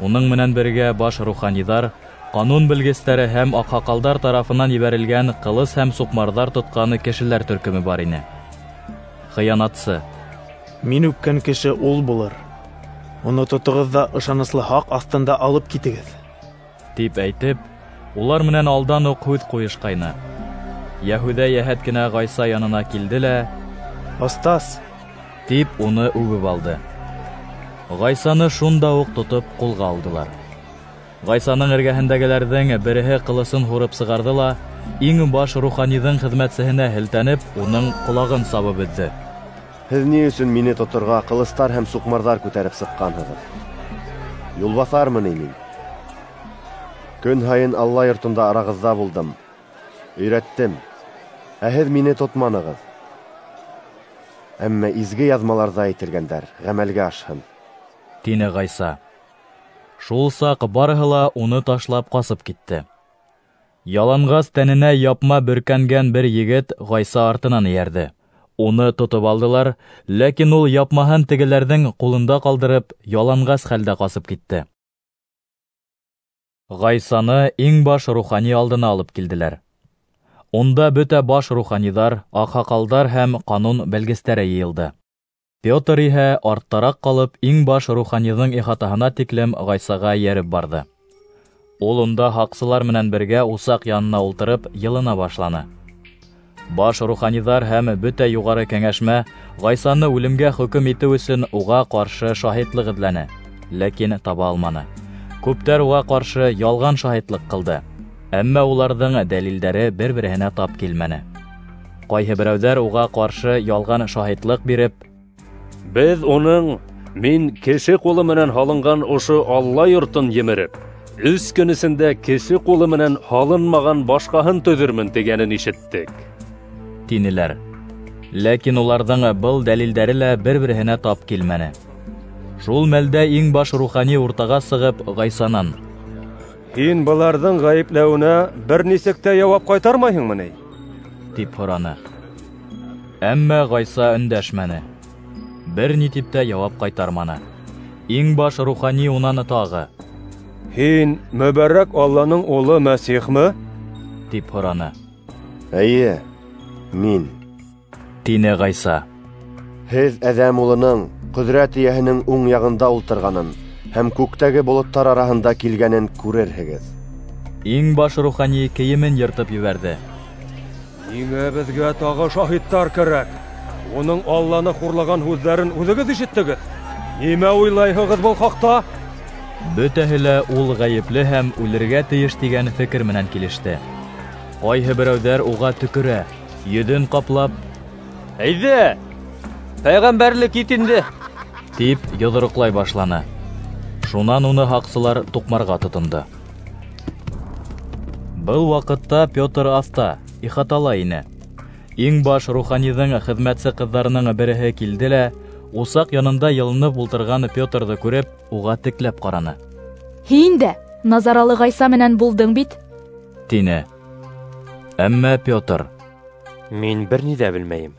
Уның менән бергә баш руханиҙар, ҡанун белгестәре һәм аҡһаҡалдар тарафынан ебәрелгән ҡылыс һәм суҡмарҙар тотҡан кешеләр төркөмө бар ине. Хыянатсы: Мин үпкән кеше ул булыр. Уны тотоғоҙ ҙа ышаныслы һаҡ аҫтында алып китегеҙ, тип әйтеп, улар менән алдан уҡ һүҙ ҡуйышҡайны. Йәһүҙә йәһәт кенә Ғайса янына килде лә: Остаз, тип уны үбеп алды. Ғайсаны шунда уҡ тотоп ҡулға алдылар. Ғайсаның эргәһендәгеләрҙең береһе ҡылысын һурып сығарҙы ла, иң баш руханиҙың хеҙмәтсеһенә һелтәнеп, уның ҡолағын сабып өҙҙө. Һеҙ ни өсөн мине тоторға ҡылыстар һәм суҡмарҙар күтәреп сыҡҡанһығыҙ? Юлбаҫармы ни мин? Көн һайын Алла йортонда арағыҙҙа булдым, өйрәттем, ә һеҙ мине тотманығыҙ. Әммә изге яҙмаларҙа әйтелгәндәр ғәмәлгә ашһын, тине Ғайса. Шул саҡ барыһы ла уны ташлап ҡасып китте. Яланғас тәненә япма бөркәнгән бер егет Ғайса артынан эйәрҙе. Уны тотоп алдылар, ләкин ул япмаһын тегеләрҙең ҡулында ҡалдырып, яланғас хәлдә ҡасып китте. Ғайсаны иң баш рухани алдына алып килделәр. Унда бөтә баш руханиҙар, аҡһаҡалдар һәм ҡанун белгестәре йыйылды. Петр иһә арттараҡ ҡалып, иң баш руханиҙың ихатаһына тиклем Ғайсаға эйәреп барҙы. Ул унда һаҡсылар менән бергә усаҡ янына ултырып йылына башланы. Баш руханиҙар һәм бөтә юғары кәңәшмә Ғайсаны үлемгә хөкөм итеү өсөн уға ҡаршы шаһитлыҡ эҙләне, ләкин таба алманы. Күптәр уға ҡаршы ялған шаһитлыҡ ҡылды. Әммә уларҙың дәлилдәре бер-береһенә тап килмәне. Ҡайһы берәүҙәр уға ҡаршы ялған шаһитлыҡ биреп: "Беҙ уның мин кеше ҡулы менән һалынған ошо Алла йортон емереп, өс көн эсендә кеше ҡулы менән һалынмаған башҡаһын төҙөрмөн тигәнен ишеттек", тинеләр. Ләкин уларҙың был дәлилдәре лә бер-береһенә тап килмәне. Шул мәлдә иң баш рухани уртаға сығып Ғайсанан: "Һин быларҙың ғәйепләүенә бер нисек тә яуап ҡайтармайһыңмы ни?" тип һораны. Әммә Ғайса өндәшмәне, бер ни тип тә яуап ҡайтарманы. Иң баш рухани унан тағы: "Һин мөбәрәк Алланың улы Мәсихме?" тип һораны. "Эйе, мин", тине Ғайса. "Һеҙ Әҙәм улының ҡөҙрәт эйәһенең уң яғында ултырғанын һәм күктәге болоттар араһында килгәнен күрерһегеҙ". Иң баш рухани кейемен йыртып ебәрҙе. "Ниңә беҙгә тағы шаһиттар кәрәк? Уның Алланы хурлаған һүҙҙәрен үҙегеҙ ишеттегеҙ. Нимә уйлайһығыҙ был хаҡта?" Бөтәһе лә ул ғәйепле һәм үлергә тейеш тигән фекер менән килеште. Ҡайһы берәүҙәр уға төкөрә, йөҙөн ҡаплап: "Әйҙә, пәйғәмбәрлек ит инде", тип йоҙроҡлай башланы. Шунан уны һаҡсылар туҡмарға тотондо. Был ваҡытта Петр аҫта, ихатала ине. Иң баш руханиҙың хеҙмәтсе ҡыҙҙарының береһе килде лә, усаҡ янында йылынып ултырған Петрҙы күреп, уға текләп ҡараны. "Һин дә Назаралы Ғайса менән булдың бит", тине. Әммә Петр: "Мин бер ни ҙә белмәйем.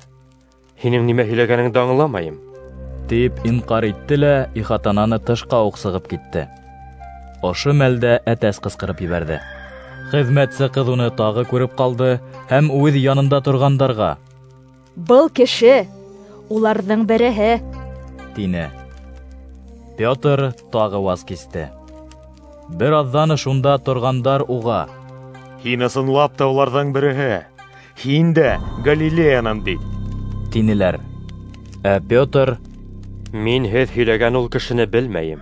Һинең нимә һөйләгәнеңде аңламайым", тип инҡар итте лә ихатанан тышҡа уҡ сығып китте. Ошо мәлдә әтәс ҡысҡырып ебәрҙе. Хеҙмәтсе ҡыҙ уны тағы күреп ҡалды һәм үҙ янында торғандарға: "Был кеше уларҙың береһе", тине. Петр тағы ваз кисте. Бер аҙҙан шунда торғандар уға: "Һин ысынлап та уларҙың береһе, һин дә Галилеянан бит", тинеләр. Ә Петр: "Мин һеҙ һөйләгән ул кешене белмәйем",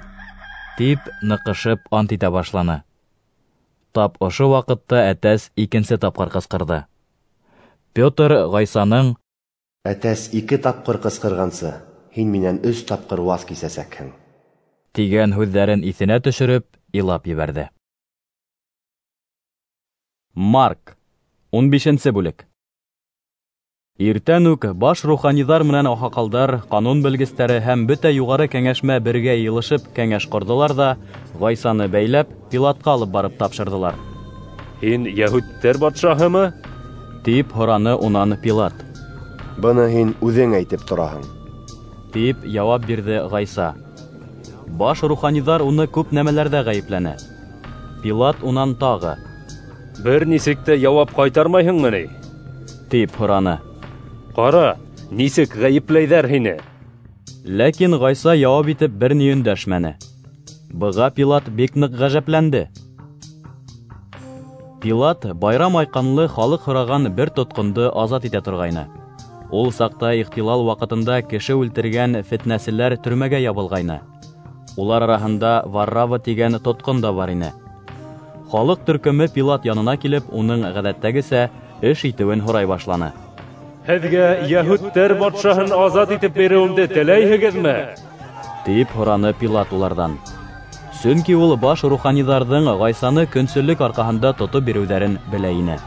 тип ныҡышып ант итә башланы. Тап ошо ваҡытта әтәс икенсе тапҡыр ҡысҡырҙы. Петр Ғайсаның: "Әтәс ике тапҡыр ҡысҡырғансы, һин минән өс тапҡыр ваз кисәсәкһең", тигән һүҙҙәрен иҫенә төшөрөп, илап ебәрҙе. Марк, ун бишенсе бүлек. Иртән үк баш руханиҙар менән аҡһаҡалдар, ҡанун белгестәре һәм бөтә юғары кәңәшмә бергә йыйылышып кәңәш ҡорҙолар ҙа, Ғайсаны бәйләп, Пилатҡа алып барып тапшырҙылар. "Һин йәһүдтәр батшаһымы?" тип һораны унан Пилат. "Быны һин үҙең әйтеп тораһың", тип яуап бирҙе Ғайса. Баш руханиҙар уны күп нәмәләрҙә ғәйепләне. Пилат унан тағы: "Бер нисек тә яуап ҡайтармайһыңмы ни?" тип һораны. "Ҡара, нисек ғәйепләйҙәр һине!" Ләкин Ғайса яуап итеп бер ни өндәшмәне. Быға Пилат бик ныҡ ғәжәпләнде. Пилат байрам айҡанлы халыҡ һораған бер тотҡондо азат итә торғайны. Ул саҡта ихтилал ваҡытында кеше үлтергән фетнәселәр төрмәгә ябылғайны. Улар араһында Варрава тигән тотҡон да бар ине. Халыҡ төркөмө Пилат янына килеп, уның ғәҙәттәгесә эш итеүен һорай башланы. "Һеҙгә йәһүдтәр батшаһын азат итеп биреүемде теләйһегеҙме?" тип һораны Пилат уларҙан. Сөнки ул баш руханиҙарҙың Ғайсаны көнсөллөк арҡаһында тотоп биреүҙәрен белә ине.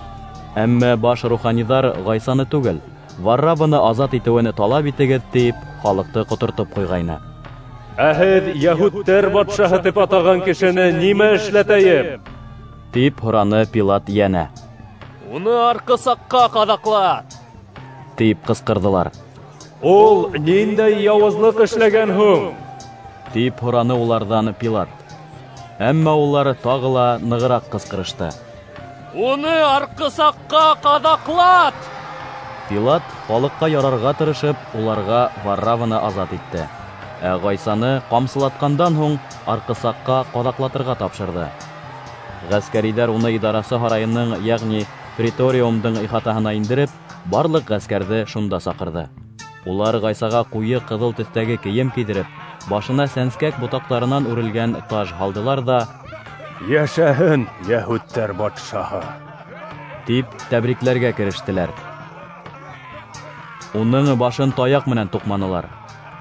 Әммә баш руханиҙар Ғайсаны түгел, Варрабаны азат итеүен талап итегеҙ тип халыҡты ҡотортоп ҡуйғайны. "Ә һеҙ йәһүдтәр батшаһы тип атаған кешене нимә эшләтәйем?" тип һораны Пилат йәнә. "Уны арҡысаҡҡа ҡаҙаҡлат!" тип ҡысҡырҙылар. "Ул ниндәй яуызлыҡ эшләгән һуң?" тип һораны уларҙан Пилат. Әммә улар тағы ла нығыраҡ ҡысҡырышты: "Уны арҡысаҡҡа ҡаҙаҡлат!" Пилат халыҡҡа ярарға тырышып, уларға Варраваны азат итте. Ә Ғайсаны ҡамсылатҡандан һуң арҡысаҡҡа ҡаҙаҡлатырға тапшырҙы. Ғәскәриҙәр уны идарасы һарайының, йәғни преториумдың ихатаһына индереп, барлыҡ ғәскәрҙе шунда саҡырҙы. Улар Ғайсаға ҡуйы ҡыҙыл төҫтәге кейем кейҙереп, башына сәнскәк ботаҡтарынан үрелгән таж һалдылар ҙа: Йәшәһен йәһүдтәр батшаһы! Тип тәбрикләргә керештеләр. Уның башын таяҡ менән туҡманылар,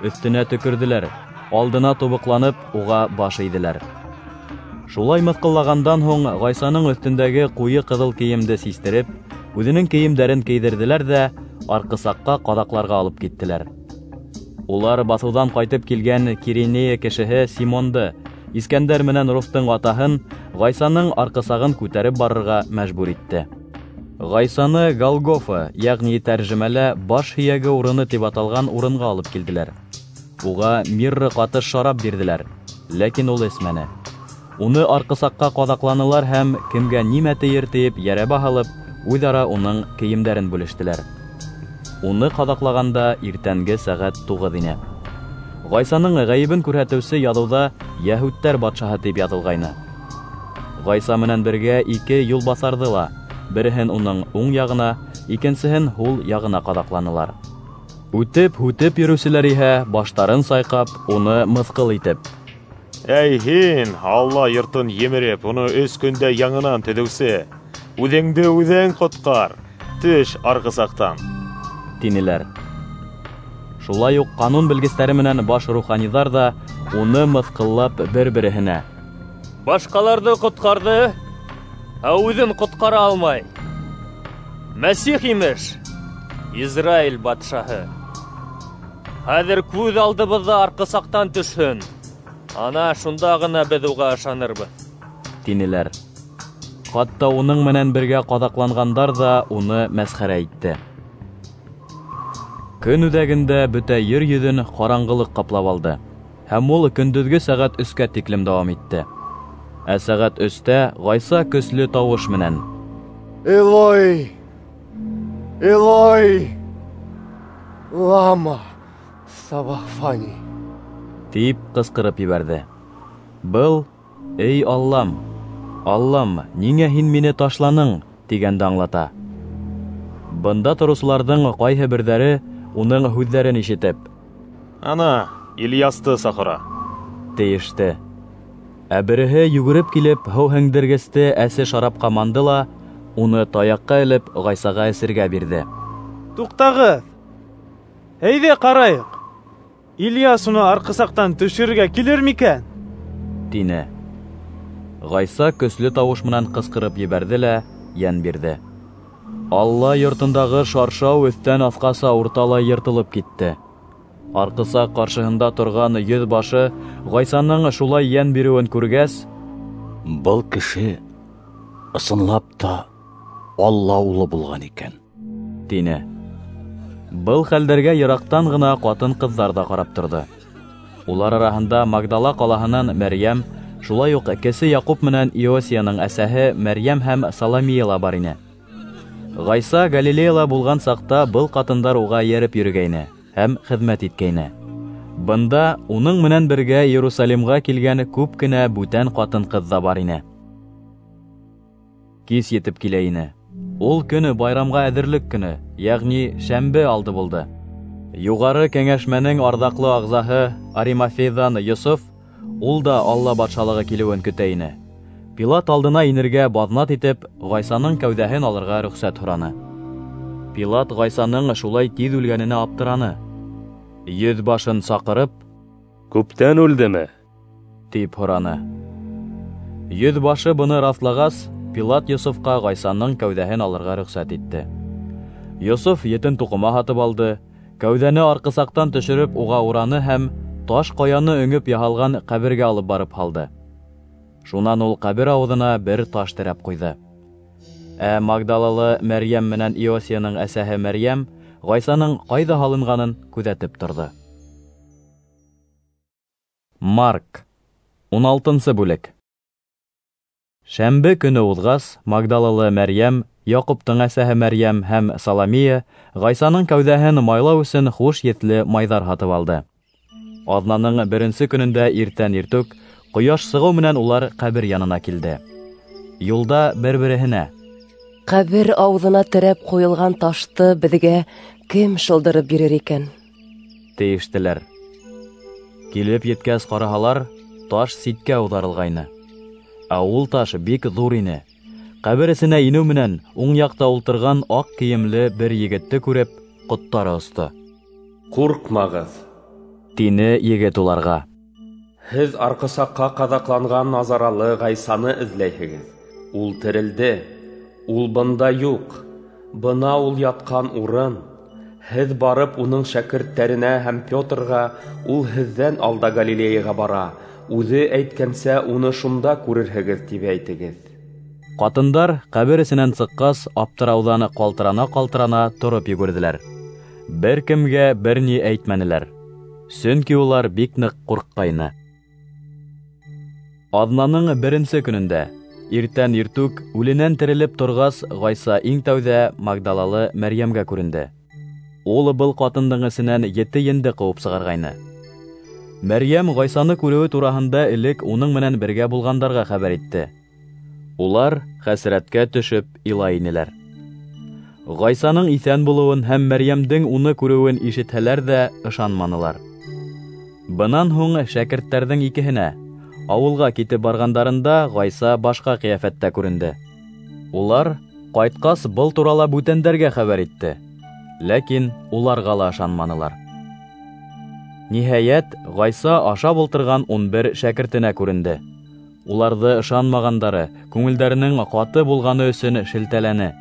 өҫтөнә төкөрҙөләр, алдына тубыҡланып, уға баш эйҙеләр. Шулай мыҫҡыллағандан һуң Ғайсаның өҫтөндәге ҡуйы ҡыҙыл кейемде систереп, үҙенең кейемдәрен кейҙерҙеләр ҙә арҡысаҡҡа ҡаҙаҡларға алып киттеләр. Улар баҫыуҙан ҡайтып килгән Киринея кешеһе Симонды, Искәндәр менән Руфтың атаһын, Ғайсаның арҡысағын күтәреп барырға мәжбүр итте. Ғайсаны Голгофа, йәғни тәржемәлә баш һөйәге урыны тип аталған урынға алып килделәр. Уға мирра ҡатыш шарап бирҙеләр, ләкин ул эсмәне. Уны арҡысаҡҡа ҡаҙаҡланылар һәм кемгә нимә тейер тиеп йәрәбә һалып, үҙ-ара уның кейемдәрен бүлештеләр. Уны ҡаҙаҡлағанда иртәнге сәғәт туғыҙ ине. Ғайсаның ғәйебен күрһәтеүсе яҙыуҙа «Йәһүдтәр батшаһы» тип яҙылғайны. Ғайса менән бергә ике юлбаҫарҙы ла, береһен уның уң яғына, икенсеһен һул яғына ҡаҙаҡланылар. Үтеп-һүтеп йөрөүселәр иһә баштарын сайҡап, уны мыҫҡыл итеп: «Әй һин, Алла йортон емереп, уны өс көндә яңынан төҙөүсе, үҙеңде үҙең ҡотҡар, төш арҡысаҡтан!» тинеләр. Шулай уҡ ҡанун белгестәре менән баш руханиҙар ҙа уны мыҫҡыллап бер-береһенә: «Башҡаларҙы ҡотҡарҙы, ә үҙен ҡотҡара алмай. Мәсих имеш, Израиль батшаһы. Хәҙер күҙ алдыбыҙҙа арҡысаҡтан төшһөн, ана шунда ғына беҙ уға ышанырбыҙ», тинеләр. Хатта уның менән бергә ҡаҙаҡланғандар ҙа уны мәсхәрә итте. Көн үҙәгендә бөтә ер йөҙөн ҡараңғылыҡ ҡаплап алды, һәм ул көндөҙгө сәғәт өскә тиклем дауам итте. Ә сәғәт өстә Ғайса көслө тауыш менән: «Элой, Элой, лама савахфани!» тип ҡысҡырып ебәрҙе. Был «Эй Аллам, Аллам, ниңә һин мине ташланың?» тигәнде аңлата. Бында тороусыларҙың ҡайһы берҙәре уның һүҙҙәрен ишетеп: «Ана, Ильясты саҡыра», тейеште. Ә береһе йүгереп килеп, һыу һеңдергесте әсе шарапҡа манды ла, уны таяҡҡа элеп, Ғайсаға эсергә бирҙе. «Туҡтағыҙ, әйҙә ҡарайыҡ, Ильяс уны арҡысаҡтан төшөрөргә килер микән?» тине. Ғайса көслө тауыш менән ҡысҡырып ебәрҙе лә йән бирҙе. Алла йортондағы шаршау өҫтән аҫҡаса урталай йыртылып китте. Арҡысаҡ ҡаршыһында торған йөҙ башы Ғайсаның шулай йән биреүен күргәс: «Был кеше ысынлап та Алла улы булған икән», тине. Был хәлдәргә йыраҡтан ғына ҡатын-ҡыҙҙар ҙа ҡарап торҙо. Улар араһында Магдала ҡалаһынан Мәрйәм, шулай уҡ кесе Яҡуп менән Иосияның әсәһе Мәрйәм һәм Саламия ла бар ине. Ғайса Галилеяла булған саҡта был ҡатындар уға эйәреп йөрөгәйне һәм хеҙмәт иткәйне. Бында уның менән бергә Иерусалимға килгән күп кенә бүтән ҡатын-ҡыҙ ҙа бар ине. Кис етеп килә ине. Ул көнө байрамға әҙерлек көнө, йәғни шәмбе алды булды. Юғары кәңәшмәнең арҙаҡлы ағзаһы Аримафейҙан Йософ, ул да Алла батшалығы килеүен көтә ине. Пилат алдына инергә баҙнат итеп, Ғайсаның кәүҙәһен алырға рөхсәт һораны. Пилат Ғайсаның шулай тиҙ үлгәненә аптыраны. Йөҙ башын саҡырып: «Күптән үлдеме?» тип һораны. Йөҙ башы быны раҫлағас, Пилат Йософҡа Ғайсаның кәүҙәһен алырға рөхсәт итте. Йософ етен туҡыма һатып алды, кәүҙәне арҡысаҡтан төшөрөп уға ураны һәм таш ҡаяны өңөп яһалған ҡәбергә алып барып һалды. Шунан ул ҡәбер ауыҙына бер таш терәп ҡуйҙы. Ә Магдалалы Мәрйәм менән Иосияның әсәһе Мәрйәм Ғайсаның ҡайҙа һалынғанын күҙәтеп торҙо. Марк, ун алтынсы бүлек. Шәмбе көнө уҙғас, Магдалалы Мәрйәм, Яҡуптың әсәһе Мәрйәм һәм Саламия Ғайсаның кәүҙәһен майлау өсөн хуш еҫле майҙар һатып алды. Аҙнаның беренсе көнөндә иртән иртүк, ҡояш сығыу менән улар ҡәбер янына килде. Юлда бер-береһенә: «Ҡәбер ауыҙына терәп ҡуйылған ташты беҙгә кем шылдырып бирер икән?» Ә ул таш бик ҙур ине. Ҡәбер эсенә инеү менән уң яҡта ултырған аҡ кейемле бер егетте күреп, ҡоттары осто. Ҡурҡмағыҙ, тине егет уларға. Һеҙ арҡысаҡҡа ҡаҙаҡланған Назаралы Ғайсаны эҙләйһегеҙ. Ул терелде, ул бында юҡ. Бына ул ятҡан урын. Һеҙ барып уның шәкерттәренә һәм Петрға, ул һеҙҙән алда Галилеяға бара, үҙе әйткәнсә уны шунда күрерһегеҙ, тип әйтегеҙ. Ҡатындар ҡәбер эсенән сыҡҡас, аптырауҙан ҡалтырана-ҡалтырана тороп йүгерҙеләр. Бер кемгә бер ни әйтмәнеләр, сөнки улар бик ныҡ ҡурҡҡайны. Аҙнаның беренсе көнөндә, иртән иртүк үленән терелеп торғас, Ғайса иң тәүҙә Магдалалы Мәрйәмгә күренде. Ул был ҡатындың эсенән ете енде ҡыуып сығарғайны. Мәрйәм Ғайсаны күреүе тураһында элек уның менән бергә булғандарға хәбәр итте. Улар хәсрәткә төшөп илай инеләр. Ғайсаның иҫән булыуын һәм Мәрйәмдең уны күреүен ишетһәләр ҙә ышанманылар. Бынан һуң шәкерттәрҙең икеһенә ауылға китеп барғандарында Ғайса башҡа ҡиәфәттә күренде. Улар ҡайтҡас был турала бүтәндәргә хәбәр итте, ләкин уларға ла ышанманылар. Ниһайәт, Ғайса ашап ултырған ун бер шәкертенә күренде. Уларҙы ышанмағандары, күңелдәренең ҡаты булғаны өсөн шелтәләне.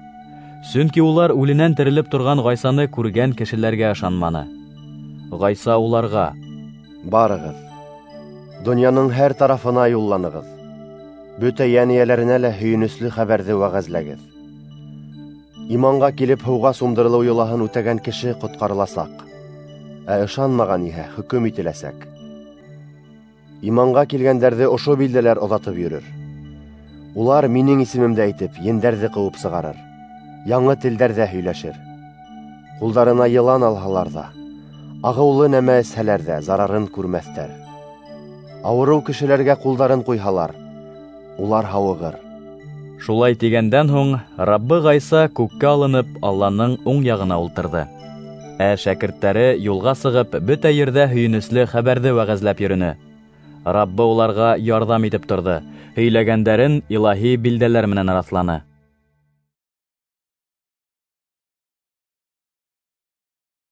Сөнки улар үленән терелеп торған Ғайсаны күргән кешеләргә ышанманы. Ғайса уларға: Барығыҙ, донъяның һәр тарафына юлланығыҙ, бөтә йән эйәләренә лә һөйөнөслө хәбәрҙе вәғәзләгеҙ. Иманға килеп һыуға сумдырылыу йолаһын үтәгән кеше ҡотҡарыласаҡ, ә ышанмаған иһә хөкөм ителәсәк. Иманға килгәндәрҙе ошо билдәләр оҙатып йөрөр. Улар минең исемемде әйтеп, ендәрҙе ҡыуып сығарыр, яңы телдәрҙә һөйләшер. Ҡулдарына йылан алһалар ҙа, ағыулы нәмә эсһәләр ҙә зарарын күрмәҫтәр. Ауырыу кешеләргә ҡулдарын ҡуйһалар, улар һауығыр. Шулай тигәндән һуң Раббы Ғайса күккә алынып, Алланың уң яғына ултырҙы. Ә шәкерттәре юлға сығып, бөтә ерҙә һөйөнөслө хәбәрҙе вәғәзләп йөрөнө. Раббы уларға ярҙам итеп торҙо, һөйләгәндәрен илаһи билдәләр менән раҫланы.